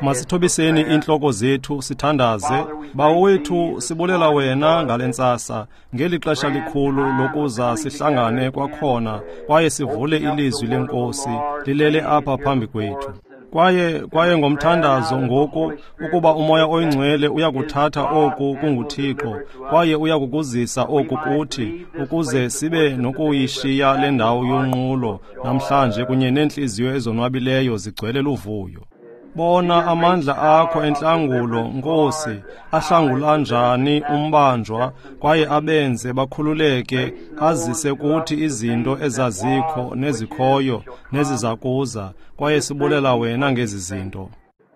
Masithobiseni iintloko zethu sithandaze. Bawo wethu, sibulela wena ngale ntsasa, ngeli xesha likhulu lokuza sihlangane kwakhona kwaye sivule ilizwi leNkosi lilele apha phambi kwethu. Kwaye ngomthandazo ngoku ukuba uMoya oyiNgcwele uyakuthatha oku kunguThixo kwaye uyakukuzisa oku kuthi ukuze sibe nokuyishiya le ndawo yonqulo namhlanje kunye neentliziyo ezonwabileyo zigcwele luvuyo. Bona amandla akho entlangulo, Nkosi, ahlangula njani umbanjwa kwaye abenze bakhululeke, azise kuthi izinto ezazikho nezikhoyo nezizakuza, kwaye sibulela wena ngezi zinto.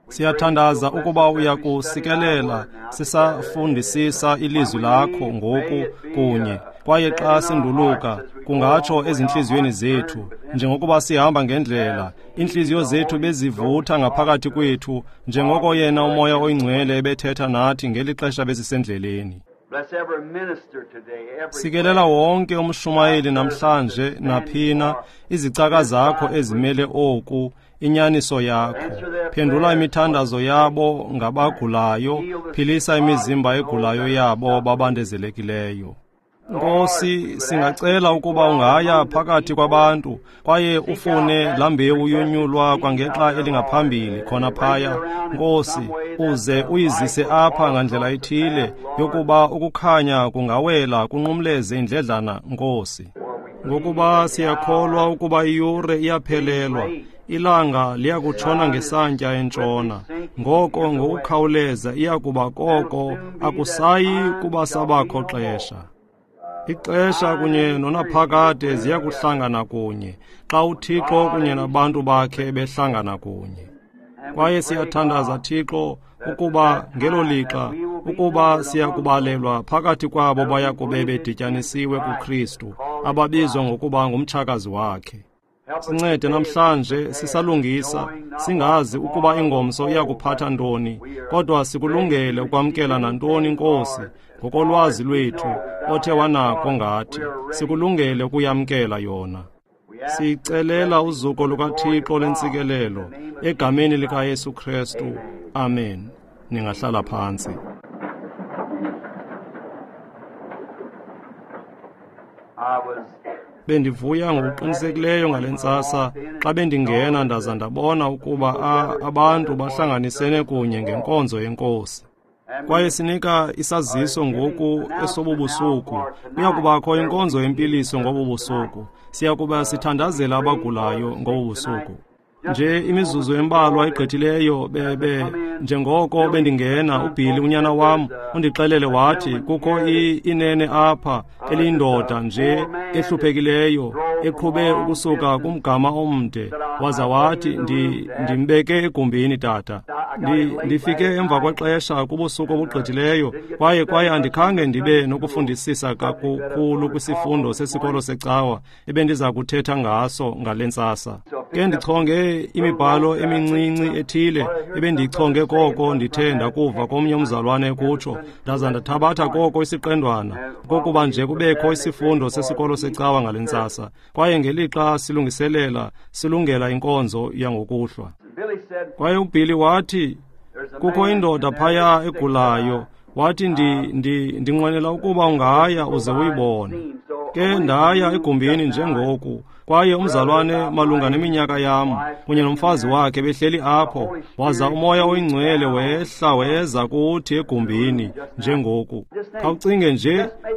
Siyathandaza ukuba uyakusikelela sisafundisisa ilizwi lakho ngoku kunye, kwaye xa sinduluka kungatsho ezintliziyweni zethu, njengokuba sihamba ngendlela, iintliziyo zethu bezivutha ngaphakathi kwethu, njengoko yena uMoya oyiNgcwele ebethetha nathi ngeli xesha besisendleleni. Sikelela wonke umshumayeli namhlanje naphina, izicaka zakho ezimele oku, inyaniso yakho. Phendula imithandazo yabo ngabagulayo, philisa imizimba egulayo yabo babandezelekileyo. Nkosi, singacela ukuba ungaya phakathi kwabantu kwaye ufune laa mbewu yonyulwa kwangexa elingaphambili khona phaya. Nkosi, uze uyizise apha ngandlela ithile yokuba ukukhanya kungawela kunqumleze indledlana, Nkosi. Ngokuba siyakholwa ukuba iyure iyaphelelwa, ilanga liyakutshona ngesantya entshona. Ngoko ngokukhawuleza iyakuba koko akusayi kuba sabakho xesha. Ixesha kunye nonaphakade ziyakuhlangana kunye xa uThixo kunye nabantu bakhe behlangana kunye. Kwaye siyathandaza, Thixo, ukuba ngelo lixa ukuba siyakubalelwa phakathi kwabo bayakube bedityanisiwe kuKristu, ababizwa ngokuba ngumtshakazi wakhe. Sincede namhlanje sisalungisa, singazi ukuba ingomso iyakuphatha ntoni, kodwa sikulungele ukwamkela nantoni, Nkosi, ngokolwazi lwethu othe wanako ngathi, sikulungele ukuyamkela yona. Siyicelela uzuko lukaThixo lentsikelelo egameni likaYesu Kristu. Amen. Ningahlala phantsi. Bendivuya ngokuqinisekileyo ngale ntsasa xa bendingena ndaza ndabona ukuba abantu bahlanganisene kunye ngenkonzo yeNkosi. Kwaye sinika isaziso ngoku esobubusuku. Kuya kubakho inkonzo yempiliso ngobu busuku. Siya kuba sithandazela abagulayo ngobu busuku. Nje imizuzu embalwa igqithileyo bebe njengoko bendingena, uBilly unyana wam undixelele wathi kukho inene apha eliyindoda nje ehluphekileyo eqhube ukusuka kumgama omde, waza wathi ndimbeke egumbini tata. Ndifike emva kwexesha kubusuku obugqithileyo kwaye andikhange ndibe nokufundisisa kakhulu kwisifundo sesikolo secawa ebendiza kuthetha ngaso ngale ntsasa. Ke ndichonge imibhalo emincinci ethile ebendiyichonge koko ndithe ndakuva komnye umzalwane kutsho, ndaza ndathabatha koko isiqendwana kokuba nje kubekho isifundo sesikolo secawa ngale ntsasa. Kwaye ngelixa silungiselela, silungela inkonzo yangokuhlwa. Kwaye uBilly wathi kukho indoda phaya egulayo, wathi ndinqwenela ukuba ungaya uze uyibone. Ke ndaya egumbini njengoku, kwaye umzalwane malunga neminyaka yam kunye nomfazi wakhe behleli apho, waza uMoya oyiNgcwele wehla weza kuthi egumbini njengoku. Khawucinge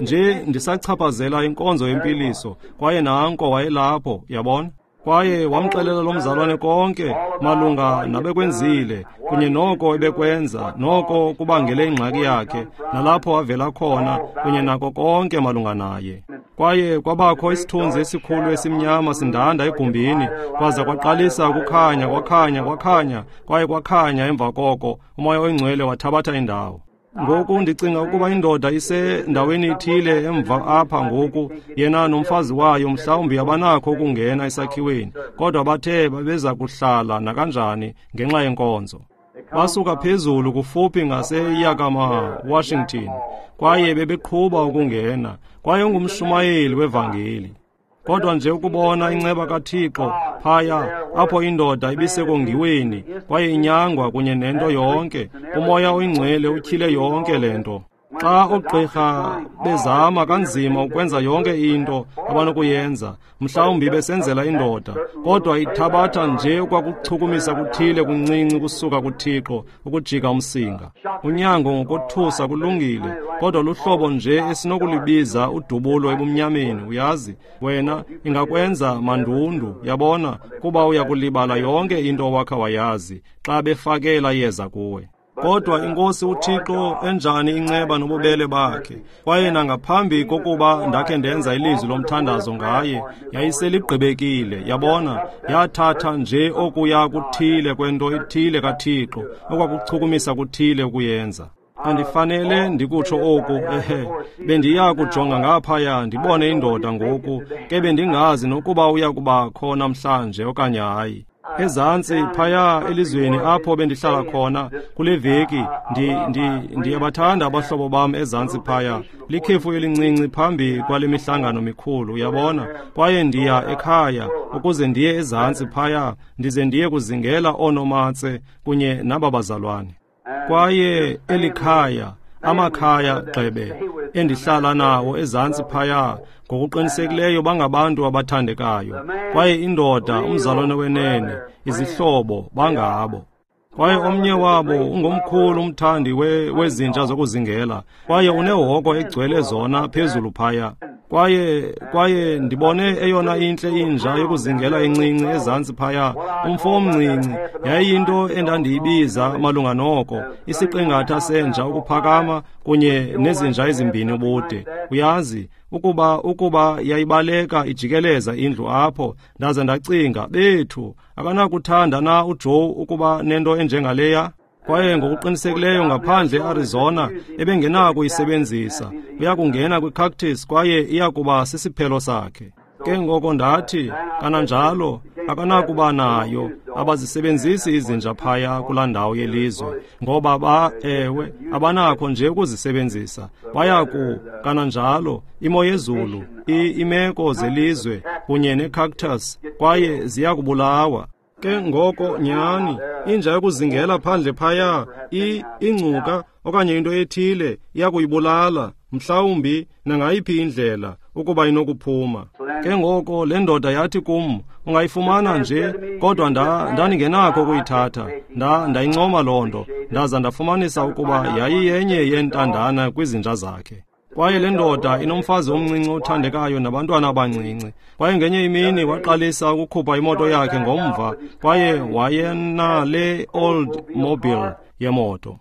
nje ndisachaphazela inkonzo yempiliso, kwaye nanko wayelapho, yabona? Kwaye wamxelela lo mzalwane konke malunga nabekwenzile kunye noko ebekwenza, noko kubangele ingxaki yakhe, nalapho avela khona kunye nako konke malunga naye. Kwaye kwabakho isithunzi esikhulu esimnyama sindanda egumbini, kwaza kwaqalisa ukukhanya, kwakhanya, kwakhanya, kwaye kwakhanya emva koko uMoya oyiNgcwele wathabatha indawo. Ngoku ndicinga ukuba indoda isendaweni ithile emva apha ngoku, yena nomfazi wayo mhlawumbi abanakho ukungena esakhiweni, kodwa bathe babeza kuhlala nakanjani ngenxa yenkonzo. Basuka phezulu kufuphi ngaseYakima, Washington, kwaye bebeqhuba ukungena, kwaye ungumshumayeli wevangeli. Kodwa nje ukubona inceba kaThixo phaya apho indoda ibisekongiweni kwaye inyangwa kunye nento yonke, uMoya oyiNgcwele utyhile yonke le nto. Xa oogqirha bezama kanzima ukwenza yonke into abanokuyenza, mhlawumbi besenzela indoda, kodwa ithabatha nje okwakuchukumisa kuthile kuncinci kusuka kuThixo ukujika umsinga. Unyango ngokothusa kulungile, kodwa luhlobo nje esinokulibiza udubulo ebumnyameni, uyazi. Wena ingakwenza mandundu, yabona, kuba uyakulibala yonke into owakha wayazi xa befakela yeza kuwe. Kodwa iNkosi uThixo enjani inceba nobubele bakhe, kwaye nangaphambi kokuba ndakhe ndenza ilizwi lomthandazo ngaye, yayiseligqibekile, yabona, yathatha nje okuya kuthile kwento ethile kaThixo, okwakuchukumisa kuthile ukuyenza. Andifanele ndikutsho oku, ehe, bendiya kujonga ngaphaya ndibone indoda ngoku, ke bendingazi nokuba uya kubakho namhlanje okanye hayi. Ezantsi phaya elizweni apho bendihlala khona kule veki, ndiyabathanda abahlobo bam ezantsi phaya, likhefu elincinci phambi kwale mihlangano mikhulu, uyabona. Kwaye ndiya ekhaya ukuze ndiye ezantsi phaya, ndize ndiye kuzingela oonomatse kunye naba bazalwane. Kwaye elikhaya, amakhaya gxebe endihlala nawo ezantsi phaya, ngokuqinisekileyo bangabantu abathandekayo. Kwaye indoda, umzalwane wenene, izihlobo bangabo. Kwaye omnye wabo ungomkhulu umthandi wezinja zokuzingela, kwaye unehoko egcwele zona phezulu phaya. Kwaye ndibone eyona intle inja yokuzingela encinci ezantsi phaya, umfo omncinci. Yayiyinto endandiyibiza malunga noko, isiqingatha senja ukuphakama kunye nezinja ezimbini ubude. Uyazi, ukuba yayibaleka ijikeleza indlu apho, ndaze ndacinga, bethu, akanakuthanda na uJoe ukuba nento enjengaleya? Kwaye ngokuqinisekileyo ngaphandle eArizona ebengenakuyisebenzisa, uyakungena kwicactus kwaye iyakuba sisiphelo sakhe. Ke ngoko ndathi, kananjalo akanakuba nayo, abazisebenzisi izinja phaya kulaa ndawo yelizwe, ngoba ewe, abanakho nje ukuzisebenzisa. Bayaku, kananjalo, imo yezulu, imeko zelizwe kunye necactus, kwaye ziyakubulawa. Ke ngoko nyhani, inja yokuzingela phandle phaya, ingcuka okanye into ethile iyakuyibulala, mhlawumbi nangayiphi indlela ukuba inokuphuma. Ke ngoko le ndoda yathi kum, ungayifumana nje, kodwa ndandingenakho ukuyithatha. Ndayincoma loo nto, ndaza ndafumanisa ukuba yayiyenye yeentandana kwizinja zakhe. Kwaye le ndoda inomfazi omncinci othandekayo nabantwana abancinci. Kwaye ngenye imini waqalisa ukukhupha imoto yakhe ngomva, kwaye wayenale old mobile yemoto.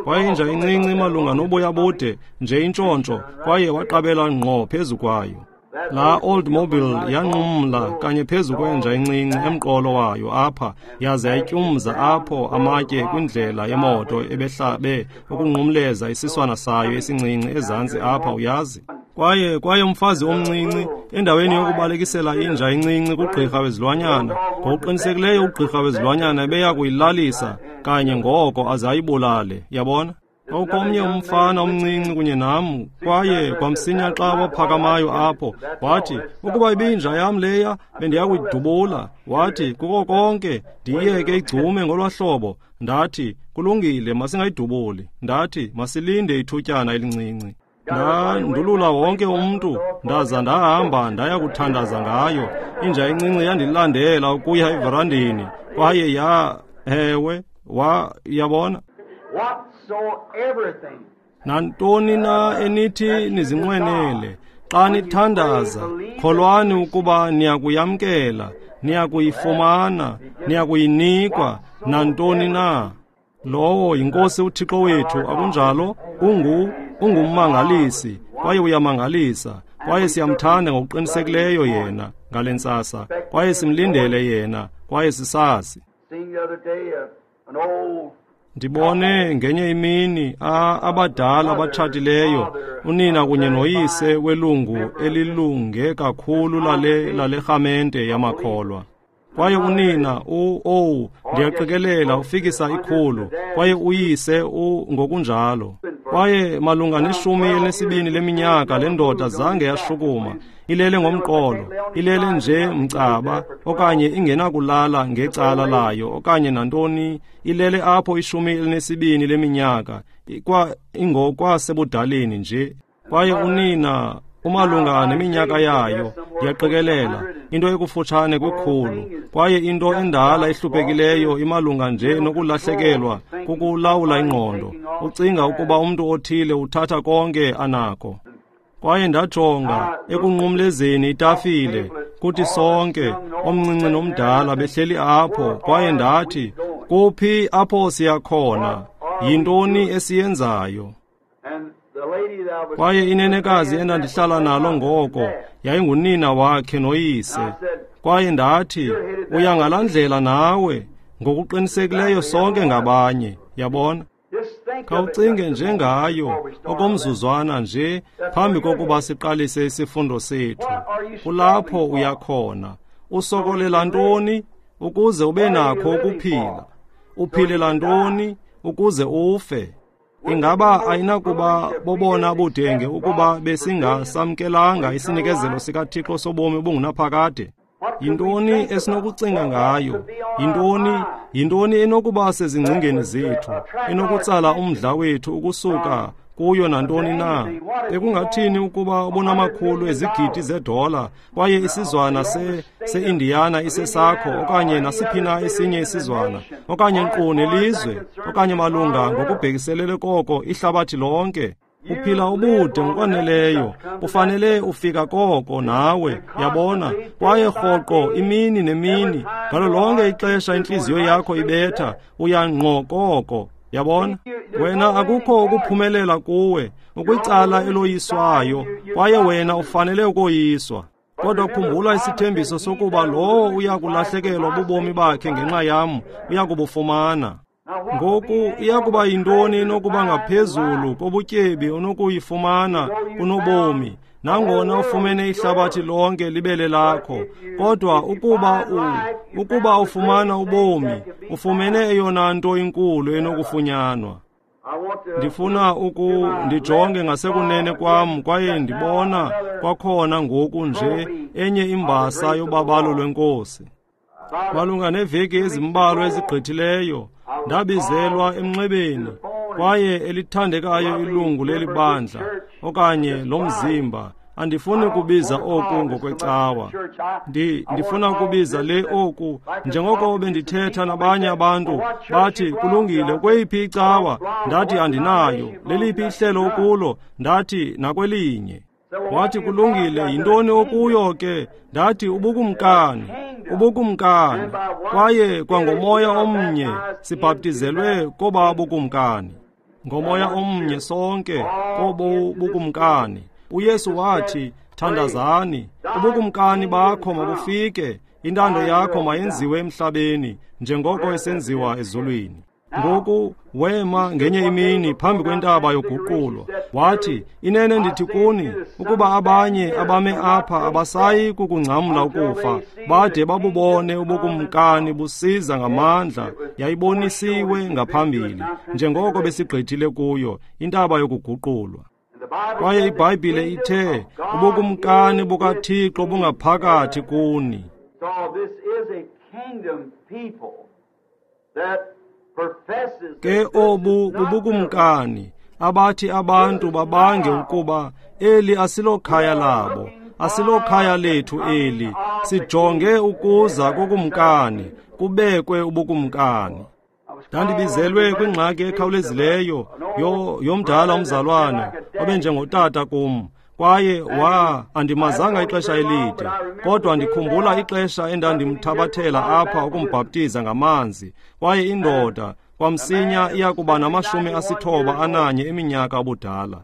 Kwaye inja incinci malunga noboya bude nje intshontsho, kwaye waqabela ngqo phezu kwayo. La old mobile yanqumla kanye phezu kwenja encinci emqolo wayo apha, yaze yayityumza apho amatye kwindlela yemoto ebehlabe ukunqumleza isiswana sayo esincinci ezantsi apha, uyazi. Kwaye umfazi omncinci, endaweni yokubalekisela inja encinci kugqirha wezilwanyana, ngokuqinisekileyo ugqirha wezilwanyana ebeya kuyilalisa kanye ngoko aze ayibulale, yabona. Kwakukho omnye umfana omncinci kunye nam, kwaye kwamsinya xa waphakamayo apho, wathi, ukuba ibinja yam leya, bendiya kuyidubula. Wathi, kuko konke, ndiyiyeke igcume ngolwa hlobo. Ndathi, kulungile, masingayidubuli. Ndathi, masilinde ithutyana elincinci. Ndandulula wonke umntu, ndaza ndahamba ndaya kuthandaza ngayo. Inja encinci yandilandela ukuya everandini, kwaye yabona. Nantoni na enithi nizinqwenele, xa nithandaza, kholwani ukuba niyakuyamkela, niyakuyifumana, niyakuyinikwa, nantoni na. Lowo yiNkosi uThixo wethu, akunjalo? Ungummangalisi, kwaye uyamangalisa, kwaye siyamthanda ngokuqinisekileyo yena ngale ntsasa, kwaye simlindele yena, kwaye sisazi. Ndibone ngenye imini abadala abatshatileyo, unina kunye noyise welungu elilunge kakhulu lale rhamente yamakholwa. Kwaye unina ndiyaqikelela ufikisa 100, kwaye uyise ngokunjalo. Kwaye malunga ne-12 leminyaka le ndoda zange yashukuma, ilele ngomqolo, ilele nje mcaba, okanye ingenakulala ngecala layo, okanye nantoni, ilele apho 12 leminyaka, ingokwasebudaleni nje. Kwaye unina umalunga neminyaka yayo, ndiyaqikelela, into ekufutshane kwikhulu, kwaye into endala ehluphekileyo imalunga nje nokulahlekelwa kukulawula ingqondo, ucinga ukuba umntu othile uthatha konke anako. Kwaye ndajonga ekunqumlezeni itafile, kuthi sonke, omncinci nomdala, behleli apho, kwaye ndathi, kuphi apho siyakhona? Yintoni esiyenzayo? Kwaye inenekazi endandihlala nalo ngoko yayingunina wakhe noyise. Kwaye ndathi, uya ngalaa ndlela nawe, ngokuqinisekileyo sonke ngabanye, yabona? Khawucinge njengayo okomzuzwana nje phambi kokuba siqalise isifundo sethu. Kulapho uyakhona. Usokolela ntoni ukuze ube nakho ukuphila? Uphilela ntoni ukuze ufe? Ingaba ayinakuba bobona budenge ukuba besingasamkelanga isinikezelo sikaThixo sobomi obungunaphakade? Yintoni esinokucinga ngayo? Yintoni enokuba sezingcingeni zethu, enokutsala umdla wethu ukusuka kuyo nantoni na? Bekungathini ukuba ubunamakhulu ezigidi zedola kwaye isizwana se-Indiana isesakho, okanye nasiphi na esinye isizwana, okanye nkqu nelizwe, okanye malunga ngokubhekiselele koko ihlabathi lonke? Uphila ubude ngokwaneleyo, ufanele ufika koko nawe, yabona? Kwaye rhoqo imini nemini, ngalo lonke ixesha intliziyo yakho ibetha, uya ngqo koko, yabona? Wena akukho ukuphumelela kuwe, ukwicala eloyiswayo, kwaye wena ufanele ukoyiswa. Kodwa khumbula isithembiso sokuba lowo uya kulahlekelwa bubomi bakhe ngenxa yam, uya kubufumana. Ngoku iyakuba yintoni enokuba ngaphezulu kobutyebi onokuyifumana kunobomi, nangona ufumene ihlabathi lonke libele lakho, kodwa ukuba ufumana ubomi, ufumene eyona nto inkulu enokufunyanwa. Ndifuna ndijonge ngasekunene kwam kwaye ndibona kwakhona ngoku nje enye imbasa yobabalo lweNkosi. Malunga neveki ezimbalwa ezigqithileyo, ndabizelwa emnxebeni, kwaye elithandekayo ilungu leli bandla okanye lomzimba. Andifuni kubiza oku ngokwecawa. Ndifuna ukubiza le oku njengoko bendithetha nabanye abantu, bathi kulungile, kweyiphi icawa? Ndathi andinayo. Leliphi ihlelo ukulo? Ndathi nakwelinye. Wathi kulungile, yintoni okuyo ke? Ndathi ubukumkani, ubukumkani. Kwaye kwangomoya omnye sibhaptizelwe koba bukumkani. Ngomoya omnye sonke kobo bukumkani. uYesu wathi, thandazani, ubukumkani bakho mabufike, intando yakho mayenziwe emhlabeni njengoko esenziwa ezulwini. Ngoku wema ngenye imini phambi kwentaba yoguqulo, wathi, inene ndithi kuni, ukuba abanye abame apha abasayi kukungcamla ukufa, bade babubone ubukumkani busiza ngamandla, yayibonisiwe ngaphambili, njengoko besigqithile kuyo intaba yokuguqulwa. Kwaye iBhayibhile ithe, ubukumkani bukaThixo bungaphakathi kuni. Ke obu bubukumkani abathi abantu babange ukuba eli asilokhaya labo, asilokhaya lethu eli, sijonge ukuza kokumkani, kubekwe ubukumkani. Ndandibizelwe kwingxaki ekhawulezileyo yomdala umzalwane obenjengotata kum, kwaye andimazanga ixesha elide, kodwa ndikhumbula ixesha endandimthabathela apha ukumbhaptiza ngamanzi, kwaye indoda kwamsinya iyakuba na-91 eminyaka ubudala.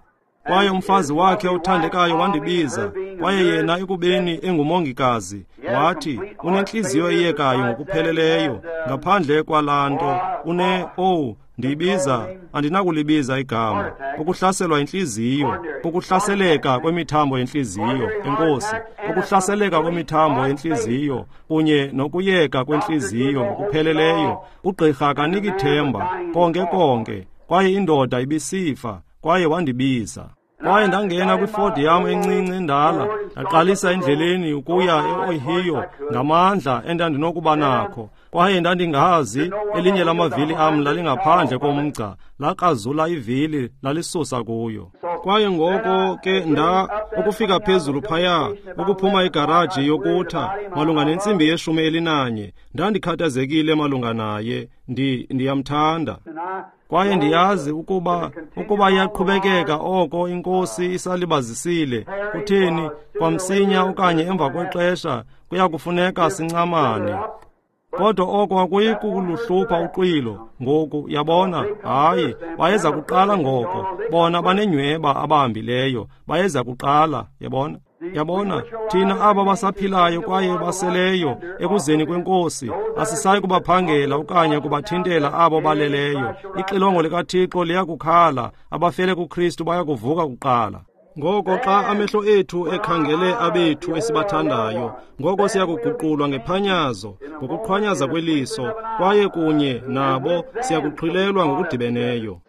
Kwaye umfazi wakhe othandekayo wandibiza, kwaye yena ekubeni engumongikazi, wathi unentliziyo eyekayo ngokupheleleyo, ngaphandle kwalaa nto ndiyibiza, andinakulibiza igama, ukuhlaselwa intliziyo, ukuhlaseleka kwemithambo yentliziyo, enkosi, ukuhlaseleka kwemithambo yentliziyo kunye nokuyeka kwentliziyo ngokupheleleyo. Ugqirha akaniki themba konke konke, kwaye indoda ibisifa. Kwaye wandibiza. Kwaye ndangena kwiFord yam encinci endala, ndaqalisa endleleni ukuya e-Ohio ngamandla endandinokuba nakho. Kwaye ndandingazi elinye lamavili am lalingaphandle komgca, lakrazula ivili lalisusa kuyo. Kwaye ngoko ke ukufika phezulu phaya, ukuphuma igaraji yokutha malunga nentsimbi ye-11, ndandikhathazekile malunga naye. Ndiyamthanda. Kwaye ndiyazi ukuba iyaqhubekeka oko iNkosi isalibazisile, kutheni, kwamsinya okanye emva kwexesha kuyakufuneka sincamane. Kodwa oko akuyi kuluhlupha uxwilo ngoku, yabona. Hayi, bayeza kuqala ngoko. Bona banenyhweba abahambileyo, bayeza kuqala, yabona. Yabona, thina aba basaphilayo kwaye baseleyo ekuzeni kweNkosi, asisayi kubaphangela okanye kubathintela abo baleleyo. Ixilongo likaThixo liyakukhala, abafele kuKristu bayakuvuka kuqala. Ngoko xa amehlo ethu ekhangele abethu esibathandayo, ngoko siyakuguqulwa ngephanyazo, ngokuqhwanyaza kweliso, kwaye kunye nabo siyakuxhilelwa ngokudibeneyo.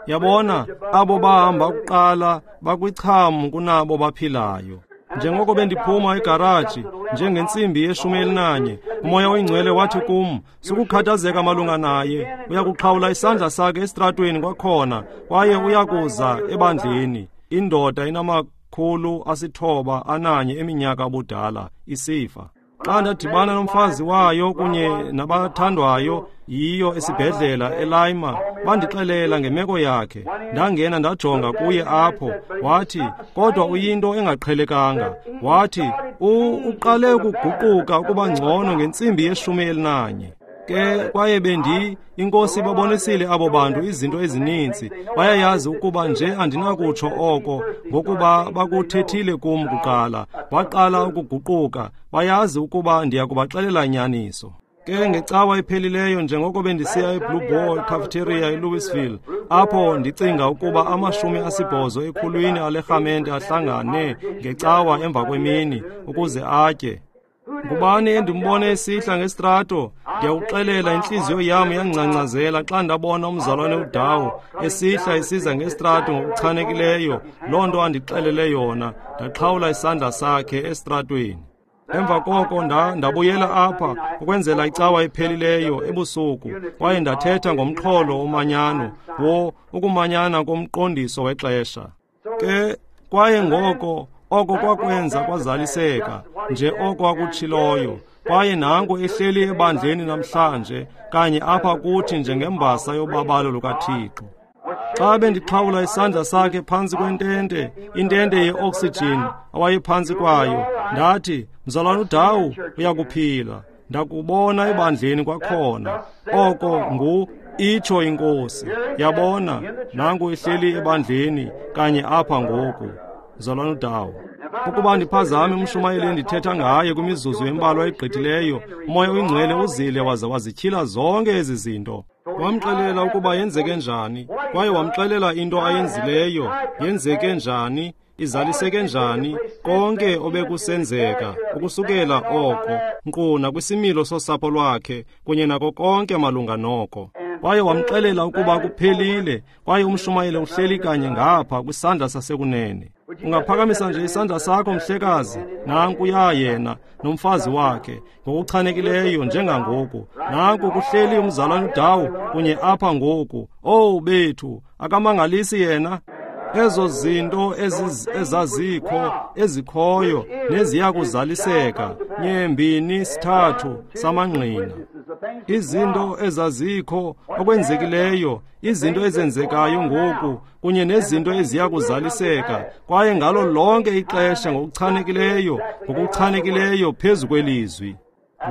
Yabona, abo bahamba kuqala bakwicham kunabo baphilayo. Njengoko bendiphuma egaraji njengentsimbi ye-11, uMoya oyiNgcwele wathi kum, sukukhathazeka malunga naye, uyakuxhawula isandla sakhe esitratweni kwakhona, kwaye uyakuza ebandleni. Indoda inama-901 eminyaka ubudala, isifa. Xa ndadibana nomfazi wayo kunye nabathandwayo yiyo esibhedlela eLima, bandixelela ngemeko yakhe. Ndangena ndajonga kuye apho, wathi, kodwa uyinto engaqhelekanga. Wathi, uqale ukuguquka ukuba ngcono ngentsimbi ye-11. Ke kwaye iNkosi babonisile abo bantu izinto ezininzi. Bayayazi ukuba nje andinakutsho oko, ngokuba bakuthethile kum kuqala. Waqala ukuguquka, bayazi ukuba ndiyakubaxelela inyaniso. Ke ngecawa ephelileyo, njengoko bendisiya eBlue Boar cafeteria eLouisville, apho ndicinga ukuba 80 ekhulwini alerhamente ahlangane ngecawa emva kwemini ukuze atye. Ngubani endimbone esihla ngesitrato? Ndiyakuxelela, intliziyo yam yangcangcazela xa ndabona umzalwane uDawo esihla esiza ngesitrato ngokuchanekileyo loo nto andixelele yona. Ndaxhawula isandla sakhe esitratweni. Emva koko ndabuyela apha ukwenzela icawa ephelileyo ebusuku, kwaye ndathetha ngomxholo womanyano, ukumanyana komqondiso wexesha. Ke kwaye ngoko oko kwakwenza kwazaliseka nje oko akutshiloyo. Kwaye nanku ehleli ebandleni namhlanje, kanye apha kuthi njengembasa yobabalo lukaThixo. Xa bendixhawula isandla sakhe phantsi kwentente, intente ye-oxygen awayephantsi kwayo, ndathi, mzalwana uDawu, uyakuphila. Ndakubona ebandleni kwakhona. Oko itsho iNkosi. Yabona, nanku ehleli ebandleni kanye apha ngoku. Mzalwana uDawu. Ukuba ndiphazame umshumayeli endithetha ngaye kwimizuzu embalwa egqithileyo, uMoya oyiNgcwele uzile waze wazityhila zonke ezi zinto. Wamxelela ukuba yenzeke njani, kwaye wamxelela into ayenzileyo, yenzeke njani, izaliseke njani, konke obekusenzeka ukusukela oko, nkqu nakwisimilo sosapho lwakhe kunye nako konke malunga noko. Kwaye wamxelela ukuba kuphelile, kwaye umshumayeli uhleli kanye ngapha kwisandla sasekunene. Ungaphakamisa nje isandla sakho, mhlekazi? Nankuya yena nomfazi wakhe ngokuchanekileyo njengangoku. Nanku kuhleli umzalwane uDawu kunye apha ngoku. Owu bethu, akamangalisi yena? Ezo zinto ezazikho, ezikhoyo neziyakuzaliseka, 2 3 samangqina. Izinto ezazikho, okwenzekileyo, izinto ezenzekayo ngoku kunye nezinto eziyakuzaliseka, kwaye ngalo lonke ixesha ngokuchanekileyo, ngokuchanekileyo phezu kwelizwi.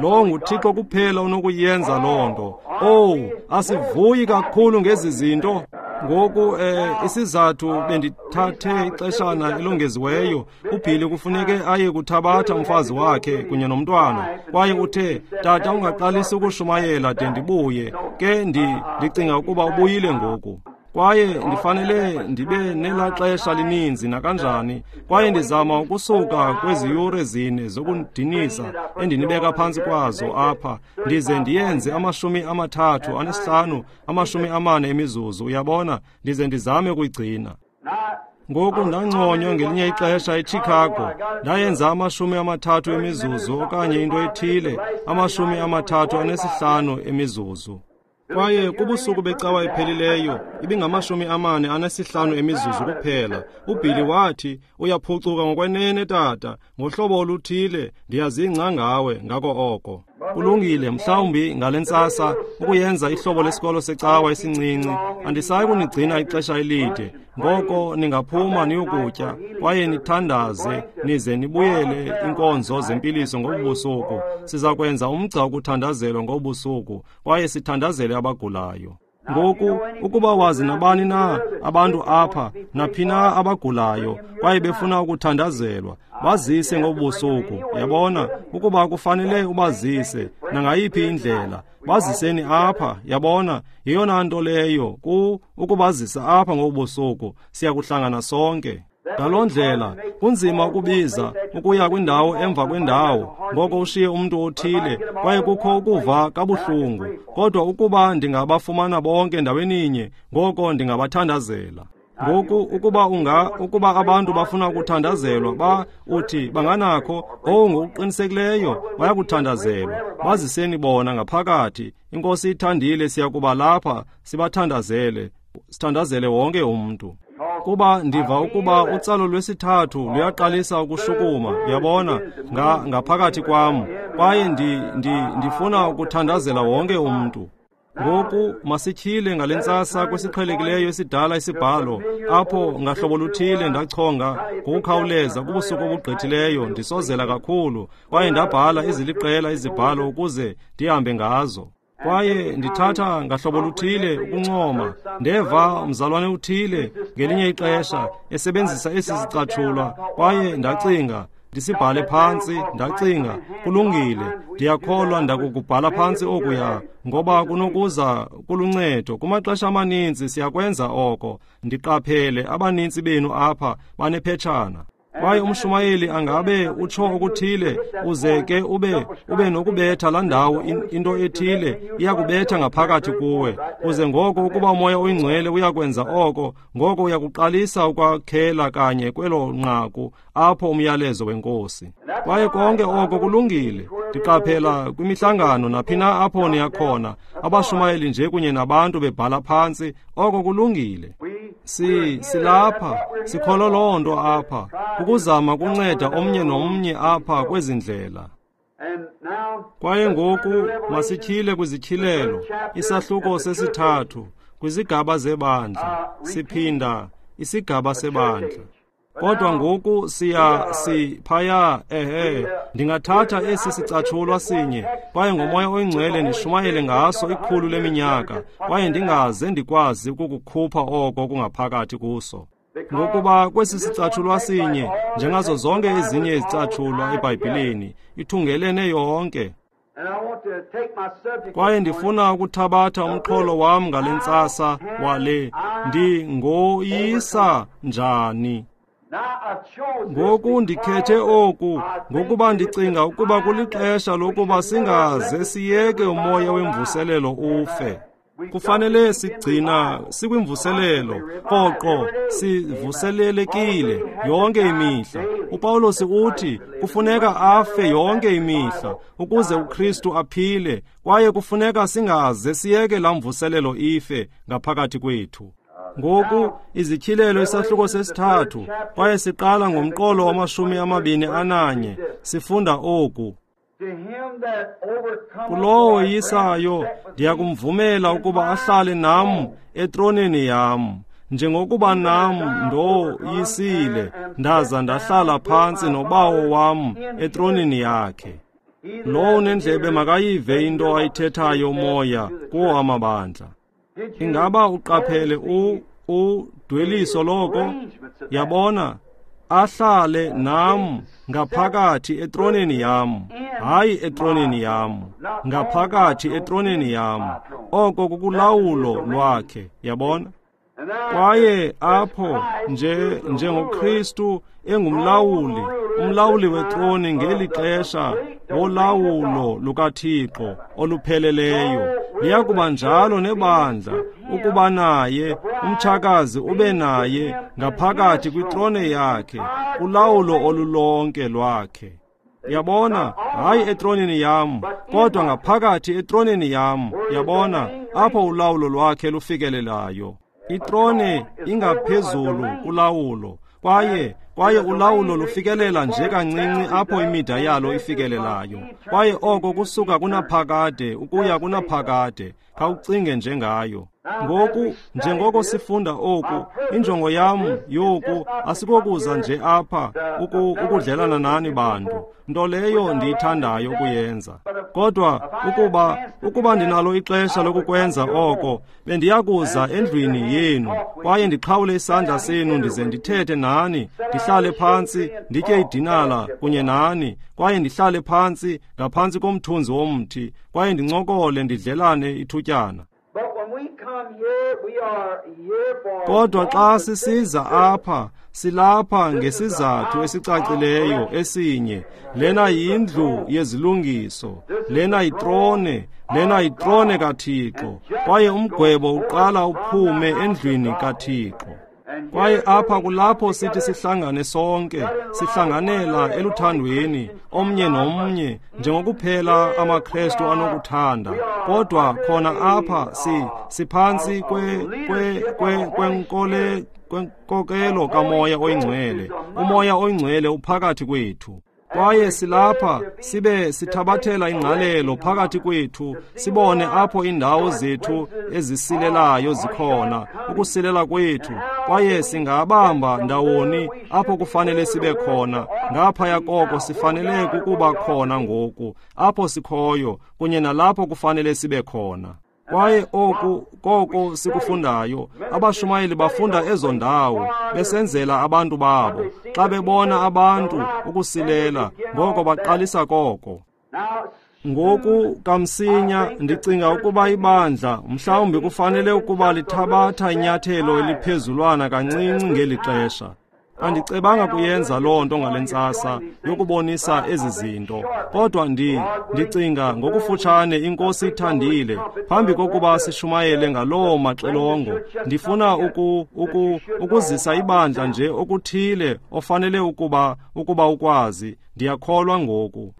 Lo nguThixo kuphela onokuyenza loo nto. Owu, asivuyi kakhulu ngezi zinto. Ngoku isizathu bendithathe ixeshana elongeziweyo, uBhili kufuneke aye kuthabatha umfazi wakhe kunye nomntwana, kwaye uthe, tata, ungaqalisi ukushumayela de ndibuye. Ke ndicinga ukuba ubuyile ngoku. Kwaye ndifanele ndibe nelaa xesha lininzi nakanjani, kwaye ndizama ukusuka kwezi yure 4 zokudinisa endinibeka phantsi kwazo apha, ndize ndiyenze 35, 40 emizuzu, uyabona, ndize ndizame ukuyigcina. Ngoku ndanconywa ngelinye ixesha eChicago, ndayenza 30 emizuzu okanye into ethile, 35 emizuzu. Kwaye kubusuku becawa ephelileyo ibingama-45 emizuzu kuphela. UBilly wathi, uyaphucuka ngokwenene tata, ngohlobo oluthile ndiyazingca ngawe ngako oko. Kulungile, mhlawumbi ngale ntsasa ukuyenza ihlobo lesikolo secawa esincinci, andisayi kunigcina ixesha elide. Ngoko ningaphuma niyokutya kwaye nithandaze nize nibuyele inkonzo zempiliso ngobusuku. Siza kwenza umgca wokuthandazelwa ngobusuku kwaye sithandazele abagulayo. Ngoku ukuba wazi nabani na abantu apha naphi na abagulayo kwaye befuna ukuthandazelwa, bazise ngobusuku. Yabona, ukuba kufanele ubazise nangayiphi indlela, baziseni apha. Yabona, yeyona nto leyo ukubazisa apha ngobusuku. Siyakuhlangana sonke. Ngaloo ndlela kunzima ukubiza ukuya kwindawo emva kwendawo, ngoko ushiye umntu othile kwaye kukho ukuva kabuhlungu. Kodwa ukuba ndingabafumana bonke ndaweninye, ngoko ndingabathandazela. Ngoku ukuba ukuba abantu bafuna ukuthandazelwa, uthi banganakho, ngokuqinisekileyo bayakuthandazelwa. Baziseni bona ngaphakathi. INkosi ithandile, siyakuba lapha sibathandazele, sithandazele wonke umntu. Kuba ndiva ukuba utsalo lwesithathu luyaqalisa ukushukuma, yabona, ngaphakathi kwam, kwaye ndifuna ukuthandazela wonke umntu. Ngoku masityhile ngale ntsasa kwesiqhelekileyo esidala isibhalo, apho ngahlobo luthile ndachonga ngokukhawuleza kubusuku obugqithileyo, ndisozela kakhulu, kwaye ndabhala eziliqela izibhalo ukuze ndihambe ngazo. Kwaye ndithatha ngahlobo luthile ukuncoma, ndeva mzalwane uthile ngelinye ixesha esebenzisa esi sicatshulwa, kwaye ndacinga ndisibhale phantsi. Ndacinga, kulungile, ndiyakholwa ndakukubhala phantsi okuya, ngoba kunokuza kuluncedo. Kumaxesha amaninzi siyakwenza oko. Ndiqaphele abanintsi benu apha banephetshana. Kwaye umshumayeli angabe utsho okuthile, uze ke ube nokubetha laa ndawo, into ethile iyakubetha ngaphakathi kuwe. Uze ngoko ukuba uMoya oyiNgcwele uyakwenza oko, ngoko uyakuqalisa ukwakhela kanye kwelo nqaku apho umyalezo weNkosi. Kwaye konke oko kulungile. Ndiqaphela kwimihlangano naphi na apho niyakhona, abashumayeli nje kunye nabantu bebhala phantsi, oko kulungile. Silapha, sikholwa loo nto apha, ukuzama kunceda omnye nomnye apha kwezi ndlela. Kwaye ngoku masityhile kwizityhilelo, isahluko sesithathu, kwizigaba zebandla. Siphinda isigaba sebandla. Kodwa ngoku siphaya, ndingathatha esi sicatshulwa sinye, kwaye ngoMoya oyiNgcwele ndishumayele ngaso 100 leminyaka, kwaye ndingaze ndikwazi ukukukhupha oko kungaphakathi kuso. Ngokuba kwesi sicatshulwa sinye, njengazo zonke ezinye izicatshulwa eBhayibhileni, ithungelene yonke. Kwaye ndifuna ukuthabatha umxholo wam ngale ntsasa wale, ndingoyisa njani. Ngoku ndikhethe oku ngokuba ndicinga ukuba kulixesha lokuba singaze siyeke umoya wemvuselelo ufe. Kufanele sigcina sikwimvuselelo qoqo, sivuselelekile yonke imihla. uPawulos uthi kufuneka afe yonke imihla ukuze uKristu aphile, kwaye kufuneka singaze siyeke laa mvuselelo ife ngaphakathi kwethu. Ngoku izityhilelo isahluko sesithathu, kwaye siqala ngomqolo wa-21, sifunda oku: Kulowo yisayo ndiyakumvumela ukuba ahlale nam etroneni yam, njengokuba nam ndoyisile ndaza ndahlala phantsi noBawo wam etroneni yakhe. Lowo unendlebe makayive into ayithethayo uMoya kuwo amabandla. Ingaba uqaphele udweliso loko? Yabona, ahlale nam ngaphakathi etroneni yam, hayi etroneni yam, ngaphakathi etroneni yam. Oko kukulawulo lwakhe, yabona. Kwaye apho nje njengoKristu engumlawuli, umlawuli wetroni ngeli xesha wolawulo lukaThixo olupheleleyo, liyakuba njalo nebandla ukuba naye umtshakazi ube naye ngaphakathi kwitrone yakhe, kulawulo olulonke lwakhe. Yabona, hayi etroneni yam, kodwa ngaphakathi etroneni yam, yabona, apho ulawulo lwakhe lufikelelayo. Itrone ingaphezulu kulawulo, kwaye ulawulo lufikelela nje kancinci apho imida yalo ifikelelayo. Kwaye oko kusuka kunaphakade ukuya kunaphakade. Khawucinge njengayo. Ngoku, njengoko sifunda oku, injongo yam yoku asikokuza nje apha ukudlelana nani bantu, nto leyo ndiyithandayo ukuyenza. Kodwa ukuba ndinalo ixesha lokukwenza oko, bendiyakuza endlwini yenu kwaye ndiqhawule isandla senu ndize ndithethe nani, ndihlale phantsi nditye idinala kunye nani, kwaye ndihlale phantsi ngaphantsi komthunzi womthi kwaye ndincokole ndidlelane ithutyana. Kodwa xa sisiza apha, silapha ngesizathu esicacileyo esinye. Lena yindlu yezilungiso, lena yitrone, lena yitrone kaThixo, kwaye umgwebo uqala uphume endlwini kaThixo. Kwaye apha kulapho sithi sihlangane sonke, sihlanganela eluthandweni omnye nomnye njengokuphela amaKrestu anokuthanda. Kodwa khona apha siphantsi kwenkokelo kaMoya oyiNgcwele. UMoya oyiNgcwele uphakathi kwethu. Kwaye silapha sibe sithabathela ingqalelo phakathi kwethu, sibone apho indawo zethu ezisilelayo zikhona, ukusilela kwethu, kwaye singabamba ndawoni apho kufanele sibe khona. Ngaphaya koko sifanele kukuba khona ngoku, apho sikhoyo, kunye nalapho kufanele sibe khona. Kwaye oku koko sikufundayo, abashumayeli bafunda ezo ndawo besenzela abantu babo. Xa bebona abantu ukusilela, ngoko baqalisa koko. Ngoku kamsinya ndicinga ukuba ibandla mhlawumbi kufanele ukuba lithabatha inyathelo eliphezulwana kancinci ngeli xesha. Andicebanga kuyenza loo nto ngale ntsasa yokubonisa ezi zinto, kodwa ndicinga ngokufutshane iNkosi ithandile, phambi kokuba sishumayele ngaloo maxilongo, ndifuna ukuzisa ibandla nje okuthile ofanele ukuba ukwazi. Ndiyakholwa ngoku.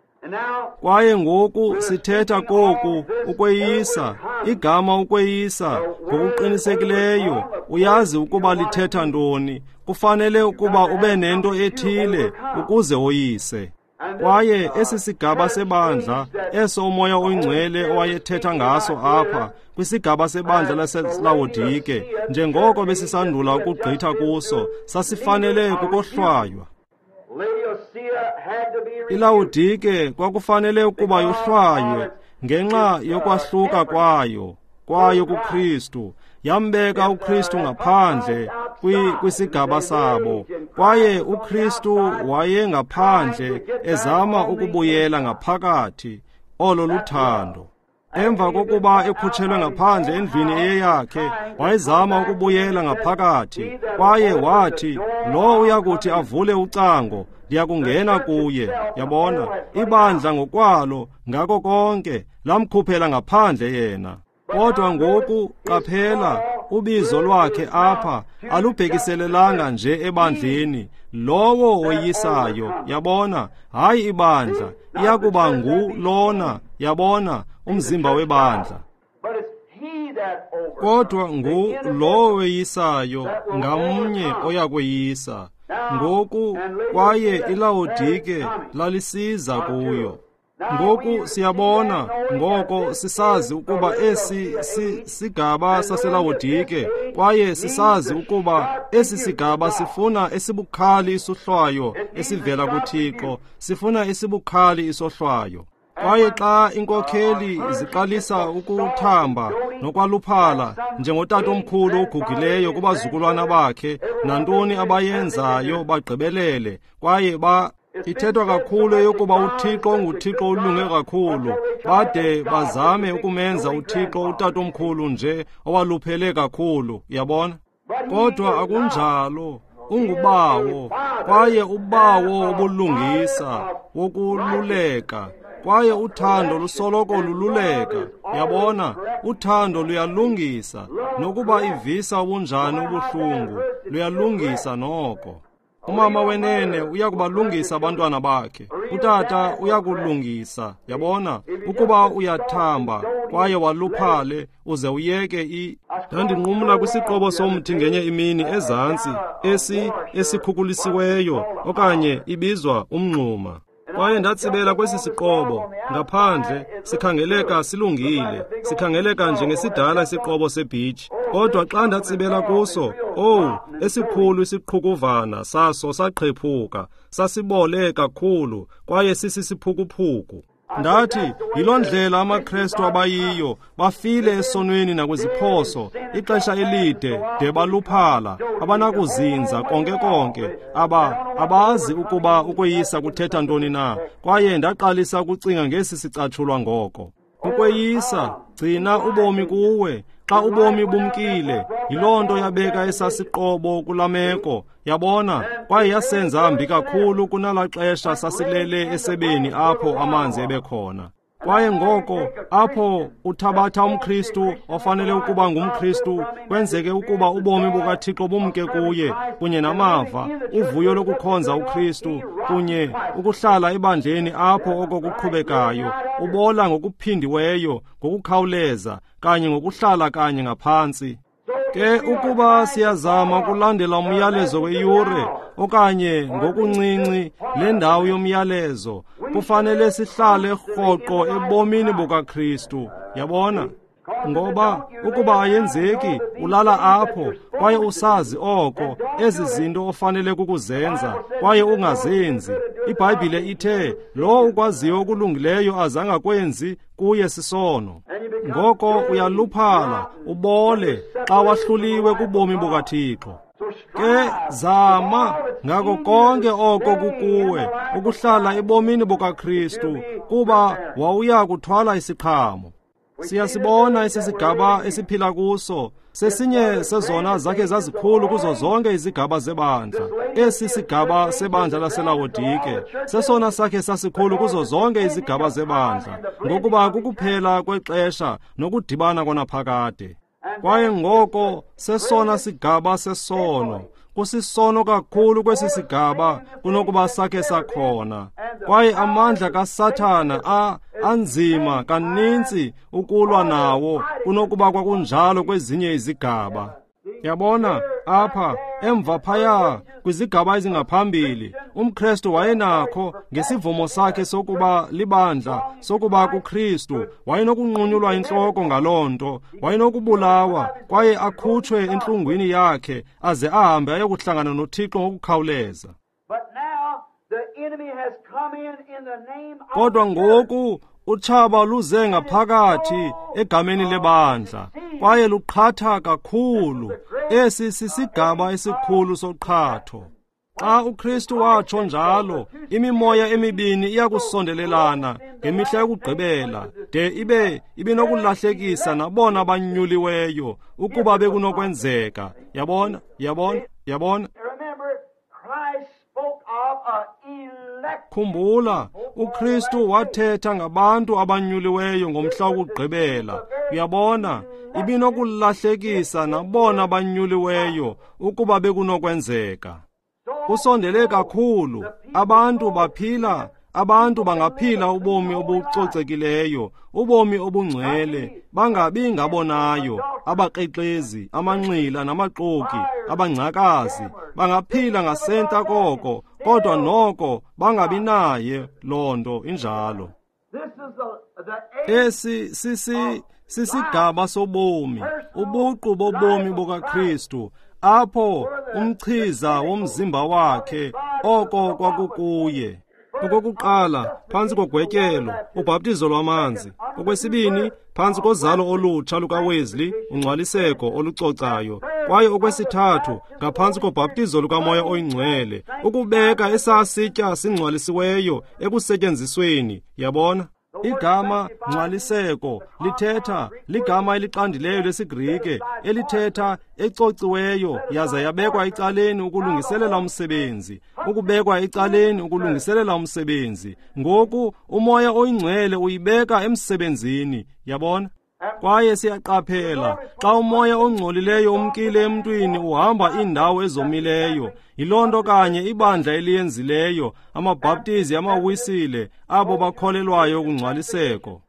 Kwaye ngoku sithetha koku ukweyisa, igama ukweyisa ngokuqinisekileyo uyazi ukuba lithetha ntoni. Kufanele ukuba ube nento ethile ukuze woyise. Kwaye esi sigaba sebandla eso uMoya oyiNgcwele owayethetha ngaso apha kwisigaba sebandla laseLawodike, njengoko besisandula ukugqitha kuso, sasifanele kukohlwaywa. iLawodike kwakufanele ukuba yohlwaywe ngenxa yokwahluka kwayo kuKristu. Yambeka uKristu ngaphandle kwisigaba sabo, kwaye uKristu wayengaphandle ezama ukubuyela ngaphakathi. Olo luthando. Emva kokuba ekhutshelwe ngaphandle endlwini eyeyakhe, wayezama ukubuyela ngaphakathi, kwaye wathi, lo uyakuthi avule ucango, ndiyakungena kuye. Yabona, ibandla ngokwalo ngako konke lamkhuphela ngaphandle yena. Kodwa ngoku qaphela, ubizo lwakhe apha alubhekiselelanga nje ebandleni. Lowo woyisayo, yabona, hayi ibandla, iyakuba ngu lona, yabona, umzimba webandla. Kodwa ngu lowo weyisayo, ngamnye oyakweyisa. Ngoku kwaye iLawodike lalisiza kuyo. Ngoku siyabona, ngoko sisazi ukuba esi sigaba saseLawodike, kwaye sisazi ukuba esi sigaba sifuna esibukhali isohlwayo esivela kuThixo, sifuna esibukhali isohlwayo. Kwaye xa inkokheli ziqalisa ukuthamba nokwaluphala njengotatomkhulu ogugileyo kubazukulwana bakhe, nantoni abayenzayo bagqibelele, kwaye ithethwa kakhulu eyokuba uThixo nguThixo olunge kakhulu, bade bazame ukumenza uThixo utatomkhulu nje owaluphele kakhulu, yabona. Kodwa akunjalo, ungubawo, kwaye ubawo wobulungisa, wokululeka. Kwaye uthando lusoloko lululeka. Yabona, uthando luyalungisa, nokuba ivisa ubunjani ubuhlungu, luyalungisa noko. Umama wenene uyakubalungisa abantwana bakhe. Utata uyakulungisa, yabona, ukuba uyathamba kwaye waluphale uze uyeke Ndandinqumla kwisiqobo somthi ngenye imini ezantsi, esikhukulisiweyo okanye ibizwa umngxuma. Kwaye ndatsibela kwesi siqobo ngaphandle, sikhangeleka silungile, sikhangeleka njengesidala isiqobo sebhitshi. Kodwa xa ndatsibela kuso, owu, esikhulu isiqhukuvana saso saqhephuka, sasibole kakhulu kwaye sisisiphukuphuku. Ndathi, yiloo ndlela amaKrestu abayiyo, bafile esonweni nakwiziphoso, ixesha elide de baluphala, abanakuzinza konke konke, abazi ukuba ukweyisa kuthetha ntoni na. Kwaye ndaqalisa ukucinga ngesi sicatshulwa ngoko. Ukweyisa, gcina ubomi kuwe. Xa ubomi bumkile, yiloo nto yabeka esasiqobo kulaa meko, yabona, kwaye yasenza mbi kakhulu kunalaa xesha sasilele esebeni apho amanzi ebekhona. Kwaye ngoko apho uthabatha umKristu ofanele ukuba ngumKristu, kwenzeke ukuba ubomi bukaThixo bumke kuye, kunye namava, uvuyo lokukhonza uKristu, kunye ukuhlala ebandleni apho oko kuqhubekayo, ubola ngokuphindiweyo, ngokukhawuleza, kanye ngokuhlala kanye ngaphantsi. Ke ukuba siyazama ukulandela umyalezo weyure okanye ngokuncinci le ndawo yomyalezo, kufanele sihlale rhoqo ebomini bukaKristu, yabona? Ngoba ukuba ayenzeki, ulala apho kwaye usazi oko, ezi zinto ofanele kukuzenza kwaye ungazenzi. IBhayibhile ithe, lowo ukwaziyo okulungileyo azangakwenzi, kuye sisono. Ngoko uyaluphala, ubole, xa wahluliwe kubomi bukaThixo. Ke zama ngako konke oko kukuwe ukuhlala ebomini bukaKristu, kuba wawuya kuthwala isiqhamo. Siyasibona esi sigaba esiphila kuso, sesinye sezona zakhe zazikhulu kuzo zonke izigaba zebandla. Esi sigaba sebandla laseLawodike sesona sakhe sasikhulu kuzo zonke izigaba zebandla, ngokuba kukuphela kwexesha nokudibana kwanaphakade. Kwaye ngoko sesona sigaba sesono, kusisono kakhulu kwesi sigaba kunokuba sakhe sakhona. Kwaye amandla kaSathana anzima kaninzi ukulwa nawo kunokuba kwakunjalo kwezinye izigaba. Yabona, apha emva phaya kwizigaba ezingaphambili, umKristu wayenakho ngesivumo sakhe sokuba libandla, sokuba kuKristu, wayenokunqunyulwa intloko ngaloo nto, wayenokubulawa kwaye akhutshwe entlungwini yakhe aze ahambe ayokuhlangana noThixo ngokukhawuleza. Kodwa ngoku utshaba luze ngaphakathi egameni lebandla kwaye luqhatha kakhulu. Esi sisigaba esikhulu soqhatho. Xa uKristu watsho njalo, imimoya emibini iyakusondelelana ngemihla yokugqibela, de ibe ibinokulahlekisa nabona banyuliweyo ukuba bekunokwenzeka. Yabona, yabona, yabona. Khumbula, uKristu wathetha ngabantu abanyuliweyo ngomhla wokugqibela. Uyabona, ibinokulahlekisa nabona banyuliweyo ukuba bekunokwenzeka. Kusondele kakhulu, abantu baphila, abantu bangaphila ubomi obucocekileyo, ubomi obungcwele, bangabi ngabonayo, abakrexezi, amanxila namaxoki, abangcakazi, bangaphila ngasentla koko, kodwa noko bangabi naye loo nto injalo. Esi sisigaba sobomi, ubuqu bobomi bukaKristu, apho umchiza womzimba wakhe oko kwakukuye. Okokuqala, phantsi kogwetyelo, ubhaptizo lwamanzi. Okwesibini, phantsi kozalo olutsha lukaWesley, ungcwaliseko olucocayo. Kwaye okwesithathu, ngaphantsi kobhaptizo lukaMoya oyiNgcwele, ukubeka esasitya singcwalisiweyo ekusetyenzisweni. Yabona? Igama ngcwaliseko lithetha ligama elixandileyo lesiGrike elithetha ecociweyo yaza yabekwa ecaleni ukulungiselela umsebenzi, ukubekwa ecaleni ukulungiselela umsebenzi. Ngoku uMoya oyiNgcwele uyibeka emsebenzini, yabona? Kwaye siyaqaphela xa umoya ongcolileyo umkile emntwini uhamba iindawo ezomileyo. Yiloo nto kanye ibandla eliyenzileyo, amaBhaptizi, amaWisile, abo bakholelwayo kungcwaliseko.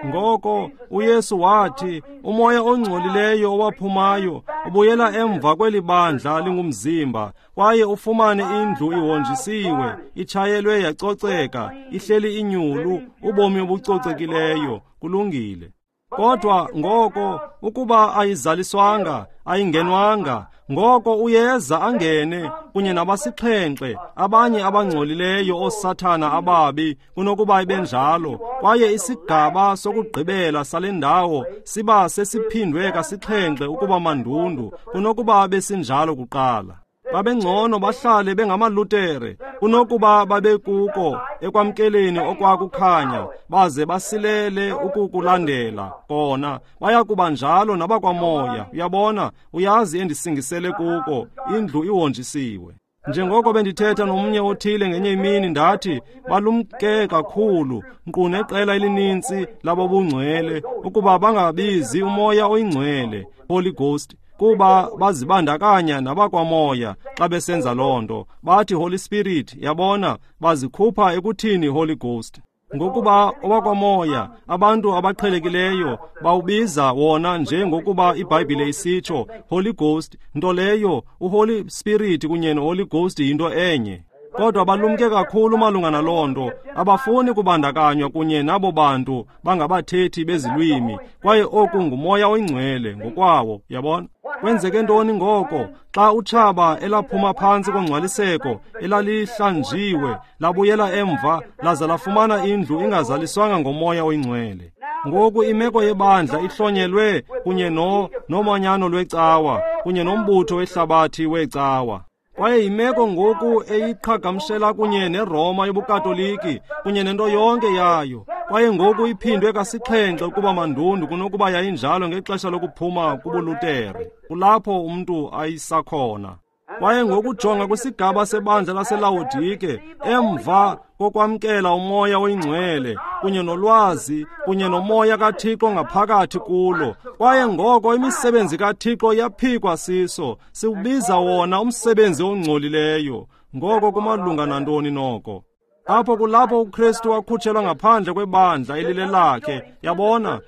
Ngoko uYesu wathi umoya ongcolileyo owaphumayo ubuyela emva kweli bandla lingumzimba, kwaye ufumane indlu ihonjisiwe, itshayelwe yacoceka, ihleli inyulu, ubomi obucocekileyo. Kulungile. Kodwa ngoko ukuba ayizaliswanga, ayingenwanga, ngoko uyeza angene kunye nabasixhenxe abanye abangcolileyo oosathana ababi kunokuba ibenjalo. Kwaye isigaba sokugqibela sale ndawo siba sesiphindwe kasixhenxe ukuba mandundu kunokuba besinjalo kuqala. Babengcono bahlale bengamaLutere kunokuba babekuko ekwamkeleni okwakukhanya, baze basilele ukukulandela kona. Bayakuba njalo nabakwamoya. Uyabona, uyazi endisingisele kuko, indlu ihonjisiwe. Njengoko bendithetha nomnye othile ngenye imini, ndathi balumke kakhulu, nkqu neqela elinintsi labobungcwele, ukuba bangabizi uMoya oyiNgcwele, Holy Ghost, kuba bazibandakanya nabakwamoya xa besenza loo nto. Bathi Holy Spirit, yabona, bazikhupha ekuthini Holy Ghost. Ngokuba owakwamoya, abantu abaqhelekileyo bawubiza wona njengokuba iBhayibhile isitsho, Holy Ghost, nto leyo uHoly Spirit kunye noHoly Ghost yinto enye. Kodwa balumke kakhulu malunga naloo nto, abafuni kubandakanywa kunye nabo bantu bangabathethi bezilwimi, kwaye oku nguMoya oyiNgcwele ngokwawo, yabona? Kwenzeke ntoni ngoko xa utshaba elaphuma phantsi kongcwaliseko elalihlanjiwe labuyela emva laza lafumana indlu ingazaliswanga ngoMoya oyiNgcwele? Ngoku imeko yebandla ihlonyelwe kunye nomanyano lwecawa kunye nombutho wehlabathi wecawa. Kwaye yimeko ngoku eyiqhagamshela kunye neRoma yobuKatoliki kunye nento yonke yayo. Kwaye ngoku iphindwe kasixhenxe ukuba mandundu kunokuba yayinjalo ngexesha lokuphuma kubuLutere, kulapho umntu ayisakhona. Kwaye ngokujonga kwisigaba sebandla laseLawodike, emva kokwamkela uMoya oyiNgcwele kunye nolwazi kunye noMoya kaThixo ngaphakathi kulo, kwaye ngoko imisebenzi kaThixo yaphikwa siso, siwubiza wona umsebenzi ongcolileyo. Ngoko kumalunga nantoni noko? Apho kulapho uKristu wakhutshelwa ngaphandle kwebandla elilelakhe, yabona,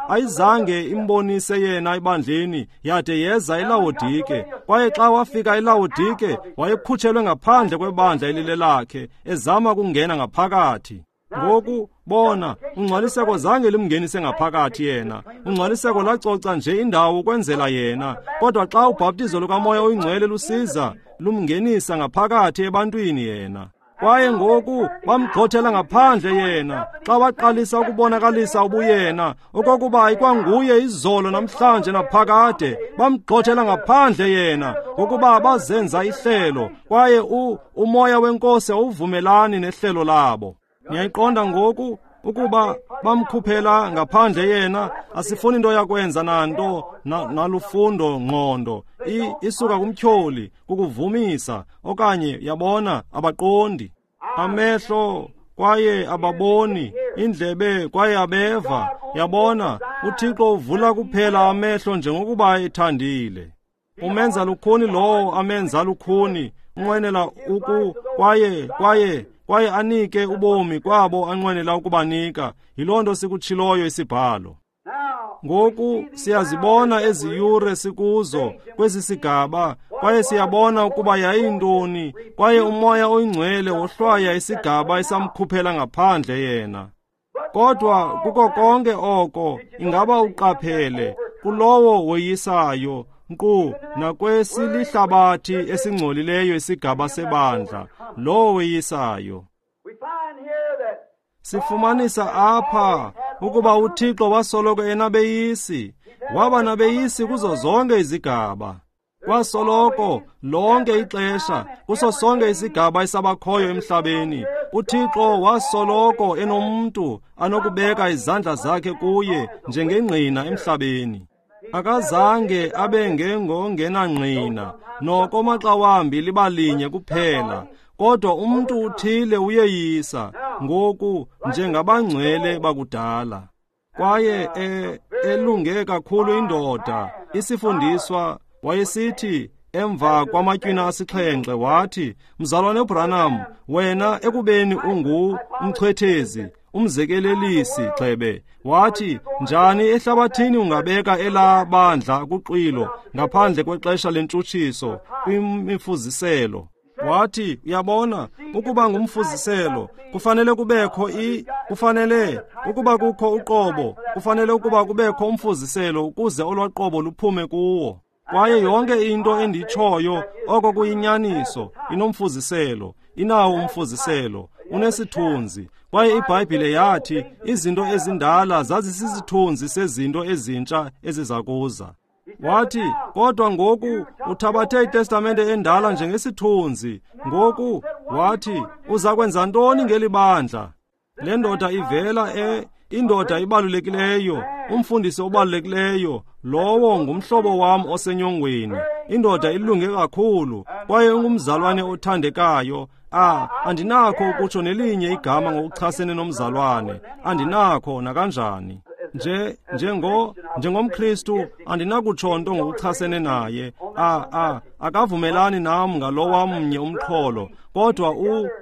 ayizange imbonise yena ebandleni, yade yeza eLawodike. Kwaye xa wafika eLawodike, wayekhutshelwe ngaphandle kwebandla elilelakhe, ezama ukungena ngaphakathi. Ngoku bona, ungcwaliseko zange limngenise ngaphakathi yena. Ungcwaliseko lacoca nje indawo ukwenzela yena. Kodwa xa ubhaptizo lukaMoya oyiNgcwele lusiza, lumngenisa ngaphakathi ebantwini yena. Kwaye ngoku bamgxothela ngaphandle yena xa waqalisa ukubonakalisa ubuyena, okokuba ikwanguye izolo namhlanje naphakade. Bamgxothela ngaphandle yena ngokuba bazenza ihlelo, kwaye uMoya weNkosi awuvumelani nehlelo labo. Niyayiqonda ngoku ukuba bamkhuphela ngaphandle yena? Asifuni into yakwenza nanto nalufundo ngqondo isuka kumtyholi kukuvumisa, okanye yabona, abaqondi. Amehlo kwaye ababoni, indlebe kwaye abeva. Yabona, uThixo uvula kuphela amehlo njengokuba ethandile. Umenza lukhuni lowo amenza lukhuni, unqwenela uku kwaye kwaye kwaye anike ubomi kwabo anqwenela ukubanika. Yiloo nto sikutshiloyo isibhalo. Ngoku siyazibona ezi yure sikuzo kwesi sigaba, kwaye siyabona ukuba yayintoni, kwaye uMoya oyiNgcwele wohlwaya isigaba esamkhuphela ngaphandle yena. Kodwa kuko konke oko, ingaba uqaphele kulowo woyisayo, nkqu nakwesilihlabathi esingcolileyo isigaba sebandla, lowo weyisayo. Sifumanisa apha ukuba uThixo wasoloko enabeyisi, waba nabeyisi kuzo zonke izigaba. Kwasoloko lonke ixesha, kuso sonke isigaba esabakhoyo emhlabeni. UThixo wasoloko enomntu anokubeka izandla zakhe kuye njengengqina emhlabeni. Akazange abe ngengongenangqina, noko maxa wambi liba linye kuphela, kodwa umntu uthile uyeyisa, ngoku njengabangcwele bakudala. Kwaye elunge kakhulu indoda, isifundiswa, wayesithi emva kwamatywina 7 wathi, Mzalwane Branham, wena ekubeni ungu umchwethezi, umzekelelisi gxebe, wathi, njani ehlabathini ungabeka elaa bandla kuxwilo ngaphandle kwexesha lentshutshiso kwimifuziselo? Wathi, uyabona, ukuba ngumfuziselo kufanele kubekho kufanele ukuba kukho uqobo, kufanele ukuba kubekho umfuziselo ukuze olwaqobo luphume kuwo. Kwaye yonke into enditshoyo oko kuyinyaniso, inomfuziselo, inawo umfuziselo, unesithunzi. Kwaye iBhayibhile yathi izinto ezindala zazisisithunzi sezinto ezintsha eziza kuza. Wathi, kodwa ngoku uthabathe iTestamente endala njengesithunzi. Ngoku wathi, uza kwenza ntoni ngeli bandla? Le ndoda ivela indoda ibalulekileyo, umfundisi obalulekileyo, lowo ngumhlobo wam osenyongweni. Indoda ilunge kakhulu, kwaye ungumzalwane othandekayo. Andinakho ukutsho nelinye igama ngokuchasene nomzalwane, andinakho nakanjani. NjengomKristu andinakutsho nto ngokuchasene naye. Akavumelani nam ngalo wamnye umxholo, kodwa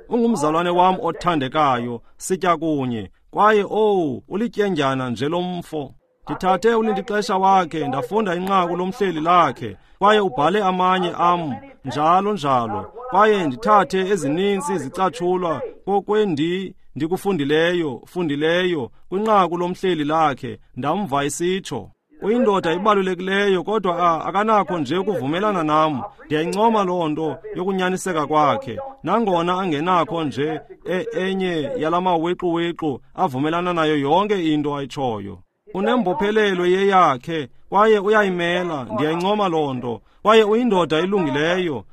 ungumzalwane wam othandekayo, sitya kunye. Kwaye ulityendyana nje lomfo. Ndithathe ulindixesha wakhe, ndafunda inqaku lomhleli lakhe, kwaye ubhale amanye am njalo njalo. Kwaye ndithathe ezininzi izicatshulwa kokwendi ndikufundileyo kwinqaku lomhleli lakhe, ndamva isitsho. Uyindoda ibalulekileyo, kodwa akanakho nje ukuvumelana nam. Ndiyayincoma loo nto yokunyaniseka kwakhe, nangona angenakho nje enye yalamawiqu-wiqu avumelana nayo yonke into ayitshoyo. Unembophelelo yeyakhe, kwaye uyayimela. Ndiyayincoma loo nto. Kwaye uyindoda elungileyo.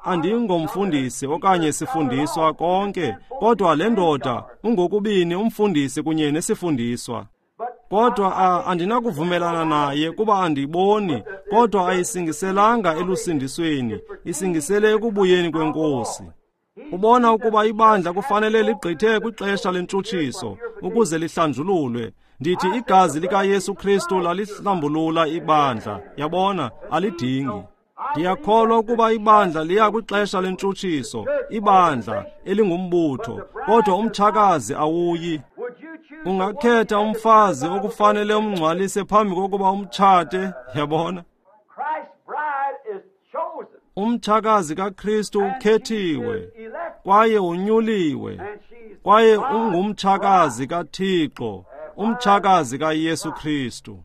Andingomfundisi okanye sifundiswa konke, kodwa le ndoda ungokubini umfundisi kunye nesifundiswa. Kodwa andinakuvumelana naye kuba andiboni, kodwa ayisingiselanga elusindisweni, isingisele ekubuyeni kweNkosi. Ubona ukuba ibandla kufanele ligqithe kwixesha lentshutshiso ukuze lihlanjululwe. Ndithi igazi likaYesu Kristu lalihlambulula ibandla, yabona, alidingi. Ndiyakholwa ukuba ibandla liya kwixesha lentshutshiso, ibandla elingumbutho, kodwa umtshakazi awuyi. Ungakhetha umfazi okufanele umngcwalise phambi kokuba umtshate, yabona. Umtshakazi kaKristu ukhethiwe, kwaye unyuliwe, kwaye ungumtshakazi kaThixo, umtshakazi kaYesu Kristu.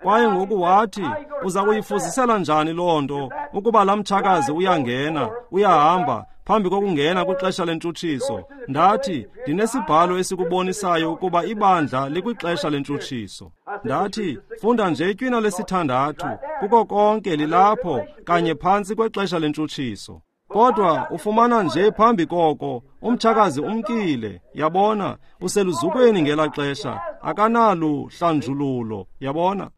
Kwaye ngoku wathi, uza kuyifuzisela njani loo nto ukuba laa mtshakazi uyangena, uyahamba phambi kokungena kwixesha lentshutshiso? Ndathi, ndinesibhalo esikubonisayo ukuba ibandla likwixesha lentshutshiso. Ndathi, funda nje itywina 6, kuko konke lilapho kanye phantsi kwexesha lentshutshiso. Kodwa ufumana nje phambi koko, umtshakazi umkile, yabona, useluzukweni ngelaa xesha, akanaluhlanjululo, yabona.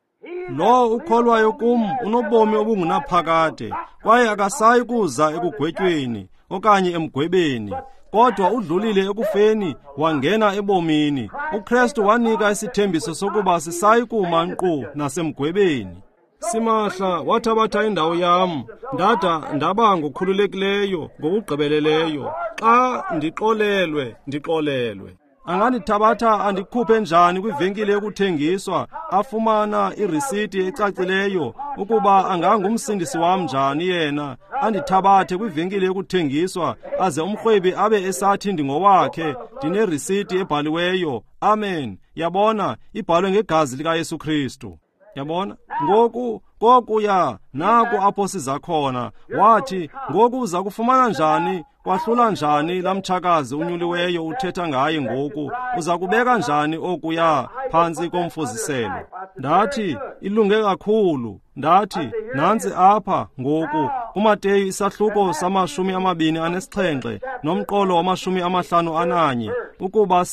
Lo ukholwayo kum unobomi obungunaphakade, kwaye akasayi kuza ekugwetyweni okanye emgwebeni, kodwa udlulile ekufeni wangena ebomini. uKristu wanika isithembiso sokuba sisayi kuma nkqu nasemgwebeni. Simahla wathabatha indawo yam, ndada ndaba ngokhululekileyo ngokugqibeleleyo. Xa ndixolelwe, ndixolelwe. Angandithabatha andikhuphe njani kwivenkile yokuthengiswa, afumana irisiti ecacileyo ukuba angangumsindisi wam njani yena, andithabathe kwivenkile yokuthengiswa, aze umrhwebi abe esathi ndingowakhe, ndinerisiti ebhaliweyo. Amen. Yabona, ibhalwe ngegazi likaYesu Kristu. Yabona? Ngoku kokuya naku apho siza khona. Wathi, ngoku uza kufumana njani, kwahlula njani laa mtshakazi unyuliweyo uthetha ngaye ngoku? Uza kubeka njani okuya phantsi komfuziselo? Ndathi, ilunge kakhulu. Ndathi, nantsi apha ngoku kuMateyu isahluko sama-27 nomqolo wama-51, ukuba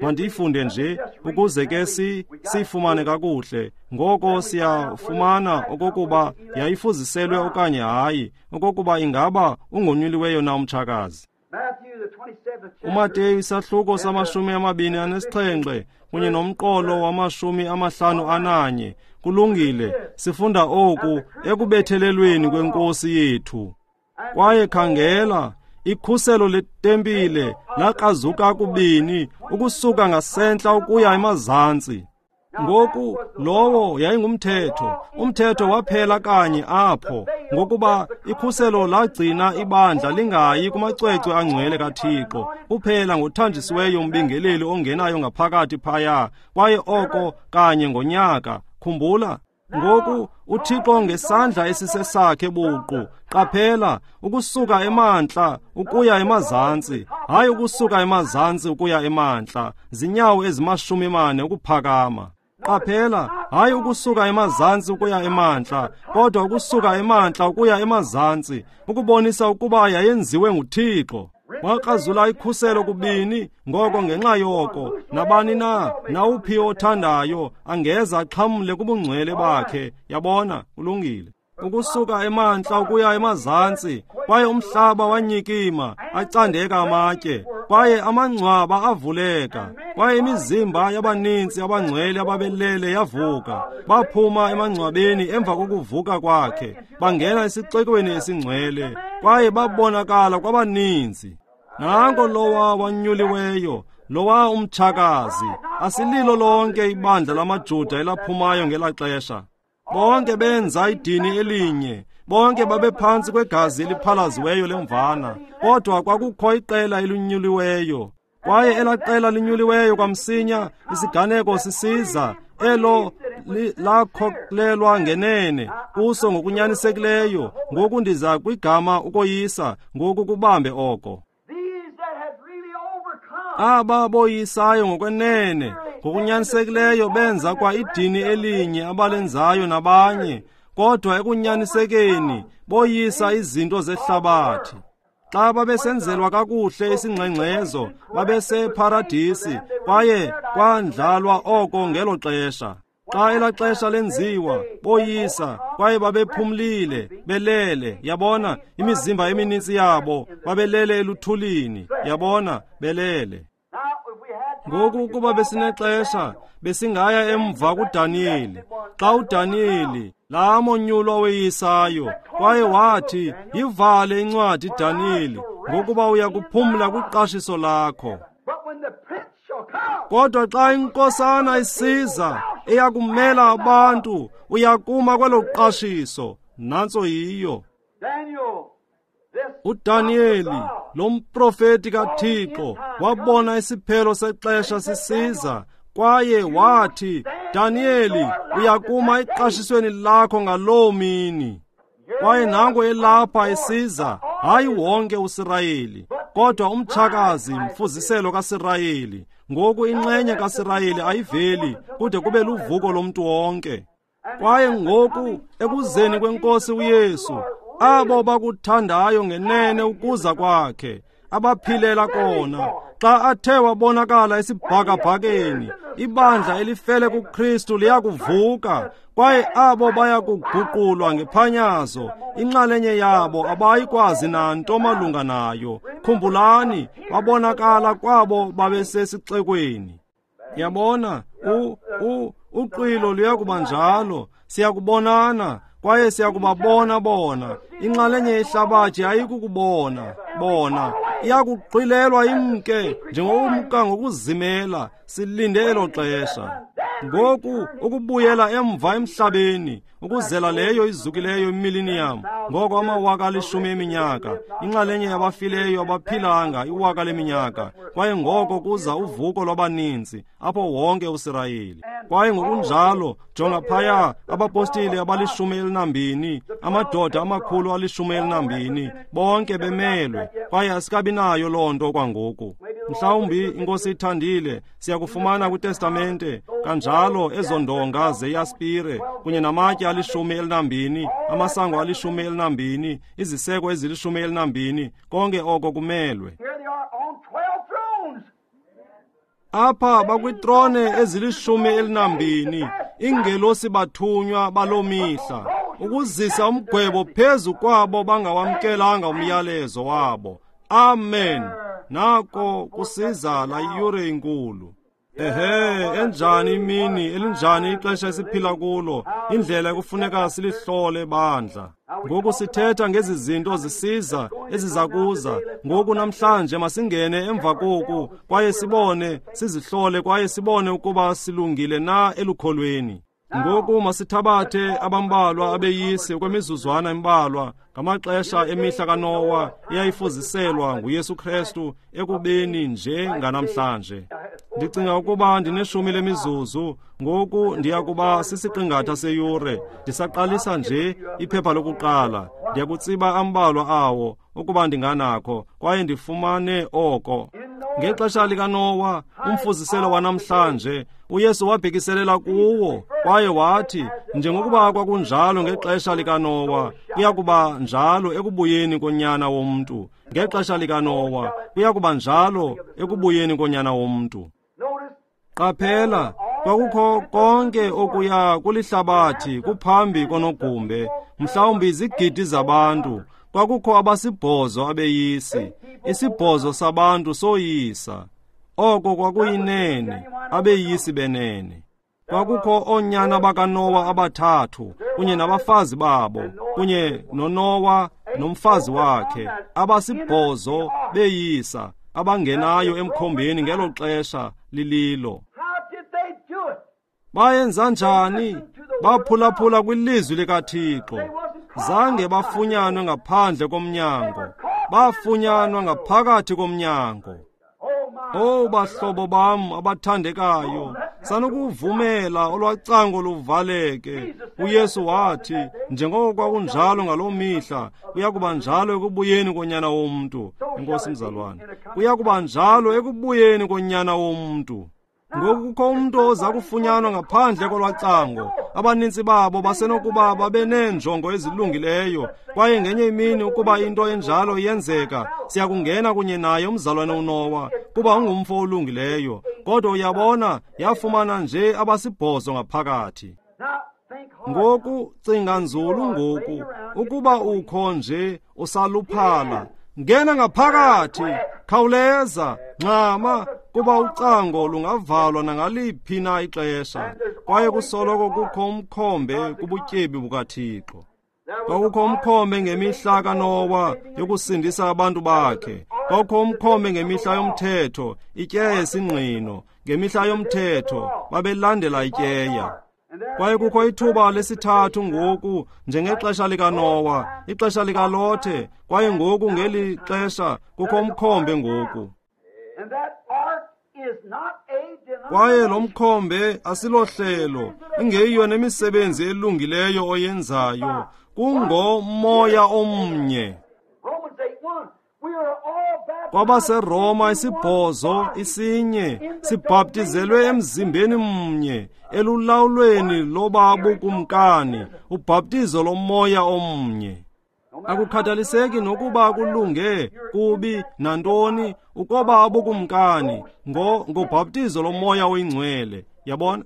mandiyifunde nje ukuze ke siyifumane kakuhle. Ngoko siyafumana okokuba yayifuziselwe okanye hayi, okokuba ingaba ungonyuliweyo na umtshakazi. UMateyu isahluko sama-27 kunye nomqolo wama-51. Kulungile, sifunda oku ekubethelelweni kwenkosi yethu. Kwaye khangela, ikhuselo letempile laqazuka kubini ukusuka ngasentla ukuya emazantsi. Ngoku lowo yayingumthetho. Umthetho waphela kanye apho, ngokuba ikhuselo lagcina ibandla lingayi kumacwecwe angcwele kaThixo, kuphela ngothanjisiweyo umbingeleli ongenayo ngaphakathi phaya, kwaye oko kanye ngonyaka. Khumbula, ngoku uThixo ngesandla esisesakhe buqu, qaphela, ukusuka emantla ukuya emazantsi, hayi ukusuka emazantsi ukuya emantla, zinyawo ezima-40 ukuphakama. Qaphela, hayi ukusuka emazantsi ukuya emantla, kodwa ukusuka emantla ukuya emazantsi, ukubonisa ukuba yayenziwe nguThixo. Wakrazula ikhuselo kubini, ngoko ngenxa yoko nabani na nawuphi othandayo angeza axhamle kubungcwele bakhe. Yabona, ulungile. Ukusuka emantla ukuya emazantsi, kwaye umhlaba wanyikima, acandeka amatye, kwaye amangcwaba avuleka, kwaye imizimba yabaninzi abangcwele ababelele yavuka. Baphuma emangcwabeni emva kokuvuka kwakhe, bangena esixekweni esingcwele, kwaye babonakala kwabaninzi. Nanko lowa wanyuliweyo, lowa umtshakazi. Asililo lonke ibandla lamaJuda elaphumayo ngelaa xesha. Bonke benza idini elinye, bonke babephantsi kwegazi eliphalaziweyo lemvana, kodwa kwakukho iqela elinyuliweyo. Kwaye elaa qela linyuliweyo kwamsinya isiganeko sisiza, elo lakhokelwa ngenene kuso ngokunyanisekileyo. Ngoku ndiza kwigama ukoyisa, ngoku kubambe oko. Aba boyisayo ngokwenene ngokunyanisekileyo benza kwa idini elinye abalenzayo nabanye, kodwa ekunyanisekeni boyisa izinto zehlabathi. Xa babesenzelwa kakuhle isingxengxezo, babeseparadisi, kwaye kwandlalwa oko ngelo xesha. Xa elaa xesha lenziwa, boyisa, kwaye babephumlile, belele. Yabona, imizimba eminintsi yabo babelele eluthulini. Yabona, belele. Ngoku ukuba besinexesha, besingaya emva kuDaniyeli. Xa uDaniyeli, laa monyulwa weyisayo, kwaye wathi, yivale incwadi Daniyeli, ngokuba uya kuphumla kwiqashiso lakho. Kodwa xa inkosana isiza eyakumela abantu, uyakuma kwelo qashiso. Nantso yiyo. uDaniyeli, lo mprofeti kaThixo, wabona isiphelo sexesha sisiza, kwaye wathi, Daniyeli, uyakuma eqashisweni lakho ngaloo mini. Kwaye nango elapha esiza, hayi wonke uSirayeli, kodwa umtshakazi, mfuziselo kaSirayeli. Ngoku inxenye kaSirayeli ayiveli kude kube luvuko lomntu wonke. Kwaye ngoku ekuzeni kwenkosi uYesu, abo bakuthandayo ngenene ukuza kwakhe, abaphilela kona, xa athe wabonakala esibhakabhakeni, ibandla elifele kuKristu liyakuvuka, kwaye abo bayakuguqulwa ngephanyazo, inxalenye yabo abayikwazi nanto malunga nayo. Khumbulani, wabonakala kwabo babesesixekweni. Yabona, uqwilo luyakuba njalo, siyakubonana, kwaye siyakubabona bona. Inxalenye yehlabathi ayikukubona bona, iyakuqilelwa imke njengokumka ngokuzimela. Silinde elo xesha. Ngoku ukubuyela emva emhlabeni, ukuzela leyo izukileyo imillennium, ngoko amawaka 10 eminyaka, inxalenye yabafileyo abaphilanga iwaka leminyaka, kwaye ngoko kuza uvuko lwabaninzi apho wonke uSirayeli. Kwaye ngokunjalo, jonga phaya, abapostile aba-12, amadoda amakhulu 12, bonke bemelwe, kwaye asikabi nayo loo nto kwangoku. Mhlawumbi iNkosi ithandile, siyakufumana kwiTestamente kanjalo ezo ndonga zeyaspire kunye namatye 12, amasango 12, iziseko ezili-12, konke oko kumelwe. Apha bakwitrone ezili-12, ingelosi bathunywa baloo mihla ukuzisa umgwebo phezu kwabo bangawamkelanga umyalezo wabo. Amen. Nako kusiza la yure inkulu. Ehe, enjani imini, elinjani ixesha esiphila kulo, indlela ekufuneka silihlole bandla. Ngoku sithetha ngezi zinto zisiza, eziza kuza. Ngoku namhlanje masingene emva koku, kwaye sibone, sizihlole, kwaye sibone ukuba silungile na elukholweni. Ngoku masithabathe abambalwa abeyisi okwemizuzwana embalwa ngamaxesha emihla kaNowa eyayifuziselwa nguYesu Kristu ekubeni nje nganamhlanje. Ndicinga ukuba ndineshumi lemizuzu, ngoku ndiya kuba sisiqingatha seyure. Ndisaqalisa nje iphepha lokuqala, ndiyakutsiba ambalwa awo ukuba ndinganakho, kwaye ndifumane oko. Ngexesha likaNowa, umfuziselo wanamhlanje, uYesu wabhekiselela kuwo kwaye wathi, njengokuba kwakunjalo ngexesha likaNowa, kuya kuba njalo ekubuyeni koNyana woMntu. Ngexesha likaNowa, kuya kuba njalo ekubuyeni koNyana woMntu. Qaphela, kwakukho konke okuya kulihlabathi kuphambi konogumbe, mhlawumbi izigidi zabantu. Kwakukho abasibhozo abeyisi, isibhozo sabantu soyisa. Oko kwakuyinene, abeyisi benene. Kwakukho oonyana bakaNowa abathathu kunye nabafazi babo, kunye noNowa nomfazi wakhe, abasibhozo beyisa, abangenayo emkhombeni ngelo xesha lililo. Bayenza njani? Baphulaphula kwilizwi likaThixo. Zange bafunyanwe ngaphandle komnyango, bafunyanwa ngaphakathi komnyango. Oh, bahlobo bam abathandekayo, sanukuvumela olwacango luvaleke. uYesu wathi, njengoko kwakunjalo ngaloo mihla, kuya kuba njalo ekubuyeni koNyana woMntu. Enkosi mzalwane, kuya kuba njalo ekubuyeni koNyana woMntu. Ngoku kukho umntu oza kufunyanwa ngaphandle kolwacango. Abanintsi babo basenokuba babe neenjongo ezilungileyo, kwaye ngenye imini ukuba into enjalo iyenzeka, siyakungena kunye naye umzalwane uNowa, kuba ungumfo olungileyo. Kodwa uyabona, yafumana nje abasibhozo ngaphakathi. Ngoku cinga nzulu ngoku, ukuba ukho nje usaluphala, ngena ngaphakathi, khawuleza, ngxama, kuba ucango lungavalwa nangaliphi na ixesha, kwaye kusoloko kukho umkhombe kubutyebi bukaThixo. Kwakukho umkhombe ngemihla kaNowa yokusindisa abantu bakhe. Kwakukho umkhombe ngemihla yomthetho, ityeya yesingqino. Ngemihla yomthetho babelandela ityeya. Kwaye kukho ithuba lesithathu ngoku, njengexesha likaNowa, ixesha likaLothe, kwaye ngoku ngeli xesha kukho umkhombe ngoku. Kwaye lo mkhombe asilohlelo, ingeyiyo nemisebenzi elungileyo oyenzayo, kungomoya omnye. KwabaseRoma isibhozo isinye sibhaptizelwe emzimbeni mnye, elulawulweni lobabukumkani, ubhaptizo lomoya omnye. Akukhathaliseki nokuba kulunge kubi nantoni, ukoba abukumkani ngobhaptizo lomoya oyingcwele. Yabona?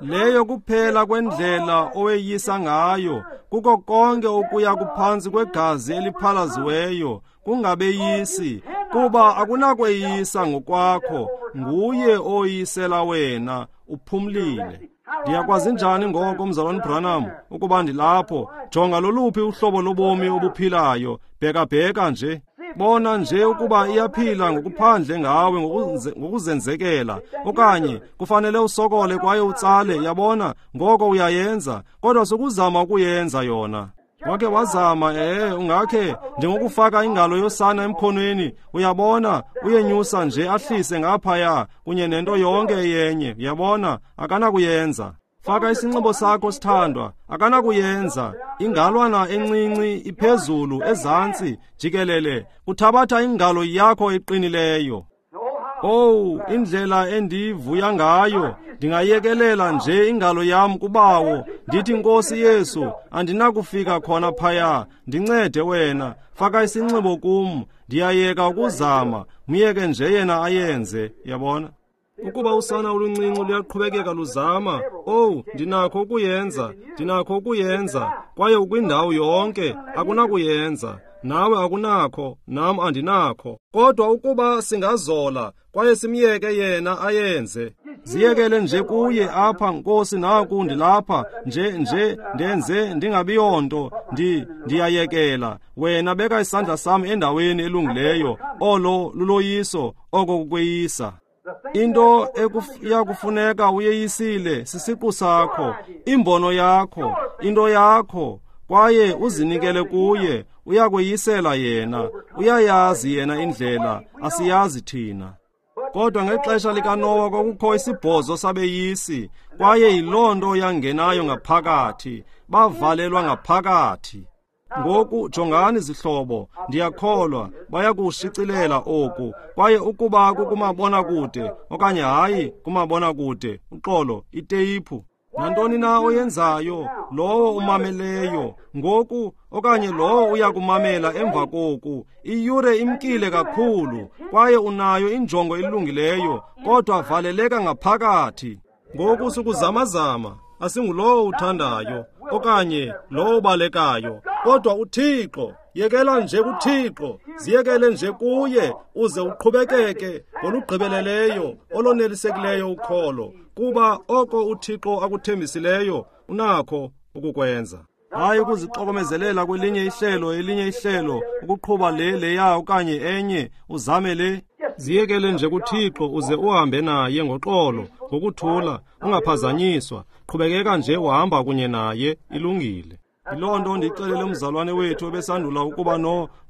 Leyo kuphela kwendlela oweyisa ngayo, kuko konke okuya kuphantsi kwegazi eliphalaziweyo, kungabeyisi, kuba akunakweyisa ngokwakho, nguye oyisela wena, uphumlile. Ndiyakwazi njani ngoko, mzalwane Branham, ukuba ndilapho? Jonga loluphi uhlobo lobomi obuphilayo, bhekabheka nje. Bona nje ukuba iyaphila ngokuphandle ngawe ngokuzenzekela, okanye kufanele usokole kwaye utsale, yabona, ngoko uyayenza, kodwa sukuzama ukuyenza yona. Wake wazama, ungakhe njengokufaka ingalo yosana emkhonweni, uyabona, uyenyusa nje ahlise ngaphaya kunye nento yonke eyenye, uyabona, akanakuyenza. Faka isinxibo sakho, sithandwa. Akanakuyenza. Ingalwana encinci iphezulu, ezantsi, jikelele. Kuthabatha ingalo yakho eqinileyo. Owu, indlela endivuya ngayo. Ndingayekelela nje ingalo yam kubawo. Ndithi, Nkosi Yesu, andinakufika khona phaya. Ndincede wena. Faka isinxibo kum. Ndiyayeka ukuzama. Myeke nje yena ayenze. Yabona? Ukuba usana oluncinci luyaqhubekeka luzama, owu, ndinakho ukuyenza, ndinakho ukuyenza, kwaye ukwindawo yonke, akunakuyenza. Nawe akunakho, nam andinakho. Kodwa ukuba singazola, kwaye simyeke yena ayenze. Ziyekele nje kuye apha, Nkosi, naku ndilapha, nje, ndenze ndingabiyonto, ndiyayekela. Wena beka isandla sam endaweni elungileyo, olo luloyiso, oko kukweyisa. Into ekuyakufuneka uyeyisile sisiqu sakho, imbono yakho, into yakho, kwaye uzinikele kuye. Uyakweyisela yena. Uyayazi yena indlela, asiyazi thina. Kodwa ngexesha likaNowa kwakukho isibhozo sabeyisi, kwaye yiloo nto yangenayo ngaphakathi, bavalelwa ngaphakathi. Ngoku jongani zihlobo, ndiyakholwa bayakushicilela oku, kwaye ukuba kukumabonakude okanye hayi kumabonakude, uxolo, iteyiphu. Nantoni na oyenzayo, lowo umameleyo ngoku okanye lowo uyakumamela emva koku, iyure imkile kakhulu, kwaye unayo injongo elungileyo, kodwa valeleka ngaphakathi. Ngoku sukuzamazama, asingulowo uthandayo okanye lowo ubalekayo, kodwa uThixo. Yekela nje kuThixo, ziyekele nje kuye, uze uqhubekeke ngolugqibeleleyo olonelisekileyo ukholo, kuba oko uThixo akuthembisileyo unakho ukukwenza. Hayi ukuzixokomezelela kwelinye ihlelo, elinye ihlelo, ukuqhuba le leya okanye enye, uzame le. Ziyekele nje kuThixo uze uhambe naye ngoxolo, ngokuthula, ungaphazanyiswa. Qhubekeka nje uhamba kunye naye, ilungile. Yiloo nto ndixelele umzalwane wethu ebesandula ukuba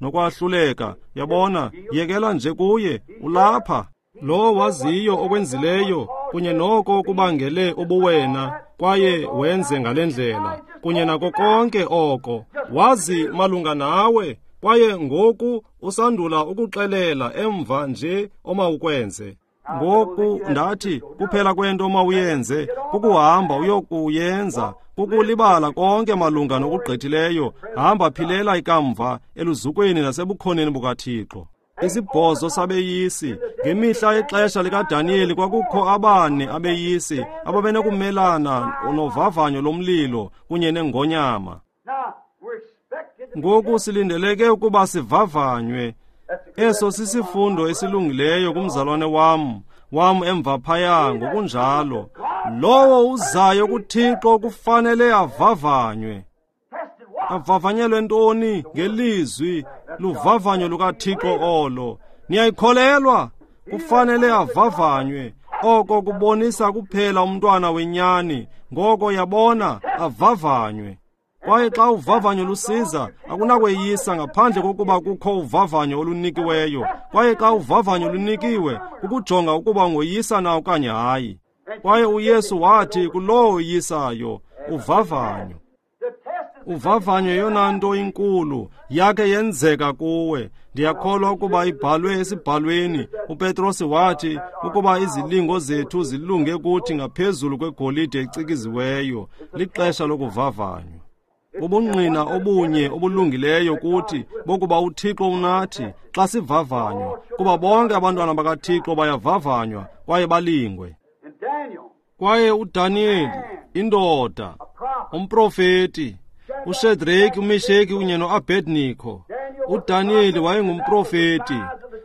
nokwahluleka. Yabona, yekela nje kuye, ulapha. Lo waziyo okwenzileyo kunye noko kubangele ubuwena, kwaye wenze ngale ndlela, kunye nako konke oko. Wazi malunga nawe, kwaye ngoku usandula ukuxelela emva nje omawukwenze. Ngoku ndathi kuphela kwento omawuyenze kukuhamba uyokuyenza, kukulibala konke malunga nokugqithileyo. Hamba philela ikamva eluzukweni nasebukhoneni bukaThixo. Isibhozo sabeyisi. Ngemihla yexesha likaDaniyeli kwakukho abane abeyisi ababenokumelana novavanyo lomlilo kunye nengonyama. Ngoku silindeleke ukuba sivavanywe. Eso sisifundo esilungileyo kumzalwane wam emva phaya ngokunjalo. Lowo uzayo kuThixo kufanele avavanywe. Avavanyelwe ntoni? Ngelizwi, luvavanyo lukaThixo olo. Niyayikholelwa? Kufanele avavanywe. Oko kubonisa kuphela umntwana wenyani. Ngoko yabona, avavanywe. Kwaye xa uvavanyo lusiza, akunakweyisa ngaphandle kokuba kukho uvavanyo olunikiweyo. Kwaye xa uvavanyo lunikiwe, kukujonga ukuba ungoyisa na okanye hayi. Kwaye uYesu wathi kulowo oyisayo, uvavanyo. Uvavanyo yeyona nto inkulu yakhe yenzeka kuwe. Ndiyakholwa ukuba ibhalwe esibhalweni. uPetros wathi ukuba izilingo zethu zilunge kuthi ngaphezulu kwegolide ecikiziweyo. Lixesha lokuvavanywa. Ubungqina obunye obulungileyo kuthi bokuba uThixo unathi xa sivavanywa, kuba bonke abantwana bakaThixo bayavavanywa kwaye balingwe. Kwaye uDaniyeli, indoda, umprofeti, uShedraki, uMesheki kunye noAbednego. uDaniyeli wayengumprofeti,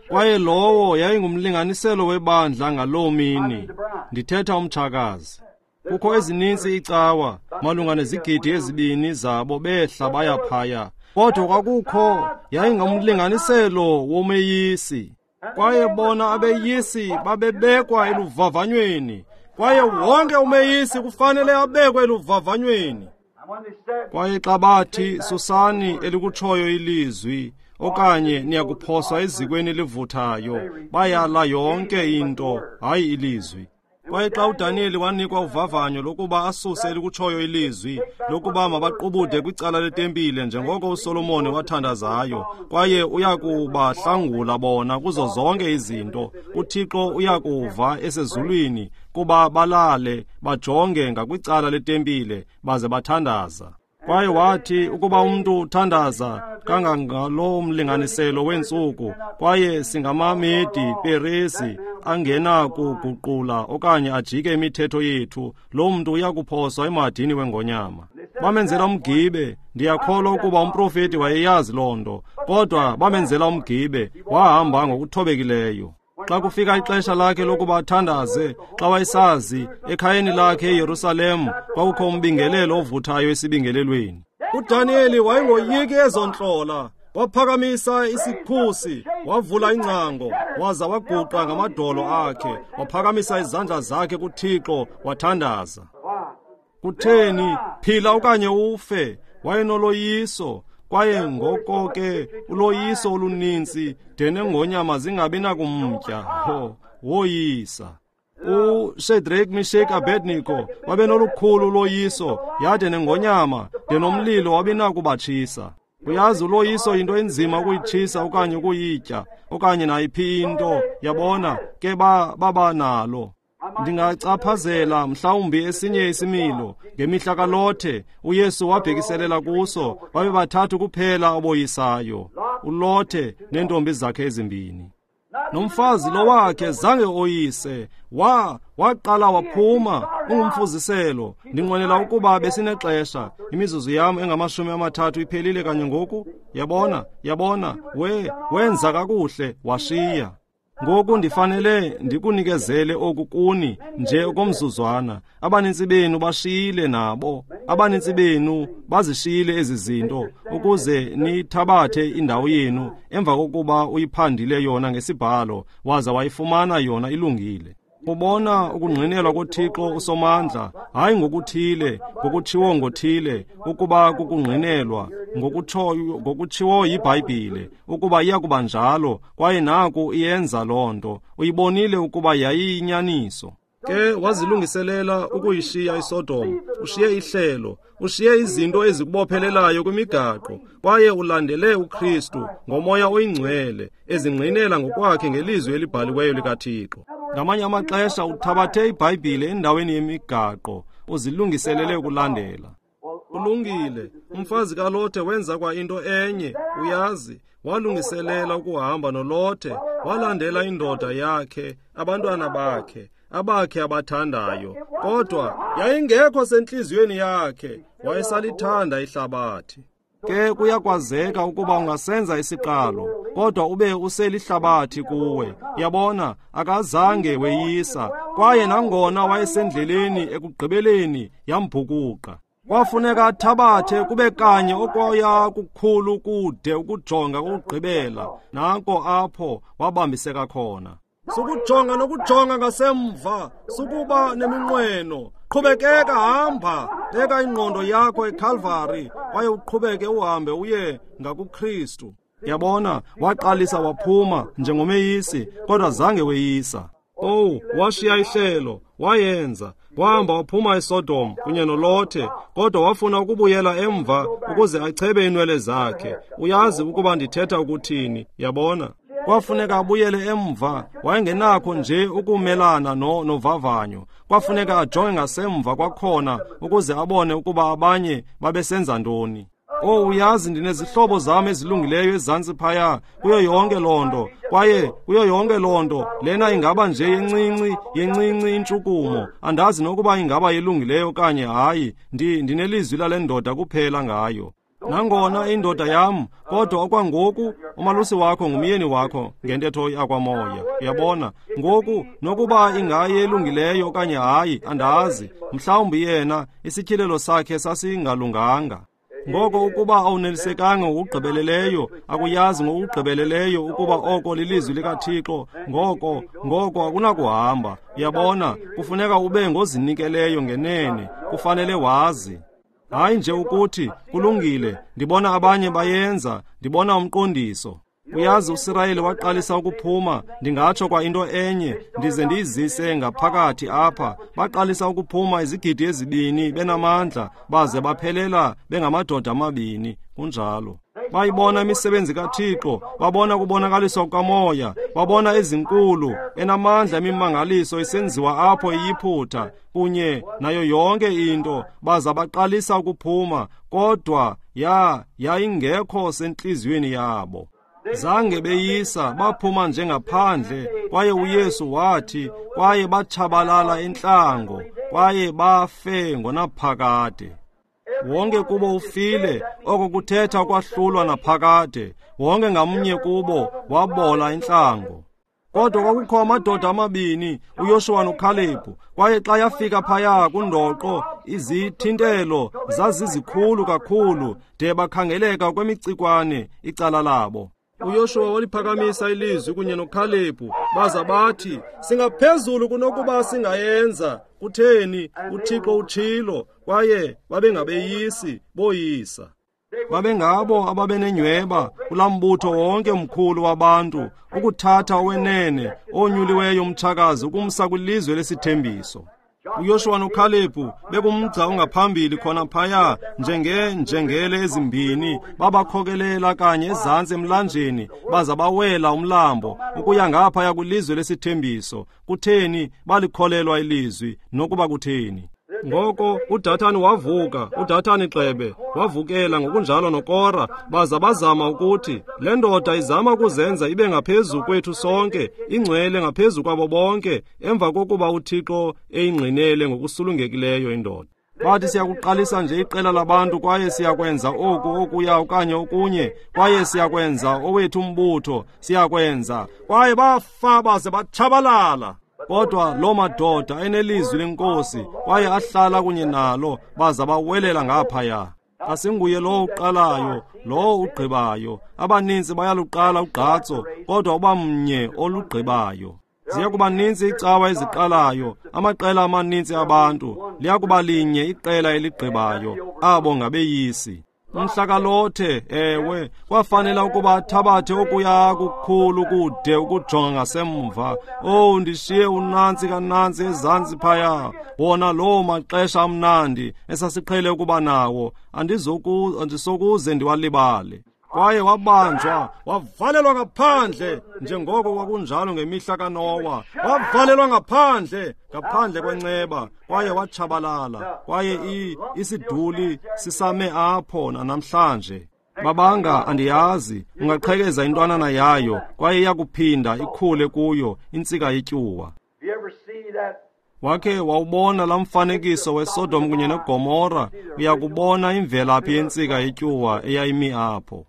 kwaye lowo yayingumlinganiselo webandla ngaloo mini. Ndithetha umtshakazi. Kukho ezininzi iicawa, malunga nezigidi 2 zabo behla baya phaya. Kodwa kwakukho yayingumlinganiselo womeyisi. Kwaye bona abeyisi babebekwa eluvavanyweni. Kwaye wonke umeyisi kufanele abekwe eluvavanyweni. Kwaye xa bathi susani elikutshoyo ilizwi, okanye niyakuphoswa ezikweni elivuthayo, bayala yonke into, hayi ilizwi. Kwaye xa uDaniyeli wanikwa uvavanyo lokuba asuse elikutshoyo ilizwi lokuba mabaqubude kwicala letempile njengoko uSolomoni wathandazayo, kwaye uyakubahlangula bona kuzo zonke izinto, uThixo uyakuva esezulwini kuba balale bajonge ngakwicala letempile baze bathandaza. Kwaye wathi ukuba umntu uthandaza kangangalo mlinganiselo weentsuku, kwaye singamamedi Peresi angenakuguqula okanye ajike imithetho yethu, lo mntu uyakuphoswa emadini wengonyama. Bamenzela umgibe. Ndiyakholwa ukuba umprofeti wayeyazi loo nto, kodwa bamenzela umgibe, wahamba ngokuthobekileyo. Xa kufika ixesha lakhe lokuba athandaze, xa wayesazi ekhayeni lakhe eYerusalem kwakukho umbingelelo ovuthayo esibingelelweni. UDaniyeli wayengoyiki ezo ntlola. Waphakamisa isikhusi, wavula ingcango, waza waguqa ngamadolo akhe, waphakamisa izandla zakhe kuThixo, wathandaza. Kutheni? Phila okanye ufe. Wayenoloyiso. Kwaye ngoko ke uloyiso oluninzi de nengonyama zingabi nakumtya. Ho, woyisa. uShadrach, Meshach, Abednego babenolukhulu uloyiso, yade nengonyama de nomlilo wabinakubatshisa. Uyazi, uloyiso yinto enzima ukuyitshisa okanye ukuyitya okanye nayiphi into, yabona ke baba nalo. Ndingacaphazela mhlawumbi esinye isimilo. Ngemihla kaLothe, uYesu wabhekiselela kuso, babe bathathu kuphela aboyisayo, uLothe neentombi zakhe ezimbini. Nomfazi lo wakhe zange oyise, waqala waphuma, ungumfuziselo. Ndinqwenela ukuba besinexesha. Imizuzu yam engama-30 iphelile kanye ngoku. Yabona, yabona, wenza kakuhle, washiya. Ngoku ndifanele ndikunikezele oku kuni nje okomzuzwana. Abanintsi benu bashiyile nabo. Abanintsi benu bazishiyile ezi zinto ukuze nithabathe indawo yenu emva kokuba uyiphandile yona ngesibhalo waza wayifumana yona ilungile. Ubona ukungqinelwa koThixo uSomandla, hayi ngokuthile, ngokutshiwo ngothile, ukuba kukungqinelwa ngokutshiwo yiBhayibhile, ukuba iyakuba njalo, kwaye naku iyenza loo nto. Uyibonile ukuba yayiyinyaniso. Ke wazilungiselela ukuyishiya iSodom, ushiye ihlelo, ushiye izinto ezikubophelelayo kwimigaqo, kwaye ulandele uKristu ngoMoya oyiNgcwele, ezingqinela ngokwakhe ngelizwi elibhaliweyo likaThixo. Ngamanye amaxesha uthabathe iBhayibhile endaweni yemigaqo, uzilungiselele ukulandela. Kulungile, umfazi kaLothe wenza kwa into enye, uyazi, walungiselela ukuhamba noLothe, walandela indoda yakhe, abantwana bakhe, abakhe abathandayo, kodwa yayingekho sentliziyweni yakhe, wayesalithanda ihlabathi. Ke kuyakwazeka ukuba ungasenza isiqalo, kodwa ube uselihlabathi kuwe. Yabona, akazange weyisa, kwaye nangona wayesendleleni ekugqibeleni yambhukuqa. Kwafuneka athabathe kube kanye okoya kukhulu kude ukujonga kokugqibela, nanko apho wabambiseka khona. Sukujonga nokujonga ngasemva, sukuba neminqweno. Qhubekeka, hamba, beka ingqondo yakho eKalvari, kwaye uqhubeke uhambe uye ngakuKristu. Yabona, waqalisa waphuma njengomeyisi, kodwa zange weyisa. Oh, washiya ihlelo, wayenza, wahamba waphuma eSodom kunye noLothe, kodwa wafuna ukubuyela emva ukuze achebe inwele zakhe. Uyazi ukuba ndithetha ukuthini, yabona. Kwafuneka abuyele emva, wayengenakho nje ukumelana novavanyo. Kwafuneka ajonge ngasemva kwakhona ukuze abone ukuba abanye babesenza ntoni. Oh, uyazi, ndinezihlobo zam ezilungileyo ezantsi phaya, kuyo yonke loo nto, kwaye kuyo yonke loo nto, lena ingaba nje yencinci intshukumo. Andazi nokuba ingaba yelungileyo okanye hayi, ndinelizwi lale ndoda kuphela ngayo. Nangona indoda yam, kodwa okwangoku umalusi wakho ngumyeni wakho ngentetho yakwamoya. Uyabona, ngoku nokuba ingaye elungileyo okanye hayi, andazi. Mhlawumbi yena isityhilelo sakhe sasingalunganga. Ngoko ukuba awunelisekanga ngokugqibeleleyo, akuyazi ngokugqibeleleyo ukuba oko lilizwi likaThixo, ngoko akunakuhamba. Uyabona, kufuneka ube ngozinikeleyo ngenene, kufanele wazi. Hayi nje ukuthi, kulungile, ndibona abanye bayenza, ndibona umqondiso. Uyazi, uSirayeli waqalisa ukuphuma, ndingatsho kwa into enye, ndize ndiyizise ngaphakathi apha. Baqalisa ukuphuma izigidi 2 benamandla, baze baphelela bengamadoda 2. Kunjalo. Bayibona imisebenzi kaThixo, babona ukubonakaliswa kukamoya, babona ezinkulu, enamandla imimangaliso isenziwa apho eYiphutha, kunye nayo yonke into, baza baqalisa ukuphuma, kodwa yayingekho sentliziyweni yabo. Zange beyisa, baphuma njengaphandle, kwaye uYesu wathi, kwaye batshabalala entlango, kwaye bafe ngonaphakade. Wonke kubo ufile, oko kuthetha ukwahlulwa naphakade. Wonke ngamnye kubo wabola entlango. Kodwa kwakukho amadoda 2, uYoshuwa noKhalebhu, kwaye xa yafika phaya kundoqo, izithintelo zazizikhulu kakhulu de bakhangeleka kwemicikwane icala labo. uYoshuwa waliphakamisa ilizwi kunye noKhalebhu, baza bathi, singaphezulu kunokuba singayenza. Kutheni? uThixo utshilo. Kwaye babengabeyisi, boyisa. Babengabo ababenenyweba kulaa mbutho wonke mkhulu wabantu, ukuthatha owenene onyuliweyo umtshakazi ukumsa kwilizwe lesithembiso. uYoshuwa noKhalebhu bekumgca ongaphambili khona phaya, njengenjengele ezimbini, babakhokelela kanye ezantsi emlanjeni, baza bawela umlambo ukuya ngaphaya kwilizwe lesithembiso. Kutheni? Balikholelwa ilizwi, nokuba kutheni. Ngoko uDathani wavuka, uDathani Xebe wavukela ngokunjalo noKora, baza bazama ukuthi le ndoda izama ukuzenza ibe ngaphezu kwethu sonke, ingcwele ngaphezu kwabo bonke, emva kokuba uThixo eyingqinele ngokusulungekileyo indoda. Bathi, siyakuqalisa nje iqela labantu, kwaye siyakwenza oku, okuya okanye okunye, kwaye siyakwenza owethu umbutho, siyakwenza. Kwaye bafa baze batshabalala. Kodwa loo madoda enelizwi lenkosi, kwaye ahlala kunye nalo, baza bawelela ngaphaya. Asinguye lowo uqalayo, lowo ugqibayo. Abaninzi bayaluqala ugqatso, kodwa uba mnye olugqibayo. Ziya kuba ninzi iicawa eziqalayo, amaqela amaninzi abantu, liya kuba linye iqela eligqibayo, abo ngabeyisi. Umhla kaLothe, ewe, kwafanela ukuba athabathe okuya kukhulu kude ukujonga ngasemva. Oh, ndishiye unantsi kanantsi ezantsi phaya, wona loo maxesha amnandi esasiqhele ukuba nawo, andisokuze ndiwalibale. Kwaye wabanjwa, wavalelwa ngaphandle, njengoko kwakunjalo ngemihla kaNowa. Wavalelwa ngaphandle, ngaphandle kwenceba, kwaye watshabalala. Kwaye isiduli sisame apho namhlanje. Babanga, andiyazi, ungaqhekeza intwanana yayo, kwaye iyakuphinda ikhule kuyo intsika yetyuwa. Wakhe wawubona laa mfanekiso weSodom kunye neGomora, uyakubona imvelaphi yentsika yetyuwa eyayimi apho.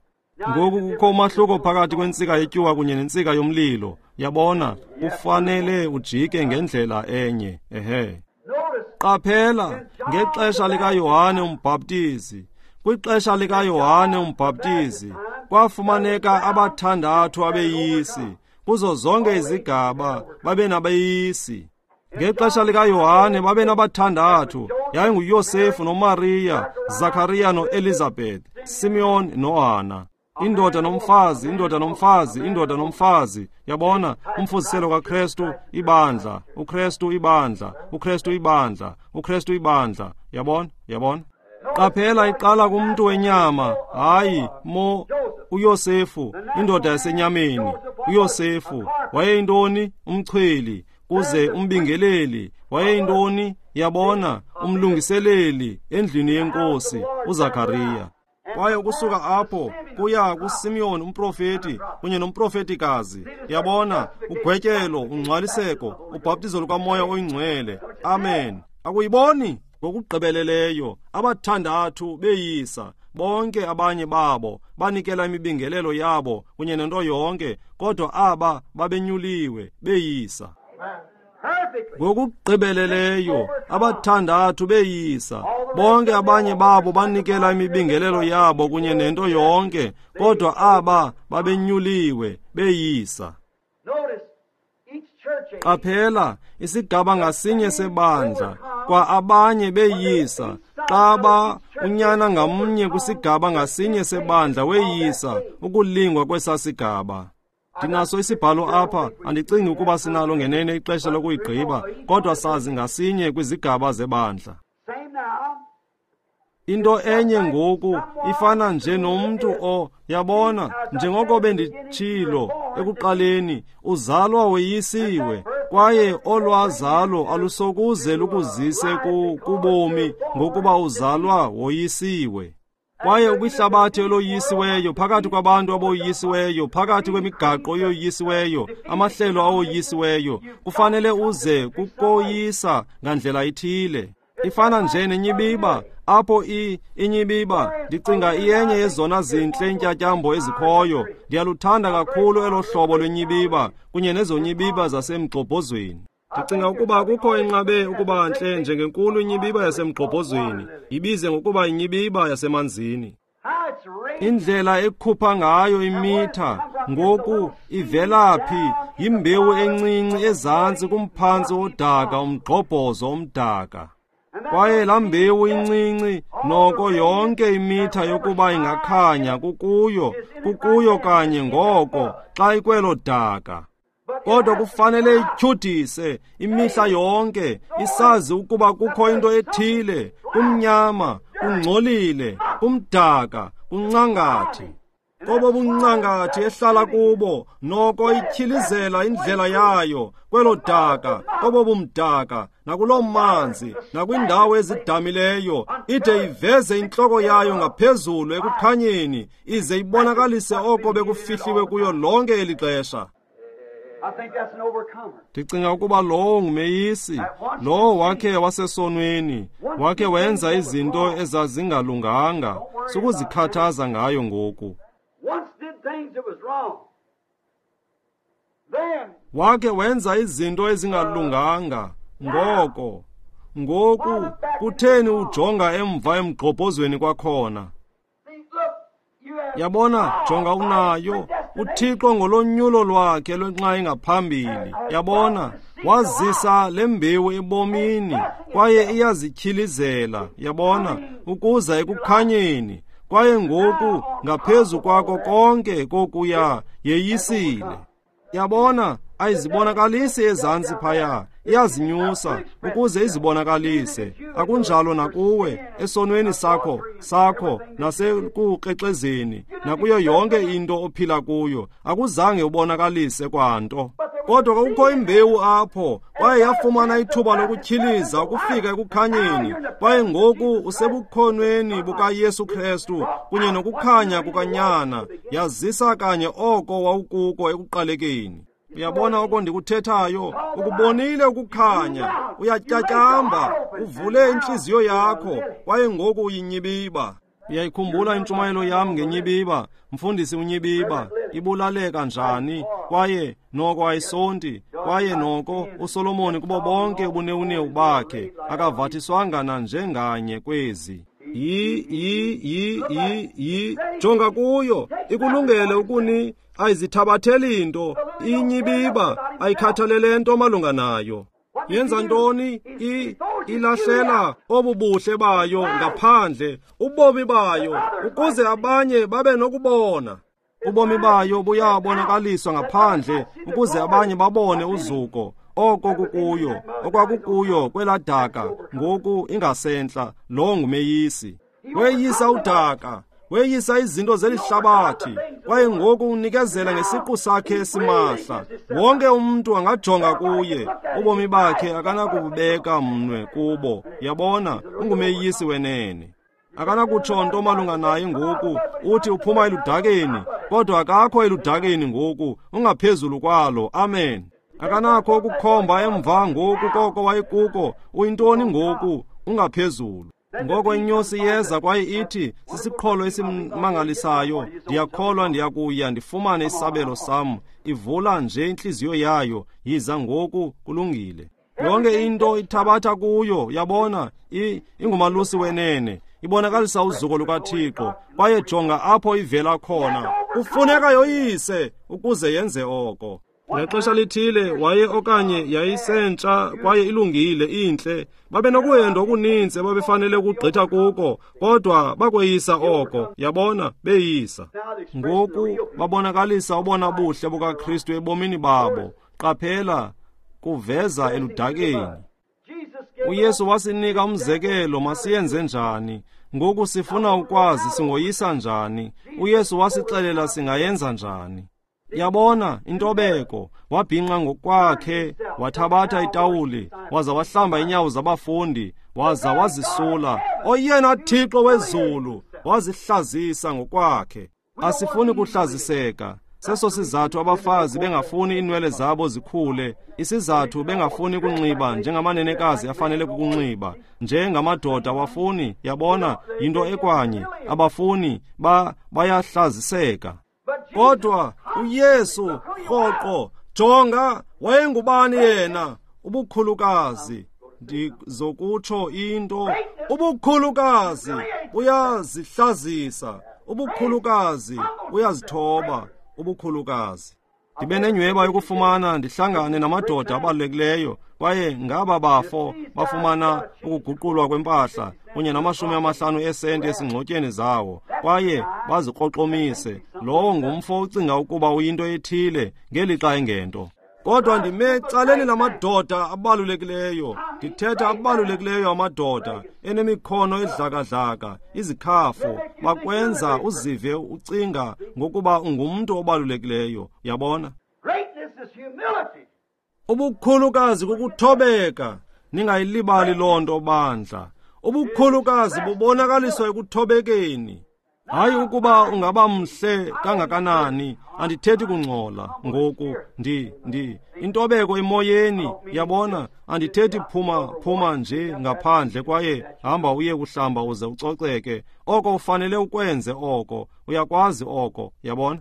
Ngoku kukho umahluko phakathi kwentsika yetyuwa kunye nentsika yomlilo. Yabona, kufanele ujike ngendlela enye. Ehe. Qaphela, ngexesha likaYohane uMbhaptizi, kwixesha likaYohane uMbhaptizi, kwafumaneka abathandathu abeyisi. Kuzo zonke izigaba babenabeyisi. Ngexesha likaYohane babenabathandathu, yayinguYosefu noMariya, Zakariya noElizabeth, Simeon noHana. Indoda nomfazi, indoda nomfazi, indoda nomfazi. Yabona, umfuziselo kaKrestu ibandla, uKrestu ibandla, uKrestu ibandla, uKrestu ibandla. Yabona, yabona. Qaphela, iqala kumntu wenyama, hayi uYosefu, indoda yasenyameni. uYosefu wayeyintoni? Umchweli. Kuze umbingeleli wayeyintoni? Yabona, umlungiseleli endlini yenkosi, uZakariya. Kwaye ukusuka apho kuya kuSimeon umprofeti kunye nomprofetikazi. Yabona, ugwetyelo, ungcwaliseko, ubhaptizo lukaMoya oyiNgcwele. Amen. Akuyiboni? Ngokugqibeleleyo abathandathu beyisa, bonke abanye babo banikela imibingelelo yabo kunye nento yonke, kodwa aba babenyuliwe beyisa. Ngokugqibeleleyo abathandathu beyisa, bonke abanye babo banikela imibingelelo yabo kunye nento yonke, kodwa aba babenyuliwe beyisa. Qaphela, isigaba ngasinye sebandla Kwa abanye beyisa, xa unyana ngamnye kwisigaba ngasinye sebandla weyisa ukulingwa kwesasigaba. Ndinaso isibhalo apha, andicingi ukuba sinalo ngenene ixesha lokuyigqiba, kodwa sazi ngasinye kwizigaba zebandla. Into enye ngoku ifana nje nomntu yabona, njengoko benditshilo ekuqaleni, uzalwa weyisiwe, kwaye olwazalo alusokuze lukuzise kubomi ngokuba uzalwa woyisiwe. Kwaye ukwihlabathi eloyisiweyo, phakathi kwabantu aboyisiweyo, phakathi kwemigaqo eyoyisiweyo, amahlelo awoyisiweyo, kufanele uze kukoyisa ngandlela ithile. Ifana nje nenyibiba, apho inyibiba, ndicinga iyenye yezona zintle intyatyambo ezikhoyo. Ndiyaluthanda kakhulu elo hlobo lwenyibiba kunye nezonyibiba zasemgxobhozweni. Ndicinga ukuba kukho enqabe ukuba ntle njengenkulu inyibiba yasemgxobhozweni, ibize ngokuba inyibiba yasemanzini. Indlela ekhupha ngayo imitha ngoku ivela phi? Yimbewu encinci ezantsi kumphantsi wodaka, umgxobhozo omdaka. Kwaye laa mbewu incinci noko yonke imitha yokuba ingakhanya kukuyo kanye ngoko xa ikwelo daka. Kodwa kufanele ityhudise imihla yonke, isazi ukuba kukho into ethile, kumnyama, kungcolile, kumdaka, kuncangathi. Kobo buncangathi ehlala kubo, noko ityhilizela indlela yayo kwelo daka, kobo bumdaka, nakuloo manzi, nakwindawo ezidamileyo, ide iveze intloko yayo ngaphezulu ekukhanyeni, ize ibonakalise oko bekufihliwe kuyo lonke eli xesha. Ndicinga ukuba lowo ngumeyisi, lowo wakhe wasesonweni, wakhe wenza izinto ezazingalunganga, sukuzikhathaza ngayo ngoku. Wakhe wenza izinto ezingalunganga, ngoko. Ngoku, kutheni ujonga emva emgxobhozweni kwakhona? Yabona, jonga unayo. uThixo ngolonyulo lwakhe lwenxa engaphambili, yabona, wazisa le mbewu ebomini, kwaye iyazityhilizela, yabona, ukuza ekukhanyeni. Kwaye ngoku ngaphezu kwako konke kokuya yeyisile. Yabona, ayizibonakalisi ezantsi phaya, iyazinyusa ukuze izibonakalise. Akunjalo nakuwe esonweni sakho nasekukrexezeni, nakuyo yonke into ophila kuyo, akuzange ubonakalise kwanto. Kodwa kukho imbewu apho, kwaye yafumana ithuba lokutyhiliza ukufika ekukhanyeni. Kwaye ngoku usebukhonweni bukaYesu Kristu kunye nokukhanya kukaNyana, yazisa kanye oko wawukuko ekuqalekeni. Uyabona oko ndikuthethayo? Ukubonile ukukhanya, uyatyatyamba, uvule intliziyo yakho, kwaye ngoku uyinyibiba. Uyayikhumbula intshumayelo yam ngenyibiba, mfundisi unyibiba, ibulaleka njani, kwaye noko ayisonti, kwaye noko uSolomoni kubo bonke ubunewunewu bakhe akavathiswanga nanjenganye kwezi. Yi jonga kuyo, ikulungele ukuni, ayizithabatheli nto, inyibiba ayikhathalele nto malunga nayo. Yenza ntoni? Ilahlela obubuhle bayo ngaphandle, ubomi bayo, ukuze abanye babe nokubona. Ubomi bayo buyabonakaliswa ngaphandle ukuze abanye babone uzuko. Oko kukuyo, okwakukuyo kweladaka, ngoku ingasentla, lo ngumeyisi. Weyisa udaka, weyisa izinto zelihlabathi, kwaye ngoku unikezela ngesiqu sakhe esimahla. Wonke umntu angajonga kuye, ubomi bakhe akanakubeka mnwe kubo. Yabona, ungumeyisi wenene. Akanakutsho nto malunga naye ngoku, uthi uphuma eludakeni, kodwa akakho eludakeni ngoku, ungaphezulu kwalo. Amen. Akanakho ukukhomba emva ngoku koko wayekuko, uyintoni ngoku, ungaphezulu. Ngoko inyosi yeza kwaye ithi, sisiqholo esimangalisayo, ndiyakholwa ndiyakuya ndifumane isabelo sam. Ivula nje intliziyo yayo, yiza ngoku, kulungile. Yonke into ithabatha kuyo, yabona, ingumalusi wenene, ibonakalisa uzuko lukaThixo, kwaye jonga apho ivela khona. Kufuneka yoyise ukuze yenze oko. Ngexesha lithile waye okanye yayisentsha kwaye ilungile intle. Babenokuhenda okuninzi ababefanele ukugqitha kuko, kodwa bakweyisa oko, yabona, beyisa. Ngoku babonakalisa ubona buhle bukaKristu ebomini babo. Qaphela, kuveza eludakeni. uYesu wasinika umzekelo masiyenze njani. Ngoku sifuna ukwazi singoyisa njani. uYesu wasixelela singayenza njani. Yabona, intobeko, wabhinqa ngokwakhe, wathabatha itawuli, waza wahlamba inyawo zabafundi, waza wazisula. Oyena Thixo wezulu, wazihlazisa ngokwakhe. Asifuni kuhlaziseka. Seso sizathu abafazi bengafuni inwele zabo zikhule, isizathu bengafuni kunxiba njengamanenekazi afanele kukunxiba, njengamadoda awafuni, yabona, yinto ekwanye, abafuni, bayahlaziseka. Kodwa uYesu rhoqo, jonga, wayengubani yena? Ubukhulukazi. Ndizokutsho into, ubukhulukazi uyazihlazisa, ubukhulukazi uyazithoba, ubukhulukazi. Ndibe nenyweba yokufumana ndihlangane namadoda abalulekileyo, kwaye ngaba bafo bafumana ukuguqulwa kwempahla kunye nama-50 eesenti esingxotyeni zawo, kwaye bazikroxomise. Lowo ngumfo ucinga ukuba uyinto ethile ngelixa engento. Kodwa ndime ecaleni lamadoda abalulekileyo, ndithetha abalulekileyo amadoda enemikhono edlakadlaka, izikhafu, bakwenza uzive ucinga ngokuba ungumntu obalulekileyo, yabona. Ubukhulukazi kukuthobeka, ningayilibali loo nto bandla. Ubukhulukazi bubonakaliswa ekuthobekeni. Hayi ukuba ungaba mhle kangakanani, andithethi kungcola ngoku, intobeko emoyeni, yabona, andithethi phuma nje ngaphandle kwaye hamba uye kuhlamba uze ucoceke. Oko ufanele ukwenze oko, uyakwazi oko, yabona.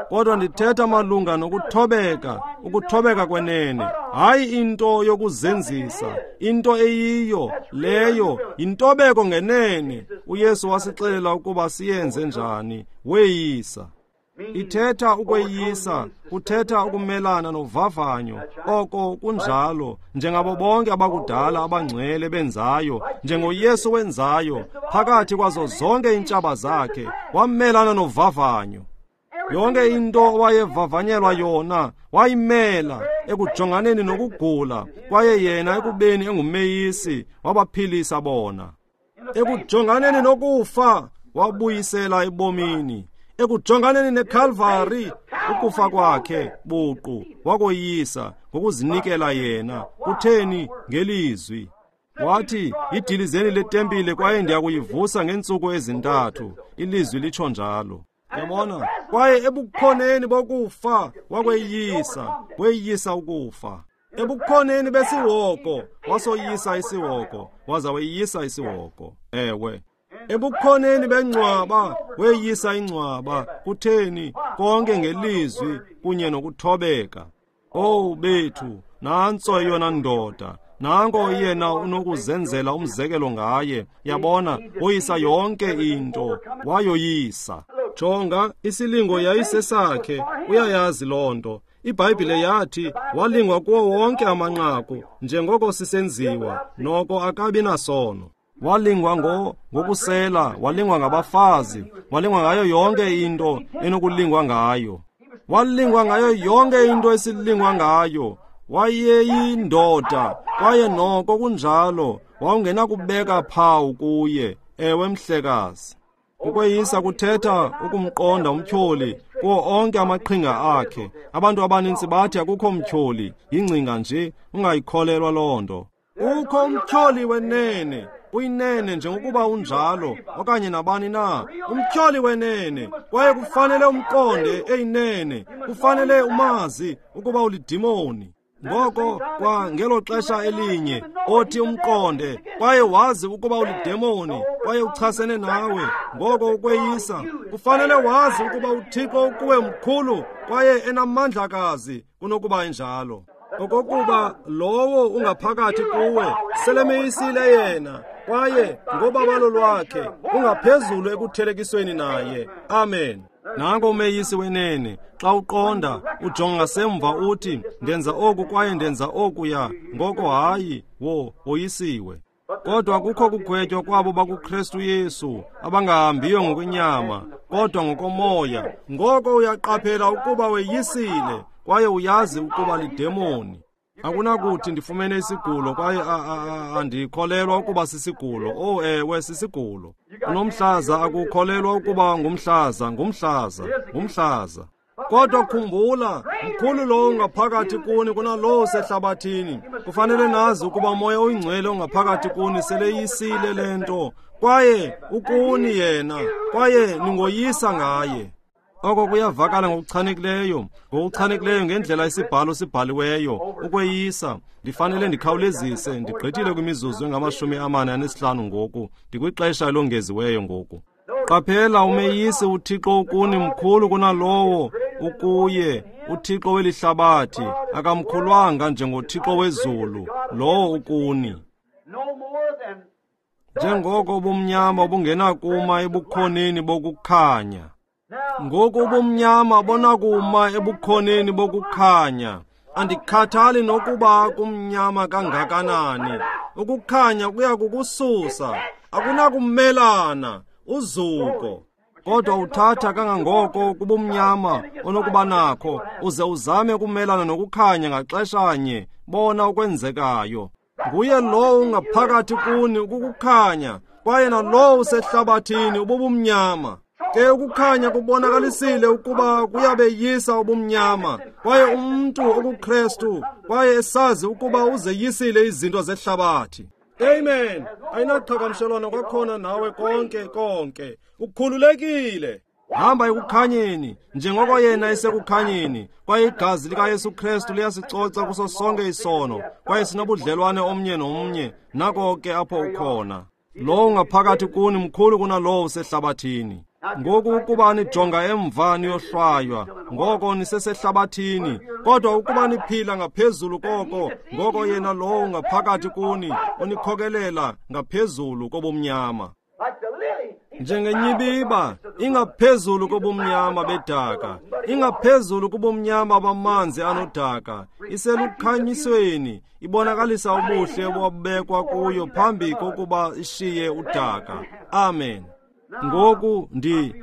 Kodwa ndithetha malunga nokuthobeka, ukuthobeka kwenene, hayi into yokuzenzisa, into eyiyo leyo yintobeko ngenene. uYesu wasixelela ukuba siyenze njani, weyisa. Ithetha ukweyisa, kuthetha ukumelana novavanyo. Oko kunjalo, njengabo bonke abakudala abangcwele benzayo, njengoYesu wenzayo, phakathi kwazo zonke iintshaba zakhe, wamelana novavanyo. Yonke into owayevavanyelwa yona wayimela ekujonganeni nokugula, kwaye yena ekubeni engumeyisi wabaphilisa bona. Ekujonganeni nokufa wabuyisela ebomini. Ekujonganeni neKalvari, ukufa kwakhe buqu wakoyisa ngokuzinikela yena. Kutheni? Ngelizwi. Wathi, idilizeni letempile kwaye ndiyakuyivusa ngeentsuku ezi-3. Ilizwi litsho njalo. Yabona, kwaye ebukhoneni bokufa wakweyisa, weyisa ukufa. Ebukhoneni besiwoko wasoyisa isiwoko, waza weyisa isiwoko. Ewe. Ebukhoneni bengcwaba weyisa ingcwaba. Kutheni? Konke ngelizwi kunye nokuthobeka. Owu bethu, nantso eyona ndoda. Nanko yena unokuzenzela umzekelo ngaye. Yabona, woyisa yonke into, wayoyisa. Jonga, isilingo yayisesakhe, uyayazi loo nto. IBhayibhile yathi walingwa kuwo wonke amanqaku, njengoko sisenziwa, noko akabi nasono. Walingwa ngokusela, walingwa ngabafazi, walingwa ngayo yonke into enokulingwa ngayo. Walingwa ngayo yonke into esilingwa ngayo. Wayeyindoda, kwaye noko kunjalo, wawungenakubeka phawu kuye. Ewe mhlekazi. Ukweyisa kuthetha ukumqonda umtyholi kuwo onke amaqhinga akhe. Abantu abanintsi bathi akukho mtyholi, yingcinga nje, ungayikholelwa loo nto. Ukho umtyholi wenene, uyinene njengokuba unjalo, okanye nabani na, umtyholi wenene, kwaye kufanele umqonde eyinene, kufanele umazi ukuba ulidimoni. Ngoko kwa ngelo xesha elinye othi umqonde kwaye wazi ukuba ulidemoni kwaye uchasene nawe, ngoko ukweyisa kufanele wazi ukuba uThixo ukuwe mkhulu kwaye enamandlakazi kunokuba enjalo. Okokuba lowo ungaphakathi kuwe selemeyisile yena, Kwaye ngobabalo lwakhe ungaphezulu ekuthelekisweni naye. Amen. Nanko umeyisi wenene, xa uqonda, ujonga ngasemva uthi, ndenza oku kwaye ndenza okuya, ngoko hayi, woyisiwe. Kodwa kukho kugwetywa kwabo bakuKristu Yesu, abangahambiyo ngokwenyama, kodwa ngokomoya. Ngoko uyaqaphela ukuba weyisile, kwaye uyazi ukuba lidemoni. Akunakuthi ndifumene isigulo kwaye andikholelwa ukuba sisigulo. Oh ewe, sisigulo. Unomhlaza, akukholelwa ukuba ngumhlaza, ngumhlaza, ngumhlaza. Kodwa khumbula, mkhulu lowo ungaphakathi kuni kunalowo usehlabathini. Kufanele nazi ukuba uMoya oyiNgcwele ongaphakathi kuni seleyisile le nto, kwaye ukuni yena, kwaye ningoyisa ngaye. Oko kuyavakala ngokuchanekileyo, ngokuchanekileyo ngendlela isibhalo sibhaliweyo, ukweyisa. Ndifanele ndikhawulezise, ndigqithile kwimizuzu engama-45 ngoku, ndikwixesha elongeziweyo ngoku. Qaphela, umeyisi uThixo ukuni mkhulu kunalowo ukuye. uThixo welihlabathi akamkhulwanga njengoThixo wezulu, lowo ukuni. Njengoko ubumnyama obungenakuma ebukhoneni bokukhanya. Ngoku ubumnyama bonakuma ebukhoneni bokukhanya. Andikhathali nokuba kumnyama kangakanani. Ukukhanya kuya kukususa, akunakumelana, uzuko. Kodwa uthatha kangangoko kubumnyama onokuba nakho, uze uzame ukumelana nokukhanya ngaxeshanye, bona okwenzekayo. Nguye lowo ungaphakathi kuni ukukukhanya, kwaye nalowo usehlabathini ububumnyama. Ke ukukhanya kubonakalisile ukuba kuyabeyisa ubumnyama, kwaye umntu okuKristu kwaye esazi ukuba uzeyisile izinto zehlabathi. Amen. Ayinaqhagamshelwano kwakhona nawe konke konke. Ukhululekile. Hamba ekukhanyeni, njengoko yena esekukhanyeni, kwaye igazi likaYesu Kristu liyasicoca kuso sonke isono, kwaye sinobudlelwane omnye nomnye, nako ke apho ukhona. Lowo ungaphakathi kuni mkhulu kunalowo usehlabathini. Ngoku ukuba nijonga emva niyohlwaywa, ngoko nisesehlabathini. Kodwa ukuba niphila ngaphezulu koko, ngoko yena lowo ungaphakathi kuni unikhokelela ngaphezulu kobumnyama. Njengenyibiba ingaphezulu kobumnyama bedaka, ingaphezulu kubumnyama bamanzi anodaka, iselukhanyisweni, ibonakalisa ubuhle obabekwa kuyo phambi kokuba ishiye udaka. Amen. Ngoku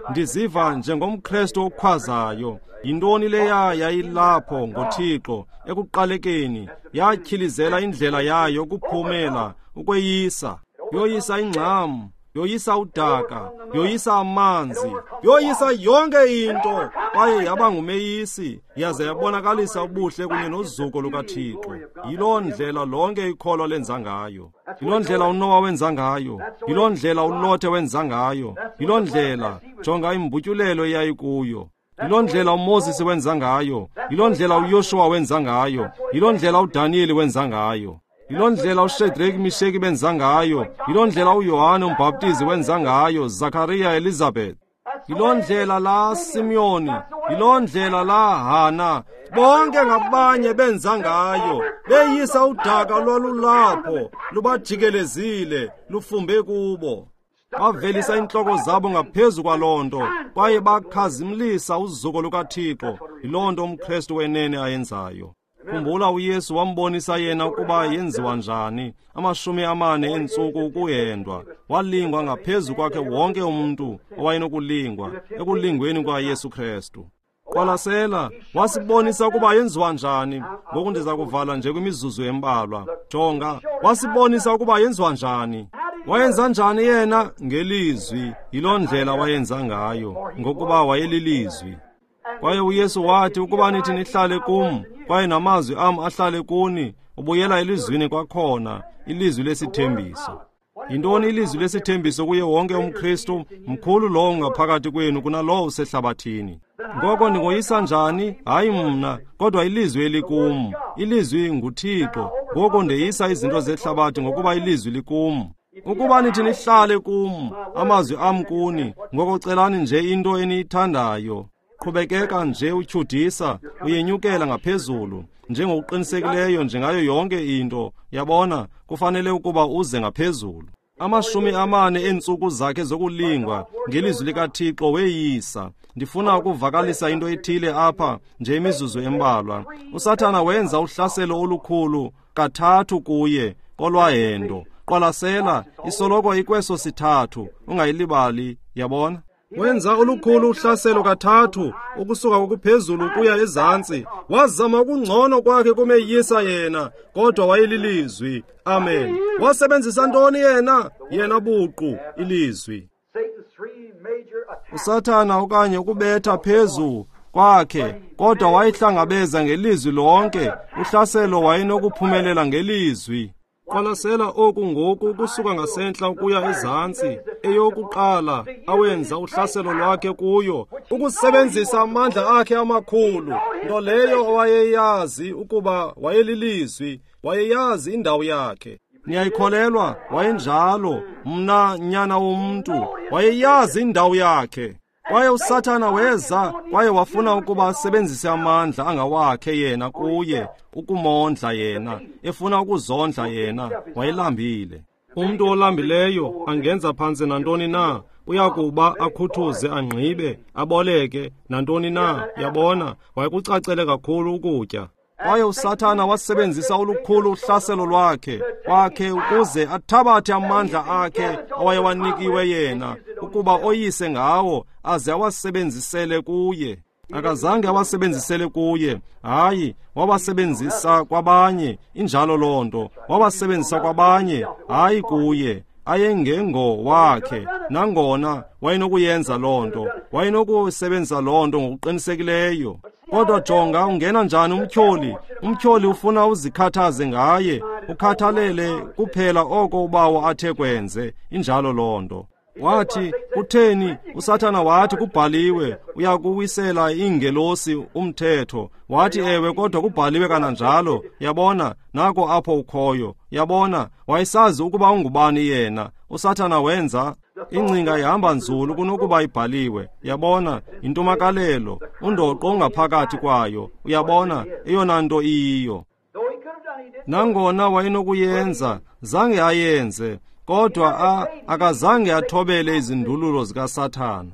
ndiziva njengomKristu okhwazayo. Yintoni leya yayilapho ngoThixo ekuqalekeni, yatyhilizela indlela yayo ukuphumela, ukweyisa. Yoyisa ingxam, yoyisa udaka, yoyisa amanzi, yoyisa yonke into, kwaye yaba ngumeyisi, yaze yabonakalisa ubuhle kunye nozuko lukaThixo. Yiloo ndlela lonke ikholwa lenza ngayo. Yiloo ndlela uNowa wenza ngayo. Yiloo ndlela uLothe wenza ngayo. Yiloo ndlela, jonga imbutyulelo eyayikuyo. Yiloo ndlela uMoses wenza ngayo. Yiloo ndlela uYoshuwa wenza ngayo. Yiloo ndlela uDaniyeli wenza ngayo. Yiloo ndlela uShedraki, Misheki benza ngayo. Yiloo ndlela uYohane uMbhaptizi wenza ngayo, Zakariya, Elizabeth. Yiloo ndlela la Simyoni, yiloo ndlela la Hana, bonke ngabanye benza ngayo, beyisa udaka lwalulapho, lubajikelezile, lufumbe kubo. Bavelisa intloko zabo ngaphezu kwaloo nto, kwaye bakhazimlisa uzuko lukaThixo. Yiloo nto umKristu wenene ayenzayo. Khumbula uYesu wambonisa yena ukuba yenziwa njani, 40 eentsuku ukuhendwa. Walingwa ngaphezu kwakhe wonke umntu owayenokulingwa, ekulingweni kwaYesu Kristu. Qwalasela, wasibonisa ukuba yenziwa njani. Ngoku ndiza kuvala nje kwimizuzu embalwa. Jonga, wasibonisa ukuba yenziwa njani. Wayenza njani yena? Ngelizwi. Yiloo ndlela wayenza ngayo, ngokuba wayelilizwi. Kwaye uYesu wathi, ukuba nithi nihlale kum, kwaye namazwi am ahlale kuni, ubuyela elizwini kwakhona, ilizwi lesithembiso. Yintoni ilizwi lesithembiso kuye wonke umKristu? Mkhulu lowo ungaphakathi kwenu kunalowo usehlabathini. Ngoko ndingoyisa njani? Hayi mna, kodwa ilizwi elikum. Ilizwi nguThixo. Ngoko ndeyisa izinto zehlabathi ngokuba ilizwi likum. Ukuba nithi nihlale kum, amazwi am kuni, ngoko celani nje into eniyithandayo. Qhubekeka nje utyhudisa, uyenyukela ngaphezulu, njengokuqinisekileyo njengayo yonke into. Yabona, kufanele ukuba uze ngaphezulu. 40 eentsuku zakhe zokulingwa ngelizwi likaThixo weyisa. Ndifuna ukuvakalisa into ethile apha nje imizuzu embalwa. USathana wenza uhlaselo olukhulu kathathu kuye kolwahendo. Qwalasela, isoloko ikweso sithathu, ungayilibali, yabona? Wenza olukhulu uhlaselo kathathu, ukusuka kokuphezulu kuya ezantsi. Wazama ukungcono kwakhe kumeyisa yena, kodwa wayelilizwi. Amen. Wasebenzisa ntoni yena? Yena buqu, ilizwi. USathana okanye ukubetha phezu kwakhe, kodwa wayihlangabeza ngelizwi lonke. Uhlaselo wayenokuphumelela ngelizwi. Qwalasela oku ngoku ukusuka ngasentla ukuya ezantsi. Eyokuqala awenza uhlaselo lwakhe kuyo, ukusebenzisa amandla akhe amakhulu, nto leyo owayeyazi ukuba wayelilizwi, wayeyazi indawo yakhe. Niyayikholelwa? Wayenjalo. Mna nyana womntu, wayeyazi indawo yakhe. Kwaye uSathana weza kwaye wafuna ukuba asebenzise amandla angawakhe yena kuye, ukumondla yena, efuna ukuzondla yena. Wayelambile. Umntu olambileyo angenza phantse nantoni na, uyakuba akhuthuze, angqibe, aboleke nantoni na, yabona. Wayekucacele kakhulu ukutya. Kwaye uSathana wasebenzisa olukhulu uhlaselo lwakhe kwakhe ukuze athabathe amandla akhe awayewanikiwe yena, ukuba oyise ngawo aze awasebenzisele kuye. Akazange awasebenzisele kuye, hayi, wawasebenzisa kwabanye. Injalo loo nto, wawasebenzisa kwabanye, hayi kuye. Ayengengo wakhe, nangona wayenokuyenza loo nto, wayenokusebenzisa loo nto ngokuqinisekileyo. Kodwa jonga, ungena njani umtyholi? Umtyholi ufuna uzikhathaze ngaye, ukhathalele kuphela oko ubawo athe kwenze. Injalo loo nto. Wathi, kutheni? uSathana wathi, kubhaliwe, uyakuwisela iingelosi umthetho. Wathi, ewe, kodwa kubhaliwe kananjalo. Yabona, nako apho ukhoyo. Yabona, wayesazi ukuba ungubani yena. uSathana wenza ingcinga ihamba nzulu kunokuba ibhaliwe. Yabona, yintumakalelo, undoqo ongaphakathi kwayo. Uyabona, eyona nto iyiyo. Nangona wayenokuyenza, zange ayenze, kodwa akazange athobele izindululo zikaSathana.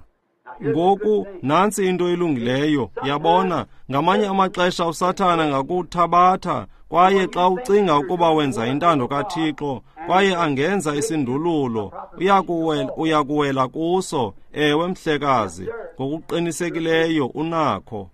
Ngoku nantsi into elungileyo. Yabona, ngamanye amaxesha uSathana ngakuthabatha, kwaye xa ucinga ukuba wenza intando kaThixo, kwaye angenza isindululo, uyakuwela kuso. Ewe, mhlekazi, ngokuqinisekileyo unakho.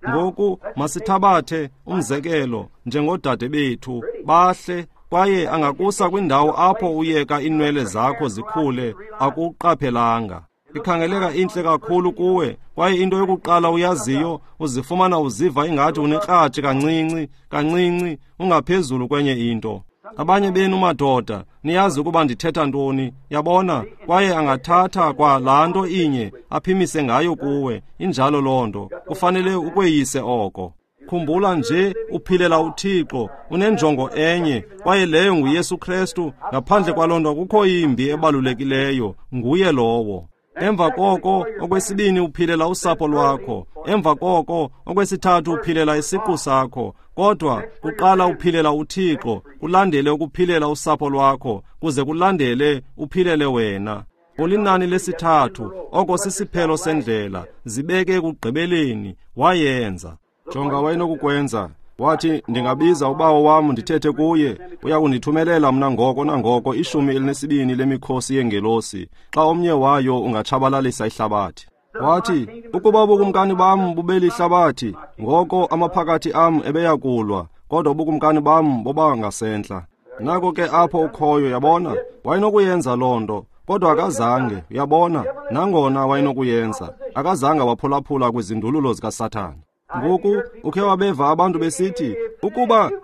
Ngoku masithabathe umzekelo njengodade bethu bahle, kwaye angakusa kwindawo apho uyeka inwele zakho zikhule akuqaphelanga. Ikhangeleka intle kakhulu kuwe, kwaye into yokuqala uyaziyo, uzifumana uziva ingathi unekratshi kancinci kancinci, ungaphezulu kwenye into. Abanye benu madoda niyazi ukuba ndithetha ntoni, yabona. Kwaye angathatha kwa laa nto inye aphimise ngayo kuwe. Injalo loo nto, kufanele ukweyise oko. Khumbula nje, uphilela uThixo, unenjongo enye, kwaye leyo nguYesu Kristu. Ngaphandle kwaloo nto akukho yimbi ebalulekileyo, nguye lowo. Emva koko, okwesibini uphilela usapho lwakho. Emva koko, okwesithathu uphilela isiqu sakho. Kodwa kuqala uphilela uThixo, kulandele ukuphilela usapho lwakho, kuze kulandele uphilele wena. Ulinani lesithathu, oko sisiphelo sendlela. Zibeke ekugqibeleni, wayenza. Jonga wayenokukwenza. Wathi, ndingabiza ubawo wam ndithethe kuye, uya kundithumelela mna ngoko nangoko 12 lemikhosi yengelosi, xa omnye wayo ungatshabalalisa ihlabathi. Wathi, ukuba ubukumkani bam bubelihlabathi, ngoko amaphakathi am ebeyakulwa, kodwa ubukumkani bam boba ngasentla. Nako ke apho ukhoyo, yabona. Wayenokuyenza loo nto, kodwa akazange, uyabona. Nangona wayenokuyenza, akazange waphulaphula kwizindululo zikaSathana. Ngoku ukhe wabeva abantu besithi,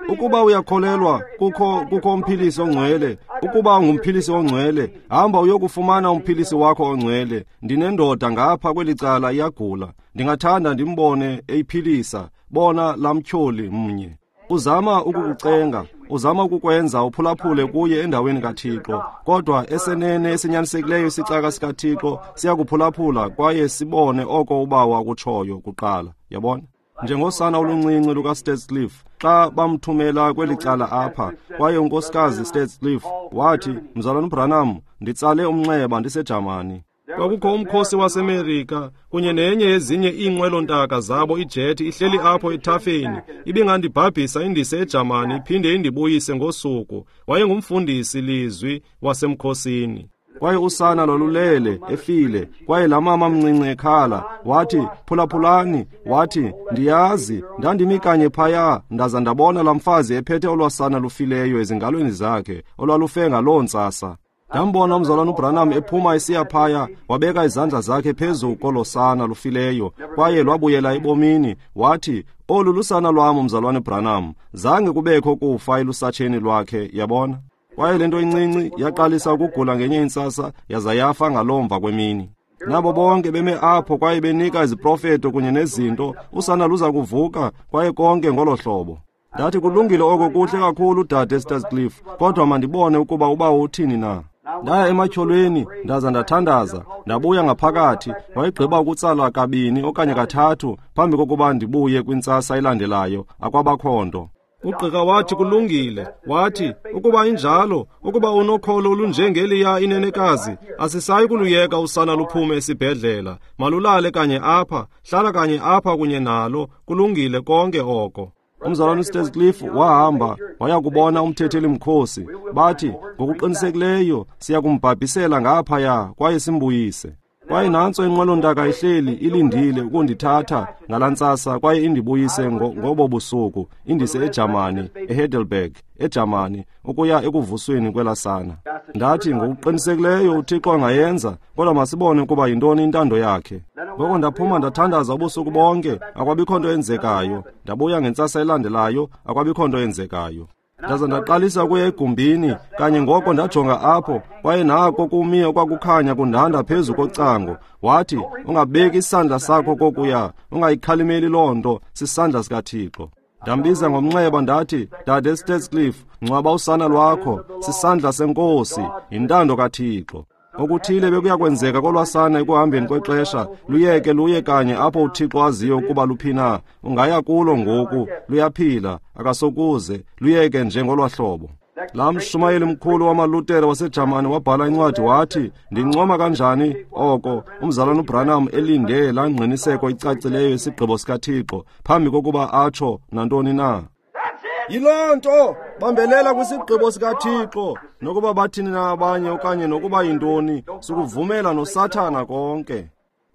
ukuba uyakholelwa kukho umphilisi ongcwele, ukuba ungumphilisi ongcwele, hamba uyokufumana umphilisi wakho ongcwele. Ndinendoda ngapha kweli cala iyagula, ndingathanda ndimbone eyiphilisa. Bona laa mtyholi mnye. Uzama ukukucenga, uzama ukukwenza uphulaphule kuye endaweni kaThixo, kodwa esenene esinyanisekileyo isicaka sikaThixo siyakuphulaphula kwaye sibone oko ubawo akutshoyo kuqala. Yabona? Njengosana oluncinci lukaStatscliffe xa bamthumela kweli cala apha, kwaye unkosikazi Statscliffe wathi, Mzalwana uBranham, nditsale umnxeba ndiseJamani. Kwakukho umkhosi waseMerika kunye nenye yezinye iinqwelontaka zabo ijethi ihleli apho ethafeni, ibingandibhabhisa indise eJamani iphinde indibuyise ngosuku. Wayengumfundisi lizwi wasemkhosini. Kwaye usana lwalulele efile, kwaye laa mama mncinci ekhala wathi, phulaphulani, wathi, ndiyazi ndandimi kanye phaya ndaza ndabona laa mfazi ephethe olwasana lufileyo ezingalweni zakhe olwalufe ngaloo ntsasa. Ndambona umzalwana uBranham ephuma esiya phaya, wabeka izandla zakhe phezu kolo sana lufileyo, kwaye lwabuyela ebomini. Wathi, olu lusana lwam, umzalwana uBranham. Zange kubekho kufa elusatsheni lwakhe, yabona. Kwaye le nto incinci yaqalisa ukugula ngenye intsasa, yaza yafa ngaloo mva kwemini. Nabo bonke beme apho kwaye benika iziprofeto kunye nezinto, usana luza kuvuka, kwaye konke ngolo hlobo. Ndathi, kulungile oko, kuhle kakhulu, dade Statscliffe, kodwa mandibone ukuba ubawo uthini na. Ndaya ematyholweni ndaza ndathandaza, ndabuya ngaphakathi. Wayegqiba ukutsala kabini okanye kathathu phambi kokuba ndibuye kwintsasa elandelayo, akwabakho nto. Ugqirha wathi kulungile, wathi ukuba injalo, ukuba unokholo olunjengeliya inenekazi, asisayi kuluyeka usana luphume esibhedlela, malulale kanye apha, hlala kanye apha kunye nalo, kulungile konke oko. Umzalwana uStatscliffe wahamba waya kubona umthetheli mkhosi. Bathi, ngokuqinisekileyo siya kumbhabhisela ngaphaya kwaye simbuyise. Kwaye nantso inqwelontaka ihleli ilindile ukundithatha ngalaa ntsasa kwaye indibuyise ngobo busuku, indise eJamani, eHeidelberg, eJamani, ukuya ekuvusweni kwelasana. Ndathi, ngokuqinisekileyo uThixo angayenza, kodwa masibone ukuba yintoni intando yakhe. Ngoko ndaphuma ndathandaza ubusuku bonke, akwabikho nto yenzekayo. Ndabuya ngentsasa elandelayo, akwabikho nto yenzekayo. Ndaza ndaqalisa ukuya egumbini, kanye ngoko ndajonga apho, kwaye nako kumi okwakukhanya kundanda phezu kocango. Wathi, ungabeki isandla sakho kokuya, ungayikhalimeli loo nto, sisandla sikaThixo. Ndambiza ngomnxeba ndathi, Dade Statscliffe, ngcwaba usana lwakho, sisandla senkosi, yintando kaThixo. Okuthile bekuyakwenzeka kolwasana ekuhambeni kwexesha, luyeke luye kanye apho uThixo aziyo ukuba luphi na. Ungaya kulo ngoku, luyaphila, akasokuze, luyeke nje ngolwahlobo. Laa mshumayeli mkhulu wamaLutere waseJamani wabhala incwadi wathi, ndincoma kanjani oko umzalwana uBranham elinde laa ngqiniseko icacileyo yesigqibo sikaThixo phambi kokuba atsho nantoni na. Yiloo nto, bambelela kwisigqibo sikaThixo, nokuba bathini na abanye okanye nokuba yintoni, sukuvumela noSathana konke.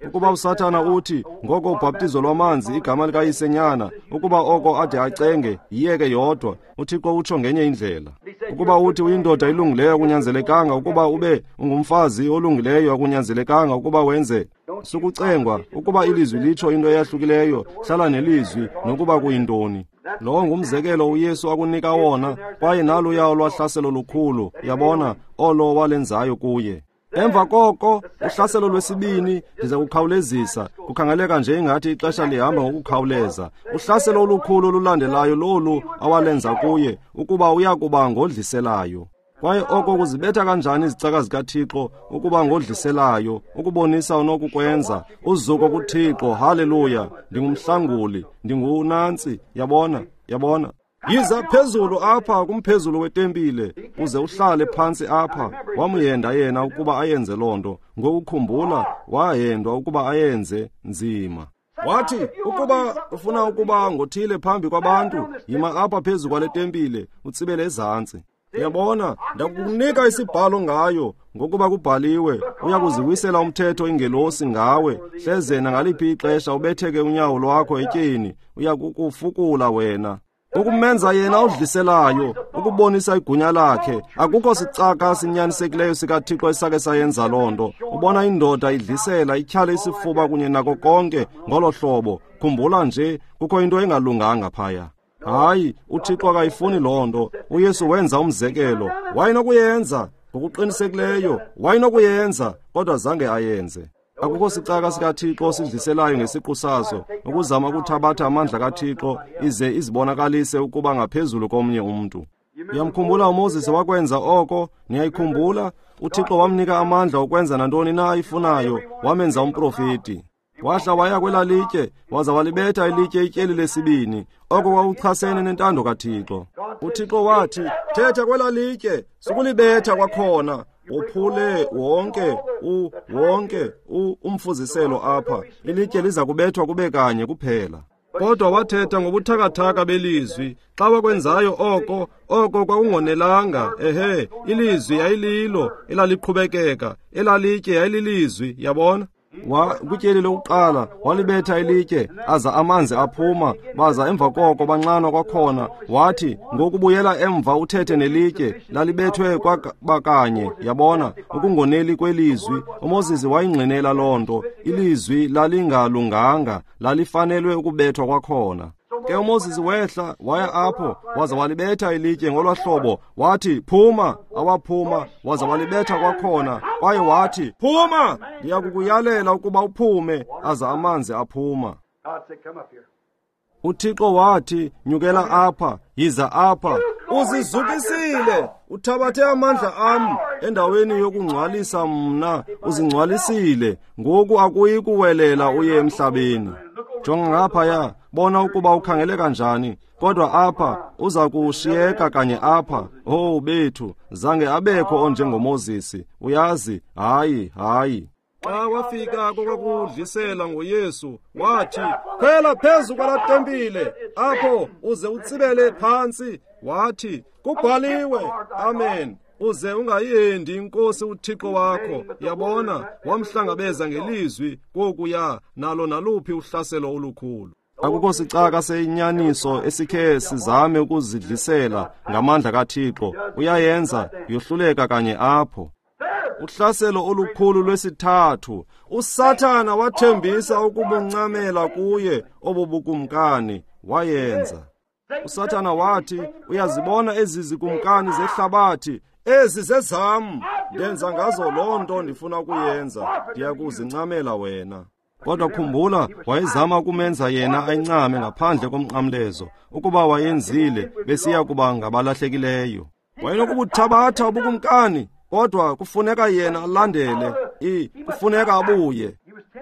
Ukuba uSathana uthi, ngoko ubhaptizo lwamanzi igama likaYisenyana, ukuba oko ade acenge, yiyeke yodwa, uThixo utsho ngenye indlela. Ukuba uthi uyindoda ilungileyo, akunyanzelekanga ukuba ube ungumfazi olungileyo, akunyanzelekanga ukuba wenze. Sukucengwa, ukuba ilizwi litsho into eyahlukileyo, hlala nelizwi nokuba kuyintoni. Lowo ngumzekelo uYesu akunika wona, kwaye naluya olwahlaselo lukhulu, yabona, olo walenzayo kuye. Emva koko, uhlaselo lwesibini, ndiza kukhawulezisa, kukhangeleka nje ingathi ixesha lihamba ngokukhawuleza. Uhlaselo olukhulu olulandelayo lolu awalenza kuye, ukuba uya kuba ngodliselayo. Kwaye oko kuzibetha kanjani izicaka zikaThixo ukuba ngodliselayo, ukubonisa unokukwenza, uzuko kuThixo, haleluya, ndingumhlanguli, ndingunantsi, yabona, yabona. Yiza phezulu apha kumphezulu wetempile, uze uhlale phantsi apha. Wamyenda yena ukuba ayenze loo nto. Ngokukhumbula, wahendwa ukuba ayenze nzima. Wathi, ukuba ufuna ukuba ngothile phambi kwabantu, yima apha phezu kwale tempile, utsibele ezantsi. Uyabona, ndakukunika isibhalo ngayo, ngokuba kubhaliwe, uyakuziwisela umthetho ingelosi ngawe, hleze nangaliphi ixesha ubetheke unyawo lwakho etyeni, uyakukufukula wena. Ukumenza yena odliselayo, ukubonisa igunya lakhe. Akukho sicaka sinyanisekileyo sikaThixo esake sayenza loo nto. Ubona indoda idlisela, ityhale isifuba kunye nako konke ngolo hlobo. Khumbula nje, kukho into engalunganga phaya. Hayi, uThixo akayifuni loo nto. uYesu wenza umzekelo. Wayenokuyenza, ngokuqinisekileyo, wayenokuyenza, kodwa zange ayenze. Akukho sicaka sikaThixo sidliselayo ngesiqu saso, ukuzama ukuthabatha amandla kaThixo ize izibonakalise ukuba ngaphezulu komnye umntu. Uyamkhumbula uMoses wakwenza oko? Niyayikhumbula? uThixo wamnika amandla okwenza nantoni na ayifunayo, wamenza umprofeti. Wahla waya kwelaa litye, waza walibetha ilitye ityeli lesibini. Oko kwakuchasene nentando kaThixo. UThixo wathi, thetha kwelaa litye, sukulibetha kwakhona. Uphule wonke umfuziselo apha. Ilitye liza kubethwa kube kanye kuphela. Kodwa wathetha ngobuthakathaka belizwi. Xa wakwenzayo oko, oko kwakungonelanga. Ehe, ilizwi yayililo elaliqhubekeka, elalitye yayililizwi, yabona? Kwityeli lokuqala walibetha ilitye, aza amanzi aphuma, baza emva koko banxanwa kwakhona. Wathi, ngokubuyela emva uthethe nelitye, lalibethwe kwabakanye, yabona, ukungoneli kwelizwi. uMoses wayingqinela loo nto. Ilizwi lalingalunganga, lalifanelwe ukubethwa kwakhona. Ke uMoses wehla waya apho, waza walibetha ilitye ngolwa hlobo. Wathi, phuma. Awaphuma, waza walibetha kwakhona. Kwaye wathi, phuma, ndiyakukuyalela ukuba uphume. Aza amanzi aphuma. UThixo wathi, nyukela apha, yiza apha. Uzizukisile, uthabathe amandla am endaweni yokungcwalisa mna, uzingcwalisile. Ngoku akuyi kuwelela uye emhlabeni. Jonga ngaphaya, bona ukuba ukhangeleka njani. Kodwa apha uza kushiyeka kanye apha. Oh bethu, zange abekho onjengoMoses. Uyazi, hayi, hayi. Xa wafika kokakudlisela ngoYesu, wathi, khwela phezu kwalaa tempile apho uze utsibele phantsi. Wathi, kubhaliwe, amen, uze ungayendi inkosi uThixo wakho. Yabona, wamhlangabeza ngelizwi kokuya nalo naluphi uhlaselo olukhulu. Akukho sicaka seyinyaniso esikhe sizame ukuzidlisela ngamandla kaThixo. Uyayenza, yohluleka kanye apho. Uhlaselo olukhulu lwesithathu, uSathana wathembisa ukubuncamela kuye obo bukumkani, wayenza. uSathana wathi, uyazibona ezi zikumkani zehlabathi, ezi zezam, ndenza ngazo loo nto ndifuna ukuyenza, ndiyakuzincamela wena. Kodwa khumbula, wayezama ukumenza yena ayincame ngaphandle komnqamlezo. Ukuba wayenzile, besiya kuba ngabalahlekileyo. Wayenokubuthabatha ubukumkani, kodwa kufuneka yena alandele, kufuneka abuye.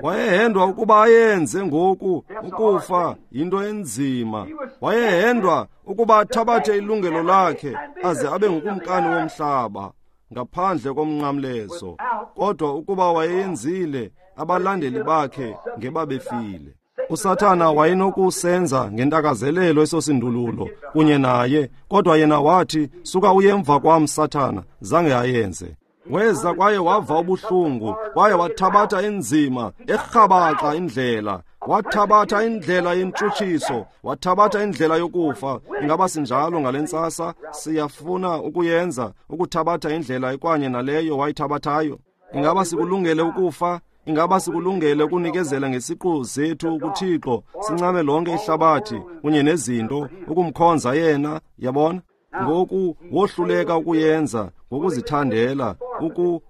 Wayehendwa ukuba ayenze ngoku, ukufa yinto enzima. Wayehendwa ukuba athabathe ilungelo lakhe aze abe ngukumkani womhlaba ngaphandle komnqamlezo. Kodwa ukuba wayenzile, abalandeli bakhe ngebabefile. uSathana wayenokusenza ngentakazelelo eso sindululo kunye naye, kodwa yena wathi, suka uye emva kwam, Sathana. Zange ayenze. Weza kwaye wava ubuhlungu, kwaye wathabatha inzima, erhabaxa indlela. Wathabatha indlela yentshutshiso, wathabatha indlela yokufa. Ingaba sinjalo ngale ntsasa? Siyafuna ukuyenza, ukuthabatha indlela ekwanye naleyo wayithabathayo. Ingaba sikulungele ukufa? Ingaba sikulungele ukunikezela ngesiqu zethu kuThixo, sincame lonke ihlabathi kunye nezinto, ukumkhonza yena? Yabona? Ngoku wohluleka ukuyenza ngokuzithandela,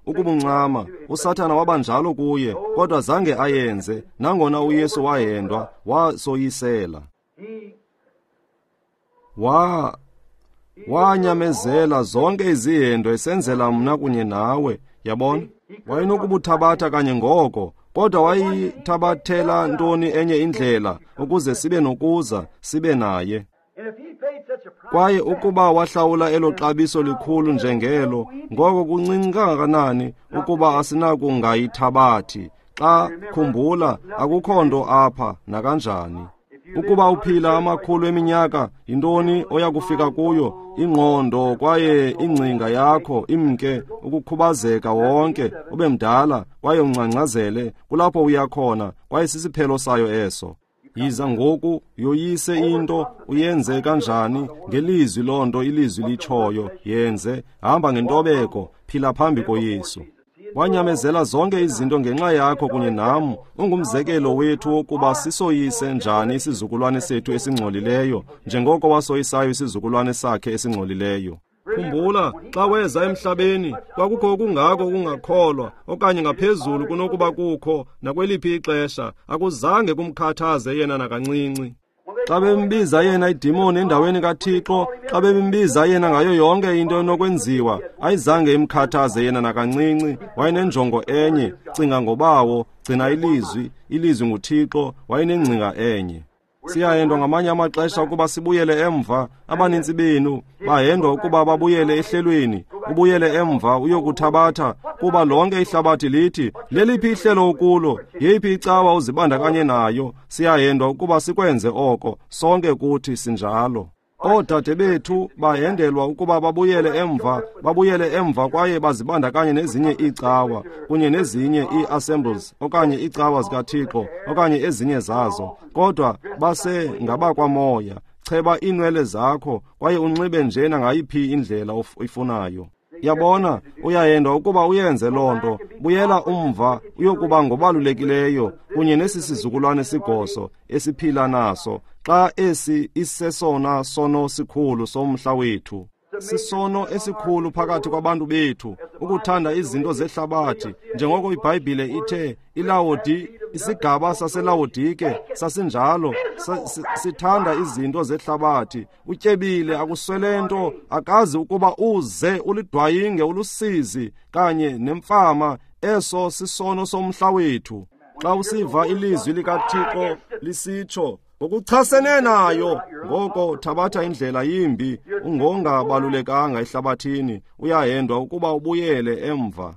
ukubuncama. uSathana wabanjalo kuye, kodwa zange ayenze. Nangona uYesu wahendwa, wasoyisela. Wanyamezela zonke izihendo esenzela mna kunye nawe. Yabona? Wayenokubuthabatha kanye ngoko, kodwa wayithabathela ntoni enye indlela ukuze sibe nokuza sibe naye. Kwaye ukuba wahlawula elo xabiso likhulu njengelo, ngoko kuncinci kangakanani ukuba asinakungayithabathi. Xa khumbula, akukho nto apha nakanjani. Ukuba uphila amakhulu eminyaka, yintoni oya kufika kuyo? Ingqondo kwaye ingcinga yakho imke, ukukhubazeka wonke, ube mdala kwaye ungcangcazele, kulapho uya khona, kwaye sisiphelo sayo eso. Yiza ngoku, yoyise into, uyenze kanjani? Ngelizwi loo nto ilizwi litshoyo, yenze. Hamba ngentobeko, phila phambi koYesu. Wanyamezela zonke izinto ngenxa yakho kunye nam. Ungumzekelo wethu wokuba sisoyise njani isizukulwane sethu esingcolileyo, njengoko wasoyisayo isizukulwane sakhe esingcolileyo. Khumbula, xa weza emhlabeni, kwakukho okungako ukungakholwa, okanye ngaphezulu kunokuba kukho nakweliphi ixesha. Akuzange kumkhathaze yena nakancinci. Xa bembiza yena idimoni endaweni kaThixo, xa bembiza yena ngayo yonke into enokwenziwa, ayizange imkhathaze yena nakancinci. Wayenenjongo enye, cinga ngobawo, gcina ilizwi, ilizwi nguThixo, wayenengcinga enye. Siyahendwa ngamanye amaxesha ukuba sibuyele emva. Abanintsi benu bahendwa ukuba babuyele ehlelweni, ubuyele emva uyokuthabatha, kuba lonke ihlabathi lithi, leliphi ihlelo ukulo, yeyiphi icawa uzibandakanye nayo. Siyahendwa ukuba sikwenze oko, sonke kuthi sinjalo. Oodade bethu bahendelwa ukuba babuyele emva kwaye bazibandakanye nezinye iicawa kunye nezinye ii-assemblies okanye iicawa zikaThixo okanye ezinye zazo, kodwa base ngabakwamoya. Cheba iinwele zakho kwaye unxibe nje nangayiphi indlela oyifunayo. Yabona, uyahendwa ukuba uyenze loo nto. Buyela umva uyokuba ngobalulekileyo kunye nesi sizukulwane sigoso esiphila naso, xa esi isesona sono sikhulu somhla wethu. Sisono esikhulu phakathi kwabantu bethu, ukuthanda izinto zehlabathi, njengoko iBhayibhile ithe iLawodi, isigaba saseLawodike sasinjalo, sithanda izinto zehlabathi. Utyebile, akuswele nto, akazi ukuba uze ulidwayinge ulusizi kanye nemfama. Eso sisono somhla wethu. Xa usiva ilizwi likaThixo lisitsho ngokuchasene nayo, ngoko thabatha indlela yimbi, ungongabalulekanga ehlabathini, uyahendwa ukuba ubuyele emva.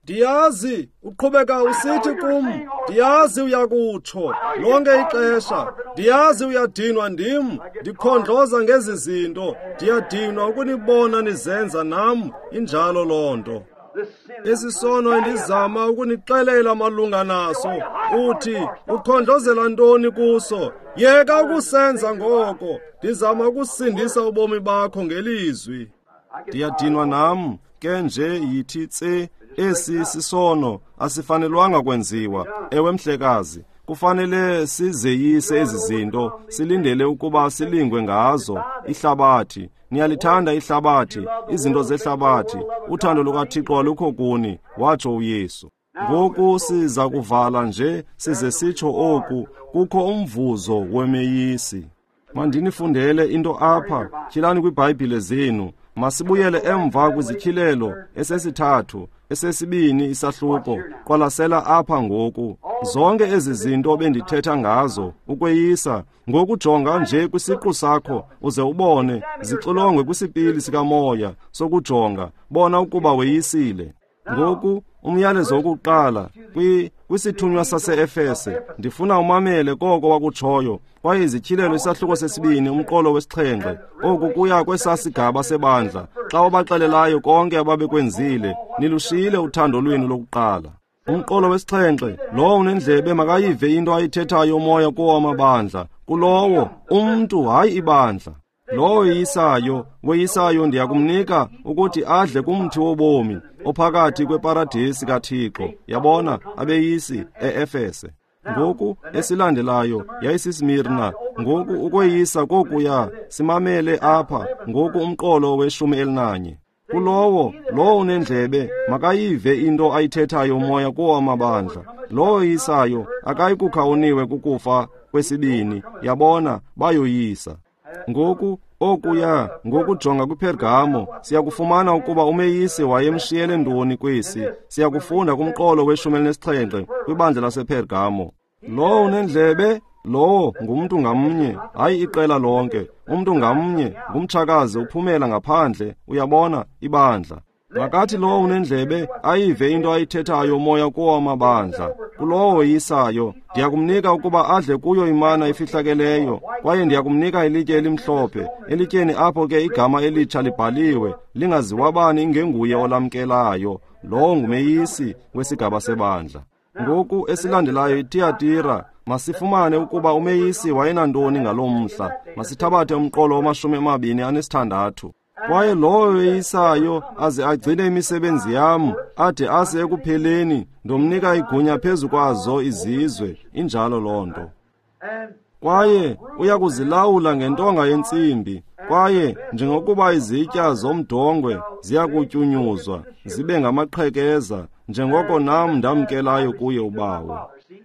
Ndiyazi uqhubeka usithi kum, ndiyazi uyakutsho lonke ixesha, ndiyazi uyadinwa ndim, ndikhondloza ngezi zinto, ndiyadinwa ukunibona nizenza nam, injalo loo nto. Esi sono endizama ukunixelela malunga naso, uthi ukhondlozela ntoni kuso? Yeka ukusenza ngoko, ndizama ukusindisa ubomi bakho ngelizwi. Ndiyadinwa nam, ke nje yithi tse, esi sisono asifanelwanga kwenziwa. Ewe mhlekazi, kufanele sizeyise ezi zinto, silindele ukuba silingwe ngazo. Ihlabathi, niyalithanda ihlabathi, izinto zehlabathi, uthando lukaThixo alukho kuni, watsho uYesu. Ngoku siza kuvala nje size sitsho oku, kukho umvuzo wemeyisi. Mandinifundele into apha, tyhilani kwiBhayibhile zenu. Masibuyele emva kwizityhilelo esesithathu, esesibini isahluko. Qwalasela apha ngoku. Zonke ezi zinto bendithetha ngazo, ukweyisa, ngokujonga nje kwisiqu sakho uze ubone, zixilongwe kwisipili sikamoya sokujonga, bona ukuba weyisile. Ngoku umyalezo wokuqala kwisithunywa sase-Efese, ndifuna umamele koko wakutshoyo. Kwaye izityhilelo isahluko sesibini, umqolo wesixhenxe, oku kuya kwesasigaba sebandla, xa wabaxelelayo konke ababekwenzile, nilushiyile uthando lwenu lokuqala. Umqolo wesixhenxe, lowo unendlebe makayive into ayithethayo umoya kuwo amabandla, kulowo umntu, hayi ibandla. Lowo weyisayo, weyisayo ndiyakumnika ukuthi adle kumthi wobomi ophakathi kweparadesi kaThixo. Yabona, abeyisi e-Efese. Ngoku esilandelayo yayisiSmirna. Ngoku ukweyisa kokuya, simamele apha ngoku umqolo we-11. Kulowo, lowo unendlebe makayive into ayithethayo umoya kuwo amabandla. Lowo oyisayo akayi kukha oniwe kukufa kwesibini. Yabona, bayoyisa. Ngoku okuya ngokujonga kwiPergamo, siyakufumana ukuba umeyisi wayemshiyele ntoni kwesi. Siyakufunda kumqolo we-17 kwibandla lasePergamo. Lowo unendlebe, lowo ngumntu ngamnye, hayi iqela lonke. Umntu ngamnye ngumtshakazi uphumela ngaphandle, uyabona, ibandla. Makathi lowo unendlebe ayive into ayithethayo umoya kuwo amabandla. Kulowo oyisayo ndiyakumnika ukuba adle kuyo imana efihlakeleyo, kwaye ndiyakumnika ilitye elimhlophe. Elityeni apho ke igama elitsha libhaliwe, lingaziwa bani ingenguye olamkelayo. Lowo ngumeyisi wesigaba sebandla. Ngoku esilandelayo iTiyatira, masifumane ukuba umeyisi wayenantoni ngaloo mhla. Masithabathe umqolo wama-26. Kwaye lowo weyisayo aze agcine imisebenzi yam, ade ase ekupheleni, ndomnika igunya phezu kwazo izizwe. Injalo loo nto. Kwaye uya kuzilawula ngentonga yentsimbi, kwaye njengokuba izitya zomdongwe ziyakutyunyuzwa zibe ngamaqhekeza, njengoko nam ndamkelayo kuye uBawo.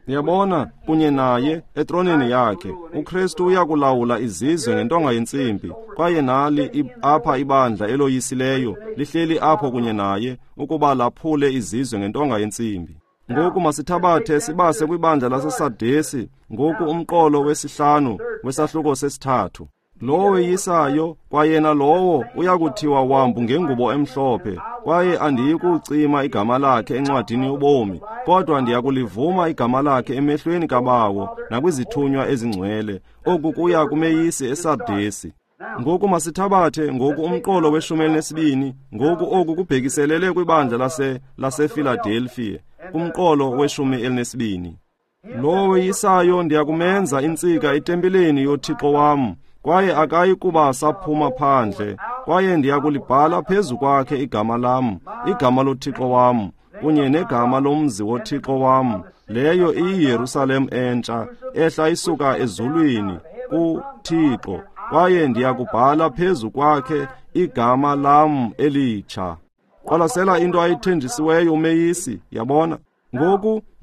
Niyabona, kunye naye etroneni yakhe, uKristu uyakulawula izizwe ngentonga yentsimbi. Kwaye nali apha ibandla eloyisileyo lihleli apho kunye naye ukuba laphule izizwe ngentonga yentsimbi. Ngoku masithabathe sibase kwibandla laseSardesi, ngoku umqolo wesihlanu wesahluko sesithathu. Lowo weyisayo, kwayena lowo uyakuthiwa wambu ngengubo emhlophe, kwaye andiyikucima igama lakhe encwadini yobomi, kodwa ndiyakulivuma igama lakhe emehlweni kaBawo nakwizithunywa ezingcwele. Oku kuya kumeyisi eSardesi. Ngoku masithabathe ngoku umqolo we-12, ngoku oku kubhekiselele kwibandla laseFiladelfiya, kumqolo we-12. Lowo weyisayo ndiyakumenza intsika etempileni yoThixo wam, kwaye akayi kuba saphuma phandle, kwaye ndiyakulibhala phezu kwakhe igama lam, igama loThixo wam, kunye negama lomzi woThixo wam, leyo iyiYerusalem entsha, ehla isuka ezulwini kuThixo, kwaye ndiyakubhala phezu kwakhe igama lam elitsha. Qwalasela into ayithenjisiweyo umeyisi, yabona.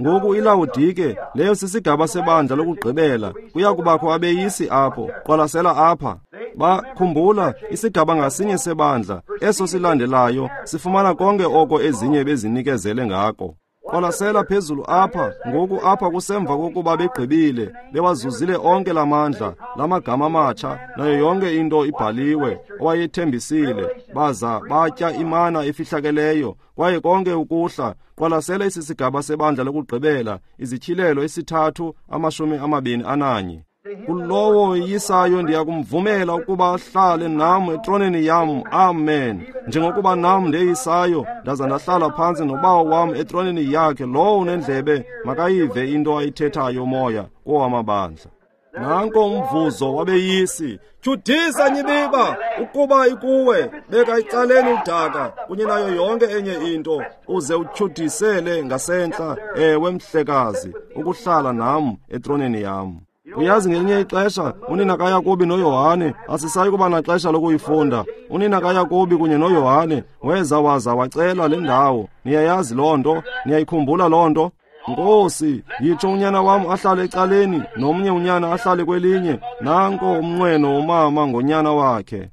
Ngoku iLawodike, leyo sisigaba sebandla lokugqibela, kuya kubakho abeyisi apho. Qwalasela apha. Bakhumbula, isigaba ngasinye sebandla, eso silandelayo, sifumana konke oko ezinye bezinikezele ngako. Qwalasela phezulu apha, ngoku apha kusemva kokuba begqibile, bewazuzile onke lamandla, lamagama amatsha, nayo yonke into ibhaliwe, owayethembisile, baza batya imana efihlakeleyo, kwaye konke ukuhla. Qwalasela esi sigaba sebandla lokugqibela, izityhilelo 3:21. Kulowo weyisayo ndiyakumvumela ukuba ahlale nam etroneni yam, amen, njengokuba nam ndeyisayo ndaza ndahlala phantsi noBawo wam etroneni yakhe. Lowo unendlebe makayive into ayithethayo uMoya kowamabandla. Nanko umvuzo wabeyisi. Tyhudisa nyibiba ukuba ikuwe, beka icaleni udaka kunye nayo yonke enye into, uze utyhudisele ngasentla, ewe mhlekazi, ukuhlala nam etroneni yam. Uyazi, ngelinye ixesha unina kaYakobi noYohane, asisayi kuba naxesha lokuyifunda. Unina kaYakobi kunye noYohane weza waza wacela le ndawo. Niyayazi loo nto, niyayikhumbula loo nto. Nkosi, yitsho unyana wam ahlale ecaleni, nomnye unyana ahlale kwelinye. Nanko umnqweno womama ngonyana wakhe.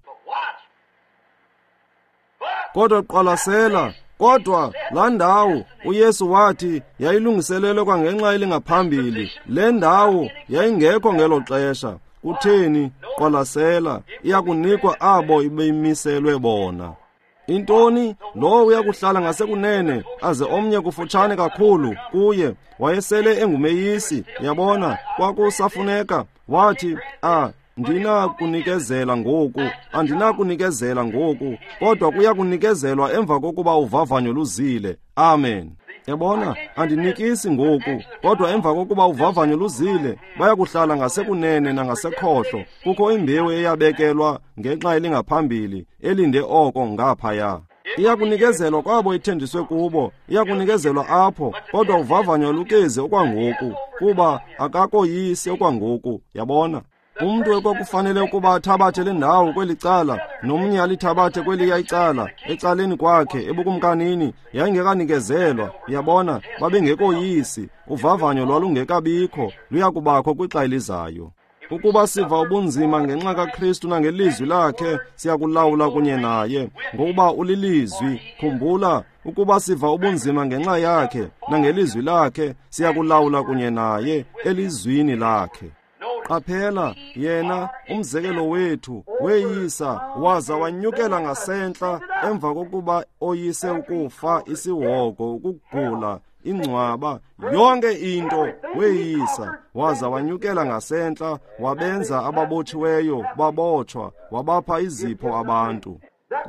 Kodwa qwalasela, kodwa laa ndawo uYesu wathi yayilungiselelwe kwangenxa elingaphambili. Le ndawo yayingekho ngelo xesha. Kutheni? Qwalasela, iyakunikwa abo ibemiselwe bona. Intoni? Lowo uyakuhlala ngasekunene, aze omnye kufutshane kakhulu kuye. Wayesele engumeyisi, yabona, kwakusafuneka. Wathi, ndinakunikezela ngoku, andinakunikezela ngoku, kodwa kuyakunikezelwa emva kokuba uvavanyo luzile. Amen. Yabona, andinikisi ngoku, kodwa emva kokuba uvavanyo luzile, bayakuhlala ngasekunene nangasekhohlo. Kukho imbewu eyabekelwa ngenxa elingaphambili, elinde oko ngaphaya. Iyakunikezelwa kwabo ithenjiswe kubo, iyakunikezelwa apho, kodwa uvavanyo alukezi okwangoku, kuba akakoyisi okwangoku, yabona. Umntu ekwakufanele ukuba athabathe le ndawo kweli cala, nomnye alithabathe kweliya icala, ecaleni kwakhe, ebukumkanini, yayingekanikezelwa, yabona, babengekoyisi, uvavanyo lwalungekabikho, luyakubakho kwixa elizayo. Ukuba siva ubunzima ngenxa kaKristu nangelizwi lakhe, siyakulawula kunye naye, ngokuba ulilizwi. Khumbula, ukuba siva ubunzima ngenxa yakhe nangelizwi lakhe, siyakulawula kunye naye elizwini lakhe. Qaphela, yena umzekelo wethu weyisa waza wanyukela ngasentla emva kokuba oyise ukufa, isihogo, ukugula, ingcwaba, yonke into weyisa waza wanyukela ngasentla, wabenza ababotshiweyo babotshwa, wabapha izipho abantu.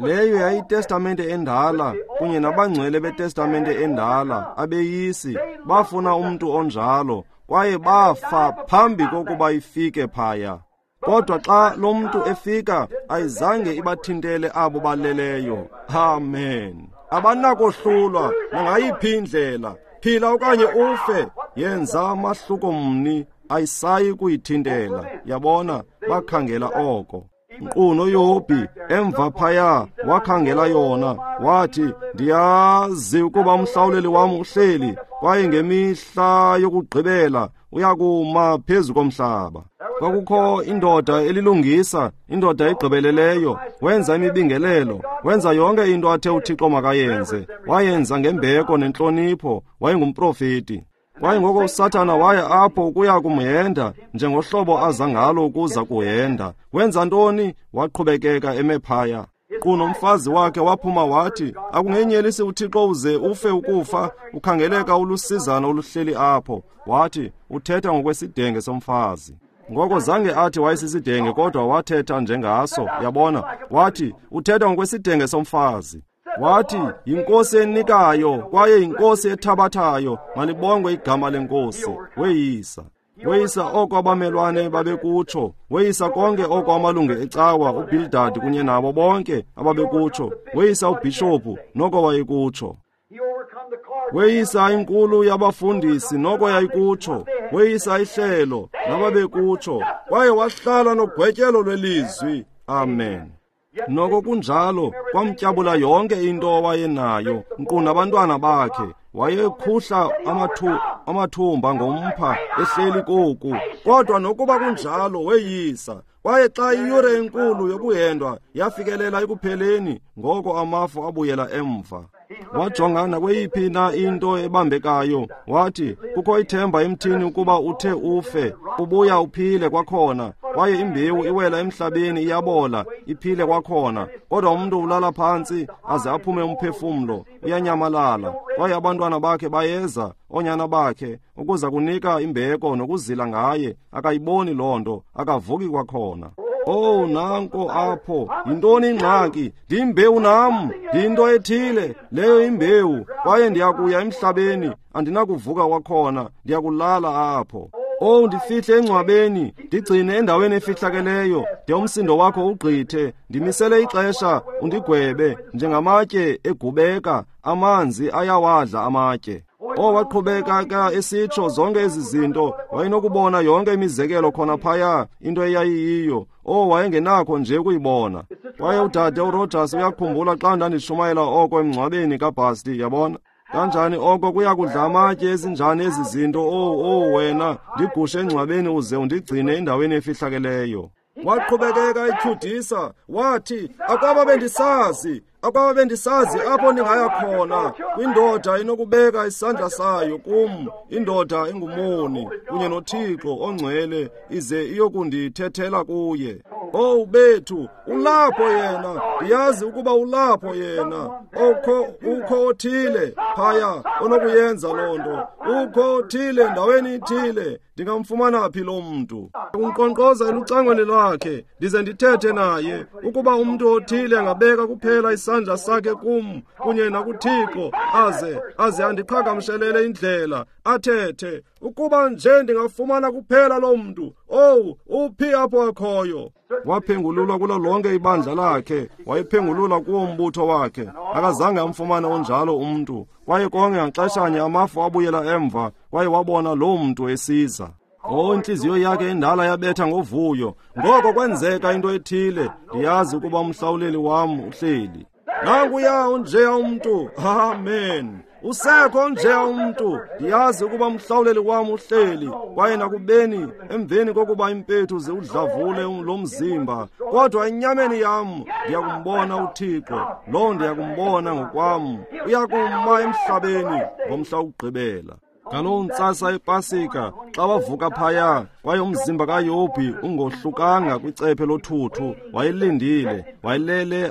Leyo yayitestamente endala kunye nabangcwele betestamente endala, abeyisi bafuna umntu onjalo, kwaye bafa phambi kokuba ifike phaya. Kodwa xa lo mntu efika, ayizange ibathintele abo baleleyo. Amen. Abanakohlulwa nangayiphi indlela. Phila okanye ufe, yenza amahluko mni, ayisayi kuyithintela. Yabona, bakhangela oko. Nkqu noYobhi emva phaya wakhangela yona, wathi, ndiyazi ukuba umhlawuleli wam uhleli, Kwaye ngemihla yokugqibela uyakuma phezu komhlaba. Kwakukho indoda elilungisa, indoda egqibeleleyo, wenza imibingelelo, wenza yonke into athe uThixo makayenze, wayenza ngembeko nentlonipho, wayengumprofeti. Kwaye ngoko uSathana waya apho ukuya kumhenda njengohlobo aza ngalo ukuza kuhenda. Wenza ntoni? Waqhubekeka eme phaya. Qu nomfazi wakhe waphuma wathi, akungenyelisi uThixo uze ufe ukufa, ukhangeleka ulusizana oluhleli apho. Wathi, uthetha ngokwesidenge somfazi. Ngoko zange athi wayesisidenge, kodwa wathetha njengaso, yabona. Wathi, uthetha ngokwesidenge somfazi. Wathi, yinkosi enikayo, kwaye yinkosi ethabathayo, malibongwe igama lenkosi. Weyisa. Weyisa oko abamelwane babekutsho, weyisa konke oko amalungu ecawa, uBildad kunye nabo bonke ababekutsho, weyisa ubhishophu noko wayekutsho. Weyisa inkulu yabafundisi noko yayikutsho, weyisa ihlelo nababekutsho, kwaye wahlala nogwetyelo lwelizwi. Amen. Noko kunjalo, kwamtyabula yonke into owayenayo, nkqu nabantwana bakhe. Wayekhuhla amathumba ngompha ehleli koku. Kodwa nokuba kunjalo weyisa. Kwaye xa iyure enkulu yokuhendwa yafikelela ekupheleni, ngoko amafu abuyela emva. Wajonga nakweyiphi na into ebambekayo, wathi, kukho ithemba emthini ukuba uthe ufe, ubuya uphile kwakhona, kwaye imbewu iwela emhlabeni iyabola, iphile kwakhona. Kodwa umntu ulala phantsi aze aphume umphefumlo, uyanyamalala, kwaye abantwana bakhe bayeza, oonyana bakhe, ukuza kunika imbeko nokuzila ngaye, akayiboni loo nto, akavuki kwakhona. Oh, nanko apho, yintoni ingxaki? Ndiyimbewu nam, ndiyinto ethile, leyo imbewu, kwaye ndiyakuya emhlabeni, andinakuvuka kwakhona, ndiyakulala apho. Oh, ndifihle engcwabeni, ndigcine endaweni efihlakeleyo, de umsindo wakho ugqithe, ndimisele ixesha, undigwebe, njengamatye egubeka, amanzi ayawadla amatye. Oh, waqhubeka ka esitsho zonke ezi zinto, wayenokubona yonke imizekelo khona phaya, into eyayiyiyo. Oh, wayengenakho nje ukuyibona. Kwaye udade uRogers uyakhumbula xa ndandishumayela oko emngcwabeni kaBasti, yabona? Kanjani oko kuya kudla amatye ezinjani ezi zinto? Oh, wena, ndigushe engcwabeni uze undigcine endaweni efihlakeleyo. Waqhubekeka etyhudisa, wathi, akwaba bendisazi apho ndingaya khona, kwindoda inokubeka isandla sayo kum, indoda engumoni, kunye noThixo ongcwele, ize iyokundithethela kuye. Oh bethu, ulapho yena, ndiyazi ukuba ulapho yena. Ukho othile phaya onokuyenza loo nto, ukho othile ndaweni ithile, ndingamfumana phi lo mntu? Unkqonkqoza elucangweni lwakhe, ndize ndithethe naye, ukuba umntu othile angabeka kuphela isandla sakhe kum kunye nakuThixo, aze andiqhagamshelele indlela, athethe, ukuba nje ndingafumana kuphela lo mntu. Oh, uphi apho akhoyo? Waphengululwa kulo lonke ibandla lakhe, wayephengulula kuwo umbutho wakhe, akazange amfumane onjalo umntu. Kwaye konke ngaxeshanye amafu abuyela emva, kwaye wabona loo mntu esiza. Oh, intliziyo yakhe endala yabetha ngovuyo. Ngoko kwenzeka into ethile, ndiyazi ukuba umhlawuleli wam uhleli. Nanguya onjeya umntu. Amen. Usekho nje umntu, ndiyazi ukuba umhlawuleli wam uhleli, kwaye nakubeni emveni kokuba impethu ziwudlavule lo mzimba, kodwa enyameni yam ndiyakumbona uThixo, loo ndiyakumbona ngokwam, uyakuma emhlabeni ngomhla wokugqibela. Ngaloo ntsasa yePasika, xa wavuka phaya, kwaye umzimba kaYobhi ungohlukanga kwicephe lothuthu, wayelindile,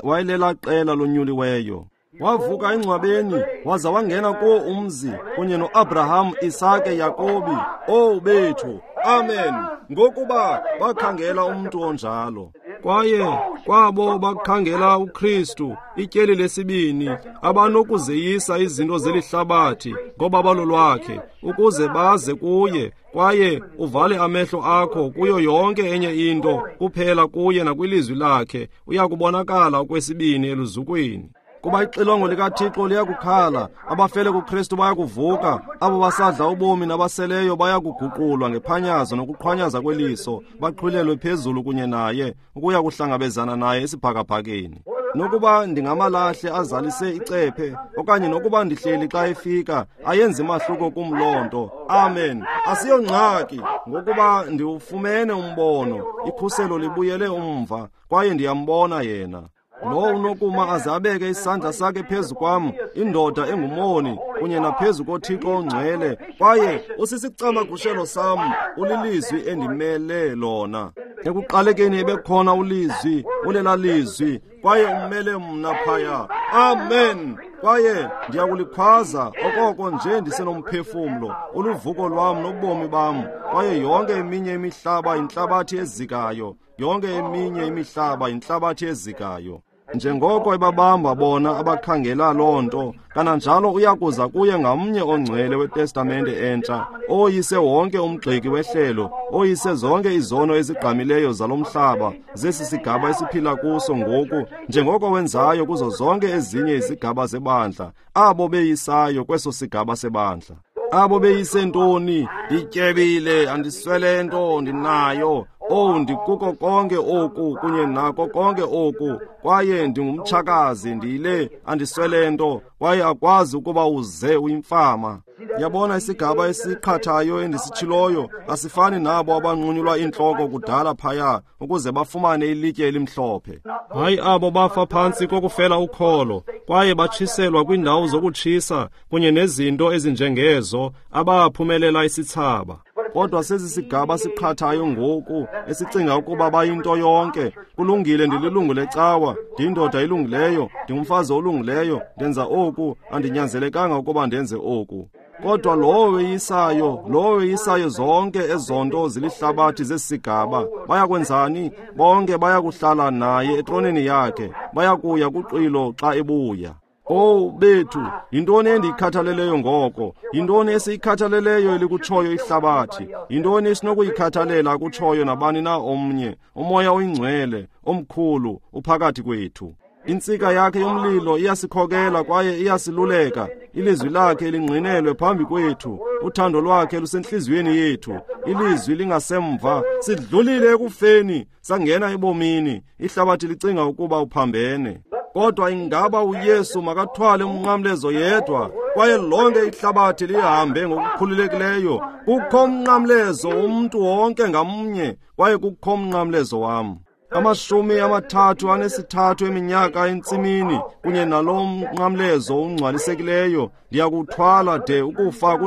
wayelela qela lonyuliweyo. Wavuka engcwabeni, waza wangena kuwo umzi, kunye noAbraham, Isake, Yakobi. Oh bethu, amen, ngokuba bakhangela umntu onjalo. Kwaye kwabo bakhangela uKristu, ityeli lesibini, abanokuzeyisa izinto zelihlabathi ngobabalo lwakhe, ukuze baze kuye, kwaye uvale amehlo akho kuyo yonke enye into, kuphela kuye nakwilizwi lakhe, uyakubonakala okwesibini eluzukweni. Kuba ixilongo likaThixo liyakukhala, abafele kuKristu bayakuvuka, abo basadla ubomi nabaseleyo bayakuguqulwa ngephanyazo nokuqhwanyaza kweliso, baqhwilelwe phezulu kunye naye, ukuya kuhlangabezana naye esibhakabhakeni. Nokuba ndingamalahle azalise icephe, okanye nokuba ndihleli xa efika, ayenzi mahluko kum loo nto. Amen. Asiyongxaki, ngokuba ndiwufumene umbono, ikhuselo libuyele umva, kwaye ndiyambona yena. Lo unokuma aze abeke isandla sakhe phezu kwam, indoda engumoni, kunye naphezu koThixo ongcwele, kwaye usisicamagushelo sam, ulilizwi endimele lona. Ekuqalekeni ebekhona ulizwi, ulela lizwi, kwaye umele mna phaya. Amen. Kwaye ndiyakulikhwaza okoko nje ndisenomphefumlo, uluvuko lwam nobomi bam, kwaye yonke eminye imihlaba yintlabathi ezikayo, yonke eminye imihlaba yintlabathi ezikayo. Njengoko ebabamba bona abakhangela loo nto, kananjalo uyakuza kuye ngamnye ongcwele weTestamente entsha, oyise wonke umgxeki wehlelo, oyise zonke izono ezigqamileyo zalo mhlaba, zesi sigaba esiphila kuso ngoku, njengoko wenzayo kuzo zonke ezinye izigaba zebandla, abo beyisayo kweso sigaba sebandla. Abo beyise ntoni? Ndityebile, andiswele nto, ndinayo. Oh, ndikuko konke oku kunye nako konke oku, kwaye ndingumtshakazi, ndiyile, andiswele nto, kwaye akwazi ukuba uze uyimfama. Yabona isigaba esiqhathayo endisitshiloyo asifani nabo abanqunyulwa iintloko kudala phaya ukuze bafumane ilitye elimhlophe. Hayi abo bafa phantsi kokufela ukholo, kwaye batshiselwa kwiindawo zokutshisa kunye nezinto ezinjengezo, abaphumelela isithsaba. Kodwa sesi sigaba siqhathayo ngoku, esicinga ukuba bayinto yonke. Kulungile, ndililungu lecawa, ndiyindoda elungileyo, ndingumfazi olungileyo, ndenza oku, andinyanzelekanga ukuba ndenze oku. Kodwa lowo weyisayo zonke ezonto zilihlabathi zesisigaba, bayakwenzani? Bonke bayakuhlala naye etroneni yakhe, bayakuya kuxwilo xa ebuya. Oh bethu, yintoni endiyikhathaleleyo ngoko? Yintoni esiyikhathaleleyo elikutshoyo ihlabathi? Yintoni esinokuyikhathalela akutshoyo nabani na omnye? Umoya oyingcwele, omkhulu, uphakathi kwethu. Intsika yakhe yomlilo iyasikhokela kwaye iyasiluleka. Ilizwi lakhe lingqinelwe phambi kwethu. Uthando lwakhe lusentliziyweni yethu. Ilizwi lingasemva. Sidlulile ekufeni, sangena ebomini. Ihlabathi licinga ukuba uphambene. Kodwa ingaba uYesu makathwale umnqamlezo yedwa, kwaye lonke ihlabathi lihambe ngokukhululekileyo? Kukho umnqamlezo womntu wonke ngamnye, kwaye kukho umnqamlezo wam. 33 eminyaka entsimini kunye nalo mnqamlezo ungcwalisekileyo, ndiyakuthwala de ukufa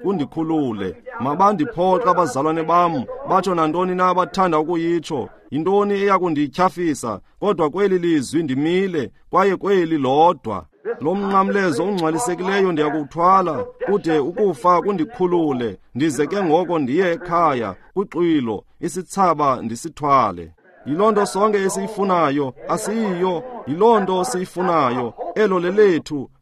kundikhulule. Mabandiphoxe abazalwane bam, batsho nantoni na abathanda ukuyitsho. Yintoni eyakundityhafisa? Kodwa kweli lizwi ndimile, kwaye kweli lodwa. Lo mnqamlezo ungcwalisekileyo ndiyakuthwala kude ukufa kundikhulule, ndize ke ngoko ndiye ekhaya kwixwilo, isithsaba ndisithwale. Yiloo nto sonke esiyifunayo, asiyiyo, yiloo nto siyifunayo. Elo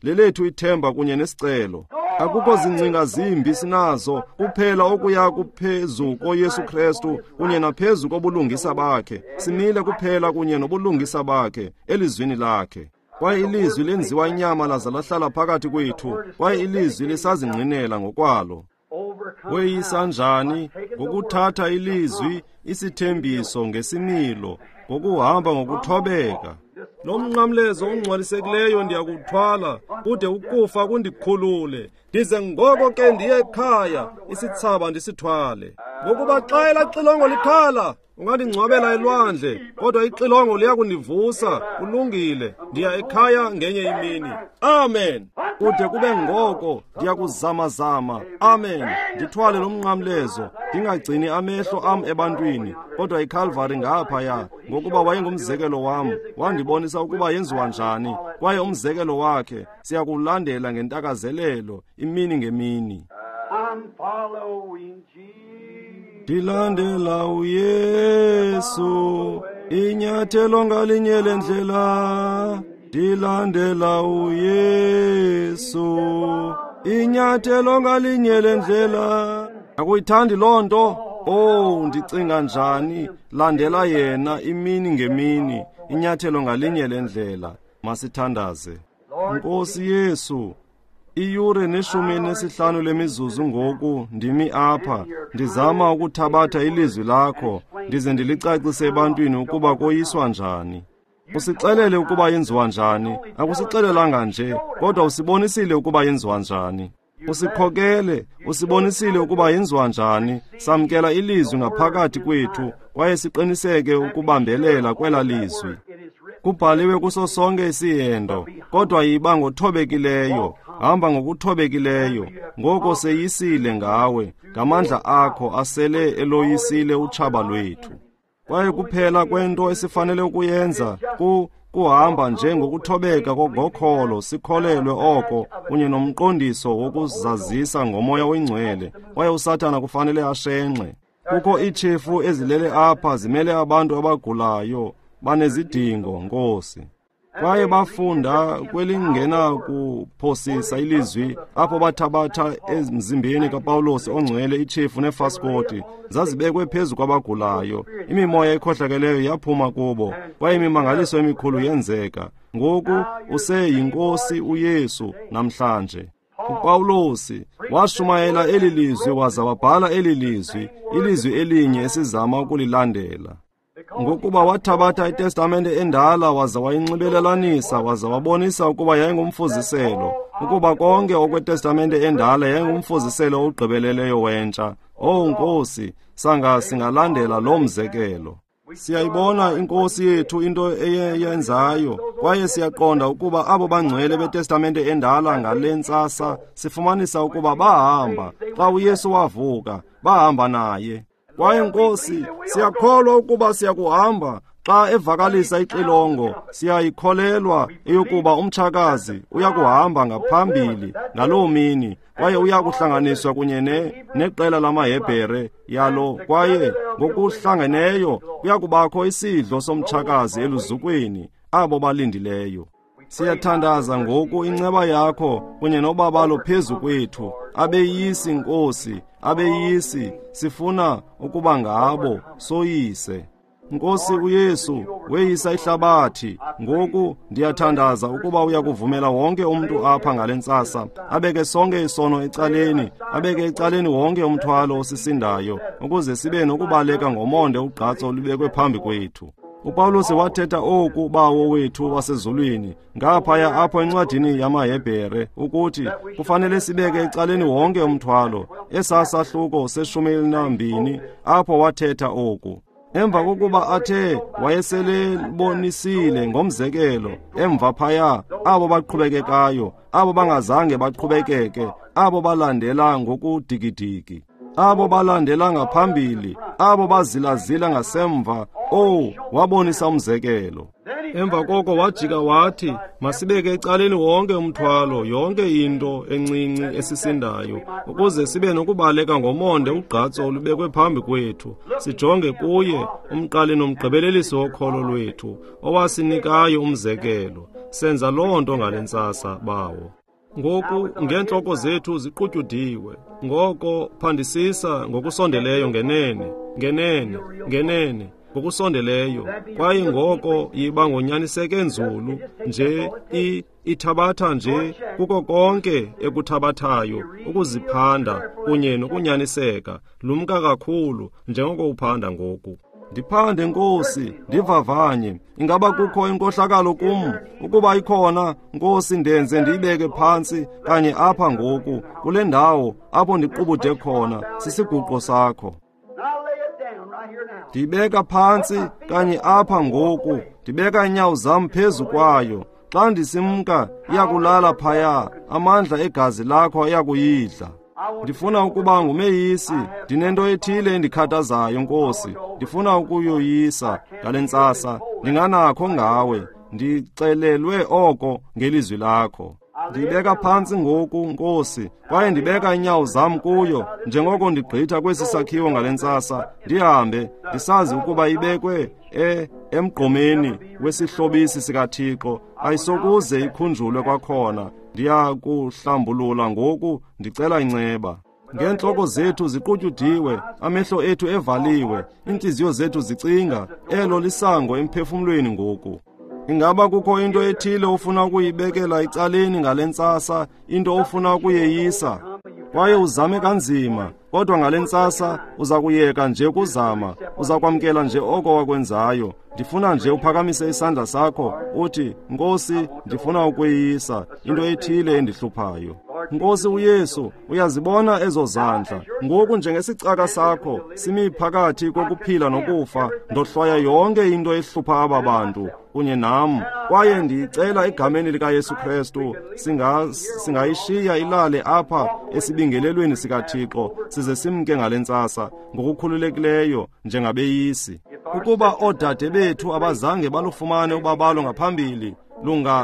lelethu ithemba kunye nesicelo. Akukho zingcinga zimbi sinazo, kuphela okuya kuphezu koYesu Kristu kunye naphezu kobulungisa bakhe. Simile kuphela kunye nobulungisa bakhe elizwini lakhe. Kwaye ilizwi lenziwa inyama laza lahlala phakathi kwethu, kwaye ilizwi lisazingqinela ngokwalo. Weyisa njani? Ngokuthatha ilizwi, isithembiso ngesimilo, ngokuhamba ngokuthobeka. Lo mnqamlezo ungcwalisekileyo ndiyakuthwala kude ukufa kundikhulule, ndize ngoko ke ndiye ekhaya, isithsaba ndisithwale. Ngokuba xa elaa xilongo likhala, ungandingcwabela elwandle, kodwa ixilongo liyakundivusa. Kulungile, ndiya ekhaya ngenye imini. Amen. Kude kube ngoko ndiyakuzamazama. Amen. Ndithwale lo mnqamlezo, ndingagcini amehlo am ebantwini, kodwa iKalvari ngaphaya, ngokuba wayengumzekelo wam, wandibonisa ukuba yenziwa njani, kwaye umzekelo wakhe siyakulandela ngentakazelelo imini ngemini. Ndilandela uYesu, inyathelo ngalinye lendlela. Ndilandela uYesu, inyathelo ngalinye lendlela. Akuyithandi loo nto? Oh, ndicinga njani? Landela yena imini ngemini, inyathelo ngalinye lendlela. Masithandaze. Nkosi Yesu, iyure 15 lemizuzu ngoku ndimi apha, ndizama ukuthabatha ilizwi lakho, ndize ndilicacise ebantwini ukuba koyiswa njani. Usixelele ukuba yenziwa njani, akusixelelanga nje, kodwa usibonisile ukuba yenziwa njani. Usikhokele, usibonisile ukuba yenziwa njani. Samkela ilizwi ngaphakathi kwethu kwaye siqiniseke ukubambelela kwela lizwi. Kubhaliwe kuso sonke isihendo, kodwa yiba ngothobekileyo, hamba ngokuthobekileyo. Ngoko seyisile ngawe, ngamandla akho asele eloyisile utshaba lwethu. Kwaye kuphela kwento esifanele ukuyenza kuhamba nje ngokuthobeka ngokholo, sikholelwe oko kunye nomqondiso wokuzazisa ngoMoya oyiNgcwele. Kwaye uSathana kufanele ashenxe. Kukho iitshefu ezilele apha zimele abantu abagulayo, banezidingo, Nkosi. Kwaye bafunda kwelingenakuphosisa ilizwi, apho bathabatha emzimbeni kaPawulos ongcwele itshefu nefaskoti, zazibekwe phezu kwabagulayo. Imimoya ekhohlakeleyo yaphuma kubo, kwaye imimangaliso emikhulu yenzeka. Ngoku useyinkosi uYesu namhlanje. uPawulos washumayela eli lizwi waza wabhala eli lizwi, ilizwi elinye esizama ukulilandela. Ngokuba wathabatha iTestamente endala waza wayinxibelelanisa waza wabonisa ukuba yayingumfuziselo, ukuba konke okweTestamente endala yayingumfuziselo ogqibeleleyo wentsha. Oh Nkosi, sanga singalandela lo mzekelo. Siyayibona inkosi yethu into eyeyenzayo, kwaye siyaqonda ukuba abo bangcwele beTestamente endala ngale ntsasa sifumanisa ukuba bahamba xa uYesu wavuka, bahamba naye. Kwaye Nkosi, siyakholwa ukuba siyakuhamba xa evakalisa ixilongo. Siyayikholelwa eyokuba umtshakazi uyakuhamba ngaphambili ngaloo mini, kwaye uyakuhlanganiswa kunye neqela lamaHebhere yalo, kwaye ngokuhlangeneyo kuyakubakho isidlo somtshakazi eluzukweni, abo balindileyo. Siyathandaza ngoku inceba yakho kunye nobabalo phezu kwethu. Abeyisi, Nkosi, abeyisi, sifuna ukuba ngabo, soyise. Nkosi uYesu, weyisa ihlabathi. Ngoku ndiyathandaza ukuba uyakuvumela wonke umntu apha ngale ntsasa, abeke sonke isono ecaleni, abeke ecaleni wonke umthwalo osisindayo, ukuze sibe nokubaleka ngomonde ugqatso olubekwe phambi kwethu. uPawulos wathetha oku Bawo wethu wasezulwini ngaphaya apho encwadini yamaHebhere, ukuthi kufanele sibeke ecaleni wonke umthwalo. Esasahluko se-12 apho wathetha oku. Emva kokuba athe wayeselebonisile ngomzekelo emva phaya, abo baqhubekekayo, abo bangazange baqhubekeke, abo balandela ngokudikidiki, abo balandela ngaphambili, abo bazilazila ngasemva, oh, wabonisa umzekelo. Emva koko wajika wathi, masibeke ecaleni wonke umthwalo, yonke into encinci esisindayo, ukuze sibe nokubaleka ngomonde ugqatso olubekwe phambi kwethu, sijonge kuye, umqali nomgqibelelisi wokholo lwethu, owasinikayo umzekelo. Senza loo nto ngale ntsasa, Bawo. Ngoku ngeentloko zethu ziqutyudiwe, ngoko phandisisa ngokusondeleyo ngenene, ngenene, ngenene, ngokusondeleyo. Kwaye ngoko yiba ngonyaniseke nzulu nje, ithabatha nje kuko konke ekuthabathayo ukuziphanda kunye nokunyaniseka. Lumka kakhulu njengoko uphanda ngoku. Ndiphande, Nkosi, ndivavanye. Ingaba kukho inkohlakalo kum? Ukuba ikhona, Nkosi, ndenze ndiyibeke phantsi kanye apha ngoku, kule ndawo apho ndiqubude khona sisiguqo sakho. Ndibeka phantsi kanye apha ngoku, ndibeka inyawo zam phezu kwayo. Xa ndisimka, iyakulala phaya, amandla egazi lakho ayakuyidla. Ndifuna ukuba ngumeyisi, ndinento ethile endikhathazayo, Nkosi. Ndifuna ukuyoyisa ngale ntsasa, ndinganakho ngawe, ndixelelwe oko ngelizwi lakho. Ndibeka phantsi ngoku, Nkosi, kwaye ndibeka inyawo zam kuyo, njengoko ndigqitha kwesi sakhiwo ngale ntsasa, ndihambe, ndisazi ukuba ibekwe emgqomeni wesihlobisi sikaThixo, ayisokuze ikhunjulwe kwakhona. Ndiyakuhlambulula ngoku, ndicela inceba. Ngeentloko zethu ziqutyudiwe, amehlo ethu evaliwe, iintliziyo zethu zicinga, elo lisango emphefumlweni ngoku. Ingaba kukho into ethile ofuna ukuyibekela ecaleni ngale ntsasa, into ofuna ukuyeyisa? Kwaye uzame kanzima, kodwa ngale ntsasa uza kuyeka nje ukuzama, uza kwamkela nje oko wakwenzayo. Ndifuna nje uphakamise isandla sakho uthi, Nkosi, ndifuna ukweyisa into ethile endihluphayo. Nkosi uYesu, uyazibona ezo zandla. Ngoku njengesicaka sakho simi phakathi kokuphila nokufa, ndohlwaya yonke into ehlupha aba bantu kunye nam. Kwaye ndiyicela egameni likaYesu Kristu, singayishiya ilale apha esibingelelweni sikaThixo, size simke ngale ntsasa ngokukhululekileyo njengabeyisi. Ukuba oodade bethu abazange balufumane ubabalo ngaphambili,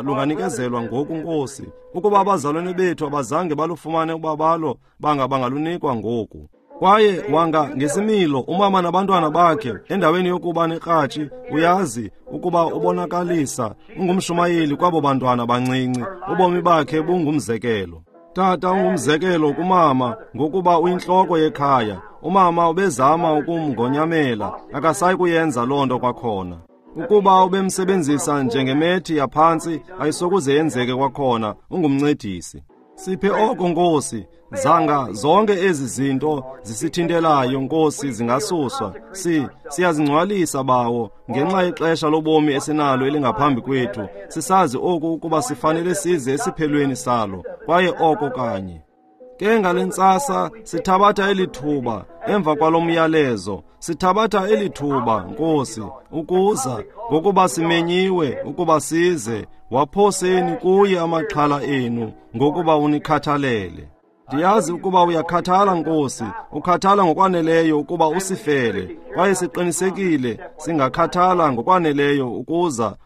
lunganikezelwa ngoku, Nkosi. Ukuba abazalwane bethu abazange balufumane ubabalo, bangalunikwa ngoku. Kwaye wanga ngesimilo umama nabantwana bakhe endaweni yokuba nekratshi, uyazi ukuba ubonakalisa ungumshumayeli kwabo bantwana bancinci. Ubomi bakhe bungumzekelo. Tata ungumzekelo kumama ngokuba uyintloko yekhaya. Umama ubezama ukumngonyamela, akasayi kuyenza loo nto kwakhona. Ukuba ubemsebenzisa njengemethi yaphantsi, ayisokuze yenzeke kwakhona. Ungumncedisi. Siphe oko, Nkosi. Zanga zonke ezi zinto zisithintelayo, Nkosi, zingasuswa. Siyazingcwalisa, Bawo, ngenxa yexesha lobomi esinalo elingaphambi kwethu. Sisazi oku ukuba sifanele size esiphelweni salo, kwaye oko kanye. Ke ngale ntsasa sithabatha eli thuba emva kwalo myalezo, sithabatha eli thuba, Nkosi, ukuza ngokuba simenyiwe ukuba size. Waphoseni kuye amaxhala enu ngokuba unikhathalele. Ndiyazi ukuba uyakhathala, Nkosi, ukhathala ngokwaneleyo ukuba usifele, kwaye siqinisekile singakhathala ngokwaneleyo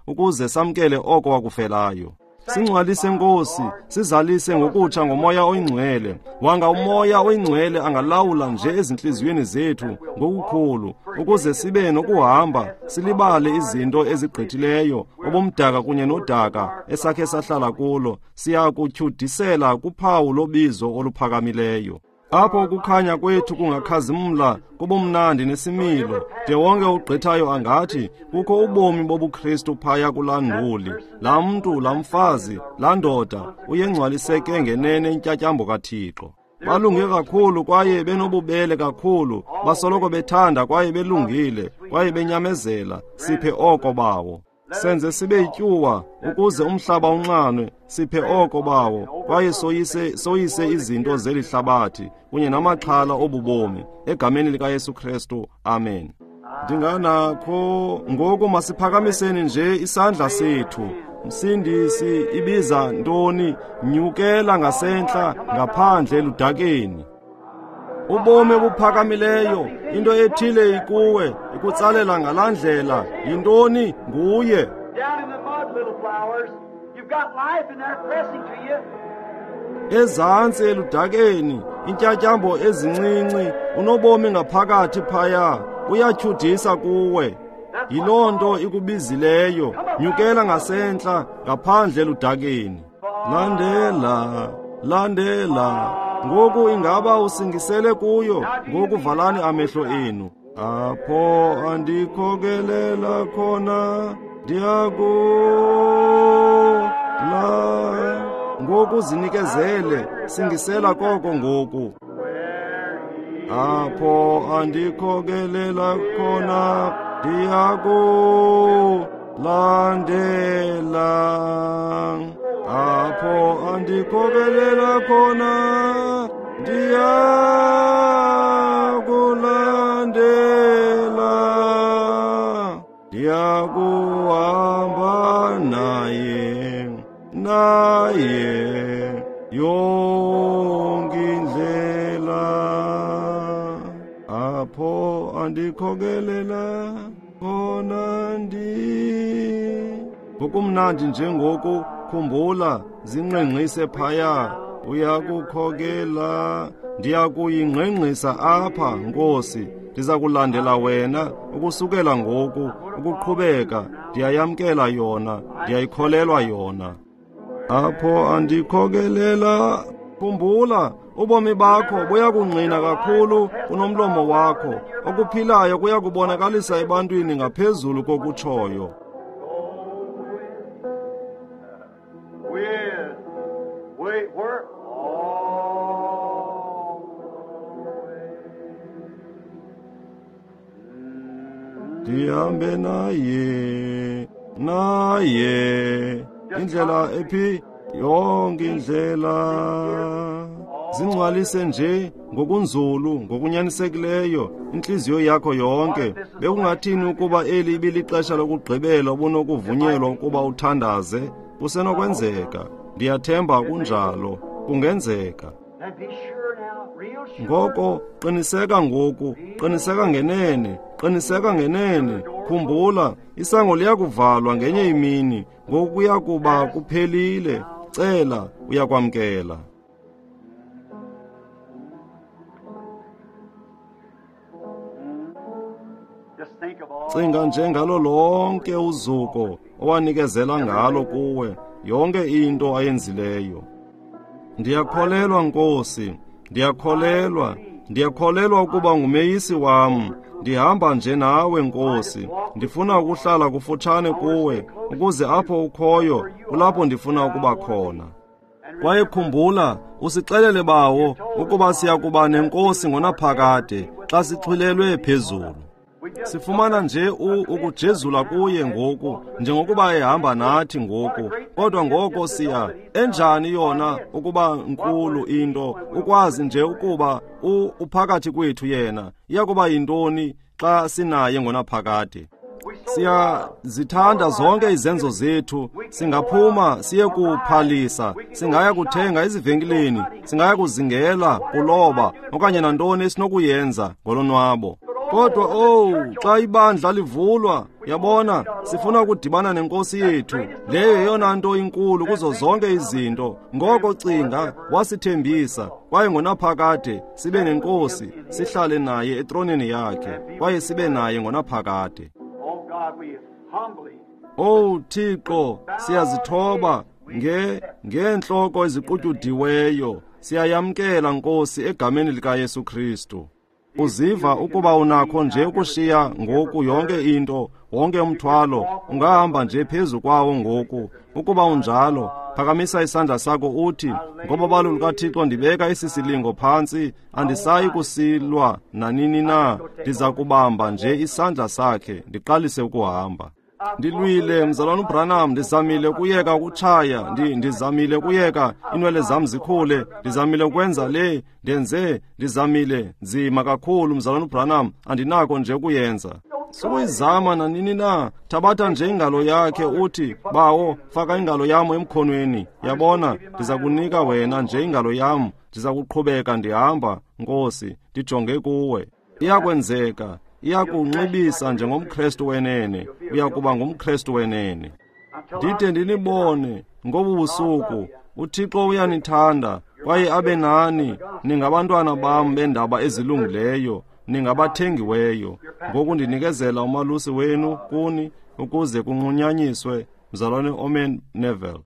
ukuze samkele oko wakufelayo. Singcwalise, Nkosi, sizalise ngokutsha ngomoya oyingcwele. Wanga umoya oyingcwele angalawula nje ezintliziyweni zethu ngokukhulu, ukuze sibe nokuhamba silibale izinto ezigqithileyo, ubumdaka kunye nodaka esakhe sahlala kulo. Siya kutyhudisela kuphawu lobizo oluphakamileyo, apho ukukhanya kwethu kungakhazimla kubumnandi nesimilo, de wonke ugqithayo angathi kukho ubomi bobuKristu phaya kulaa nduli. Laa mntu, laa mfazi, laa ndoda uyengcwaliseke ngenene intyatyambo kaThixo. Balunge kakhulu kwaye benobubele kakhulu, basoloko bethanda kwaye belungile kwaye benyamezela. Siphe oko, Bawo. Senze sibe yityuwa ukuze umhlaba unxanwe. Siphe oko, Bawo, kwaye soyise izinto zeli hlabathi kunye namaxhala obubomi, egameni likaYesu Kristu, amen. Ndinganakho ngoku, masiphakamiseni nje isandla sethu. Msindisi, ibiza ntoni? Nyukela ngasentla ngaphandle eludakeni. Ubomi obuphakamileyo, into ethile ikuwe, ikutsalela ngalaa ndlela. Yintoni? Nguye. Ezantsi eludakeni, intyatyambo ezincinci, unobomi ngaphakathi phaya, uyatyhudisa kuwe. Yiloo nto ikubizileyo. Nyukela ngasentla ngaphandle eludakeni. Landela, landela. Ngoku ingaba usingisele kuyo? Ngoku valani amehlo enu. Apho andikhokelela khona, ndiyakula. Ngoku zinikezele, singisela koko ngoku. Apho andikhokelela khona, ndiyakulandela. Apho andikhokelela khona, ndiyakulandela. Ndiyakuhamba naye, naye yonke indlela. Apho andikhokelela khona ndi. Ngokumnandi njengoku, khumbula, zingqengqise phaya, uyakukhokela. Ndiyakuyingqengqisa apha, Nkosi. Ndiza kulandela wena ukusukela ngoku ukuqhubeka. Ndiyayamkela yona, ndiyayikholelwa yona. Apho andikhokelela. Khumbula, ubomi bakho buyakungqina kakhulu kunomlomo wakho. Okuphilayo kuyakubonakalisa ebantwini ngaphezulu kokutshoyo. Ndihambe naye, naye, indlela ephi, yonke indlela. Zingcwalise nje ngokunzulu, ngokunyanisekileyo, intliziyo yakho yonke. Bekungathini ukuba eli ibilixesha lokugqibela ubunokuvunyelwa ukuba uthandaze? Kusenokwenzeka. Ndiyathemba kunjalo. Kungenzeka. Ngoko qiniseka ngoku, qiniseka ngenene, qiniseka ngenene. Khumbula, isango liyakuvalwa ngenye imini, ngoku kuya kuba kuphelile. Cela, uyakwamkela. Cinga nje ngalo lonke uzuko owanikezela ngalo kuwe, yonke into ayenzileyo. Ndiyakholelwa, Nkosi, ndiyakholelwa, ndiyakholelwa ukuba ngumeyisi wam. Ndihamba nje nawe, Nkosi. Ndifuna ukuhlala kufutshane kuwe, ukuze apho ukhoyo kulapho ndifuna ukuba khona. Kwaye khumbula, usixelele Bawo ukuba siya kuba nenkosi ngonaphakade xa sixhwilelwe phezulu. Sifumana nje ukujezula kuye ngoku, njengokuba ehamba nathi ngoku. Kodwa ngoko siya enjani yona ukuba nkulu into, ukwazi nje ukuba uphakathi kwethu yena. Iyakuba yintoni xa sinaye ngonaphakade? Siyazithanda zonke izenzo zethu. Singaphuma siye kuphalisa, singaya kuthenga ezivenkileni, singaya kuzingela, kuloba, okanye nantoni esinokuyenza ngolonwabo. Kodwa xa ibandla livulwa, yabona, sifuna ukudibana nenkosi yethu. Leyo yeyona nto inkulu kuzo zonke izinto. Ngoko cinga, wasithembisa, kwaye ngonaphakade sibe nenkosi, sihlale naye etroneni yakhe, kwaye sibe naye ngonaphakade. Oh Thixo, siyazithoba ngeentloko eziqutyudiweyo. Siyayamkela, Nkosi, egameni likaYesu Kristu. Uziva ukuba unakho nje ukushiya ngoku yonke into, wonke umthwalo, ungahamba nje phezu kwawo ngoku. Ukuba unjalo, phakamisa isandla sakho uthi, ngobabalo lukaThixo ndibeka esi silingo phantsi, andisayi kusilwa nanini na, ndiza kubamba nje isandla sakhe, ndiqalise ukuhamba. Ndilwile, mzalwana uBranham, ndizamile ukuyeka ukutshaya, ndizamile ukuyeka inwele zam zikhule, ndizamile ukwenza le, ndenze, ndizamile nzima kakhulu, mzalwana uBranham, andinako nje ukuyenza. Sukuyizama nanini na, thabatha nje ingalo yakhe uthi, Bawo, faka ingalo yam emkhonweni. Yabona, ndiza kunika wena nje ingalo yam, ndiza kuqhubeka ndihamba, Nkosi, ndijonge kuwe. Iyakwenzeka. Iyakunxibisa njengomKrestu wenene, uyakuba ngumKrestu wenene. Ndide ndinibone ngobu busuku. uThixo uyanithanda kwaye abe nani. Ningabantwana bam bendaba ezilungileyo, ningabathengiweyo. Ngoku ndinikezela umalusi wenu kuni ukuze kunqunyanyiswe, mzalwane Omen Neville.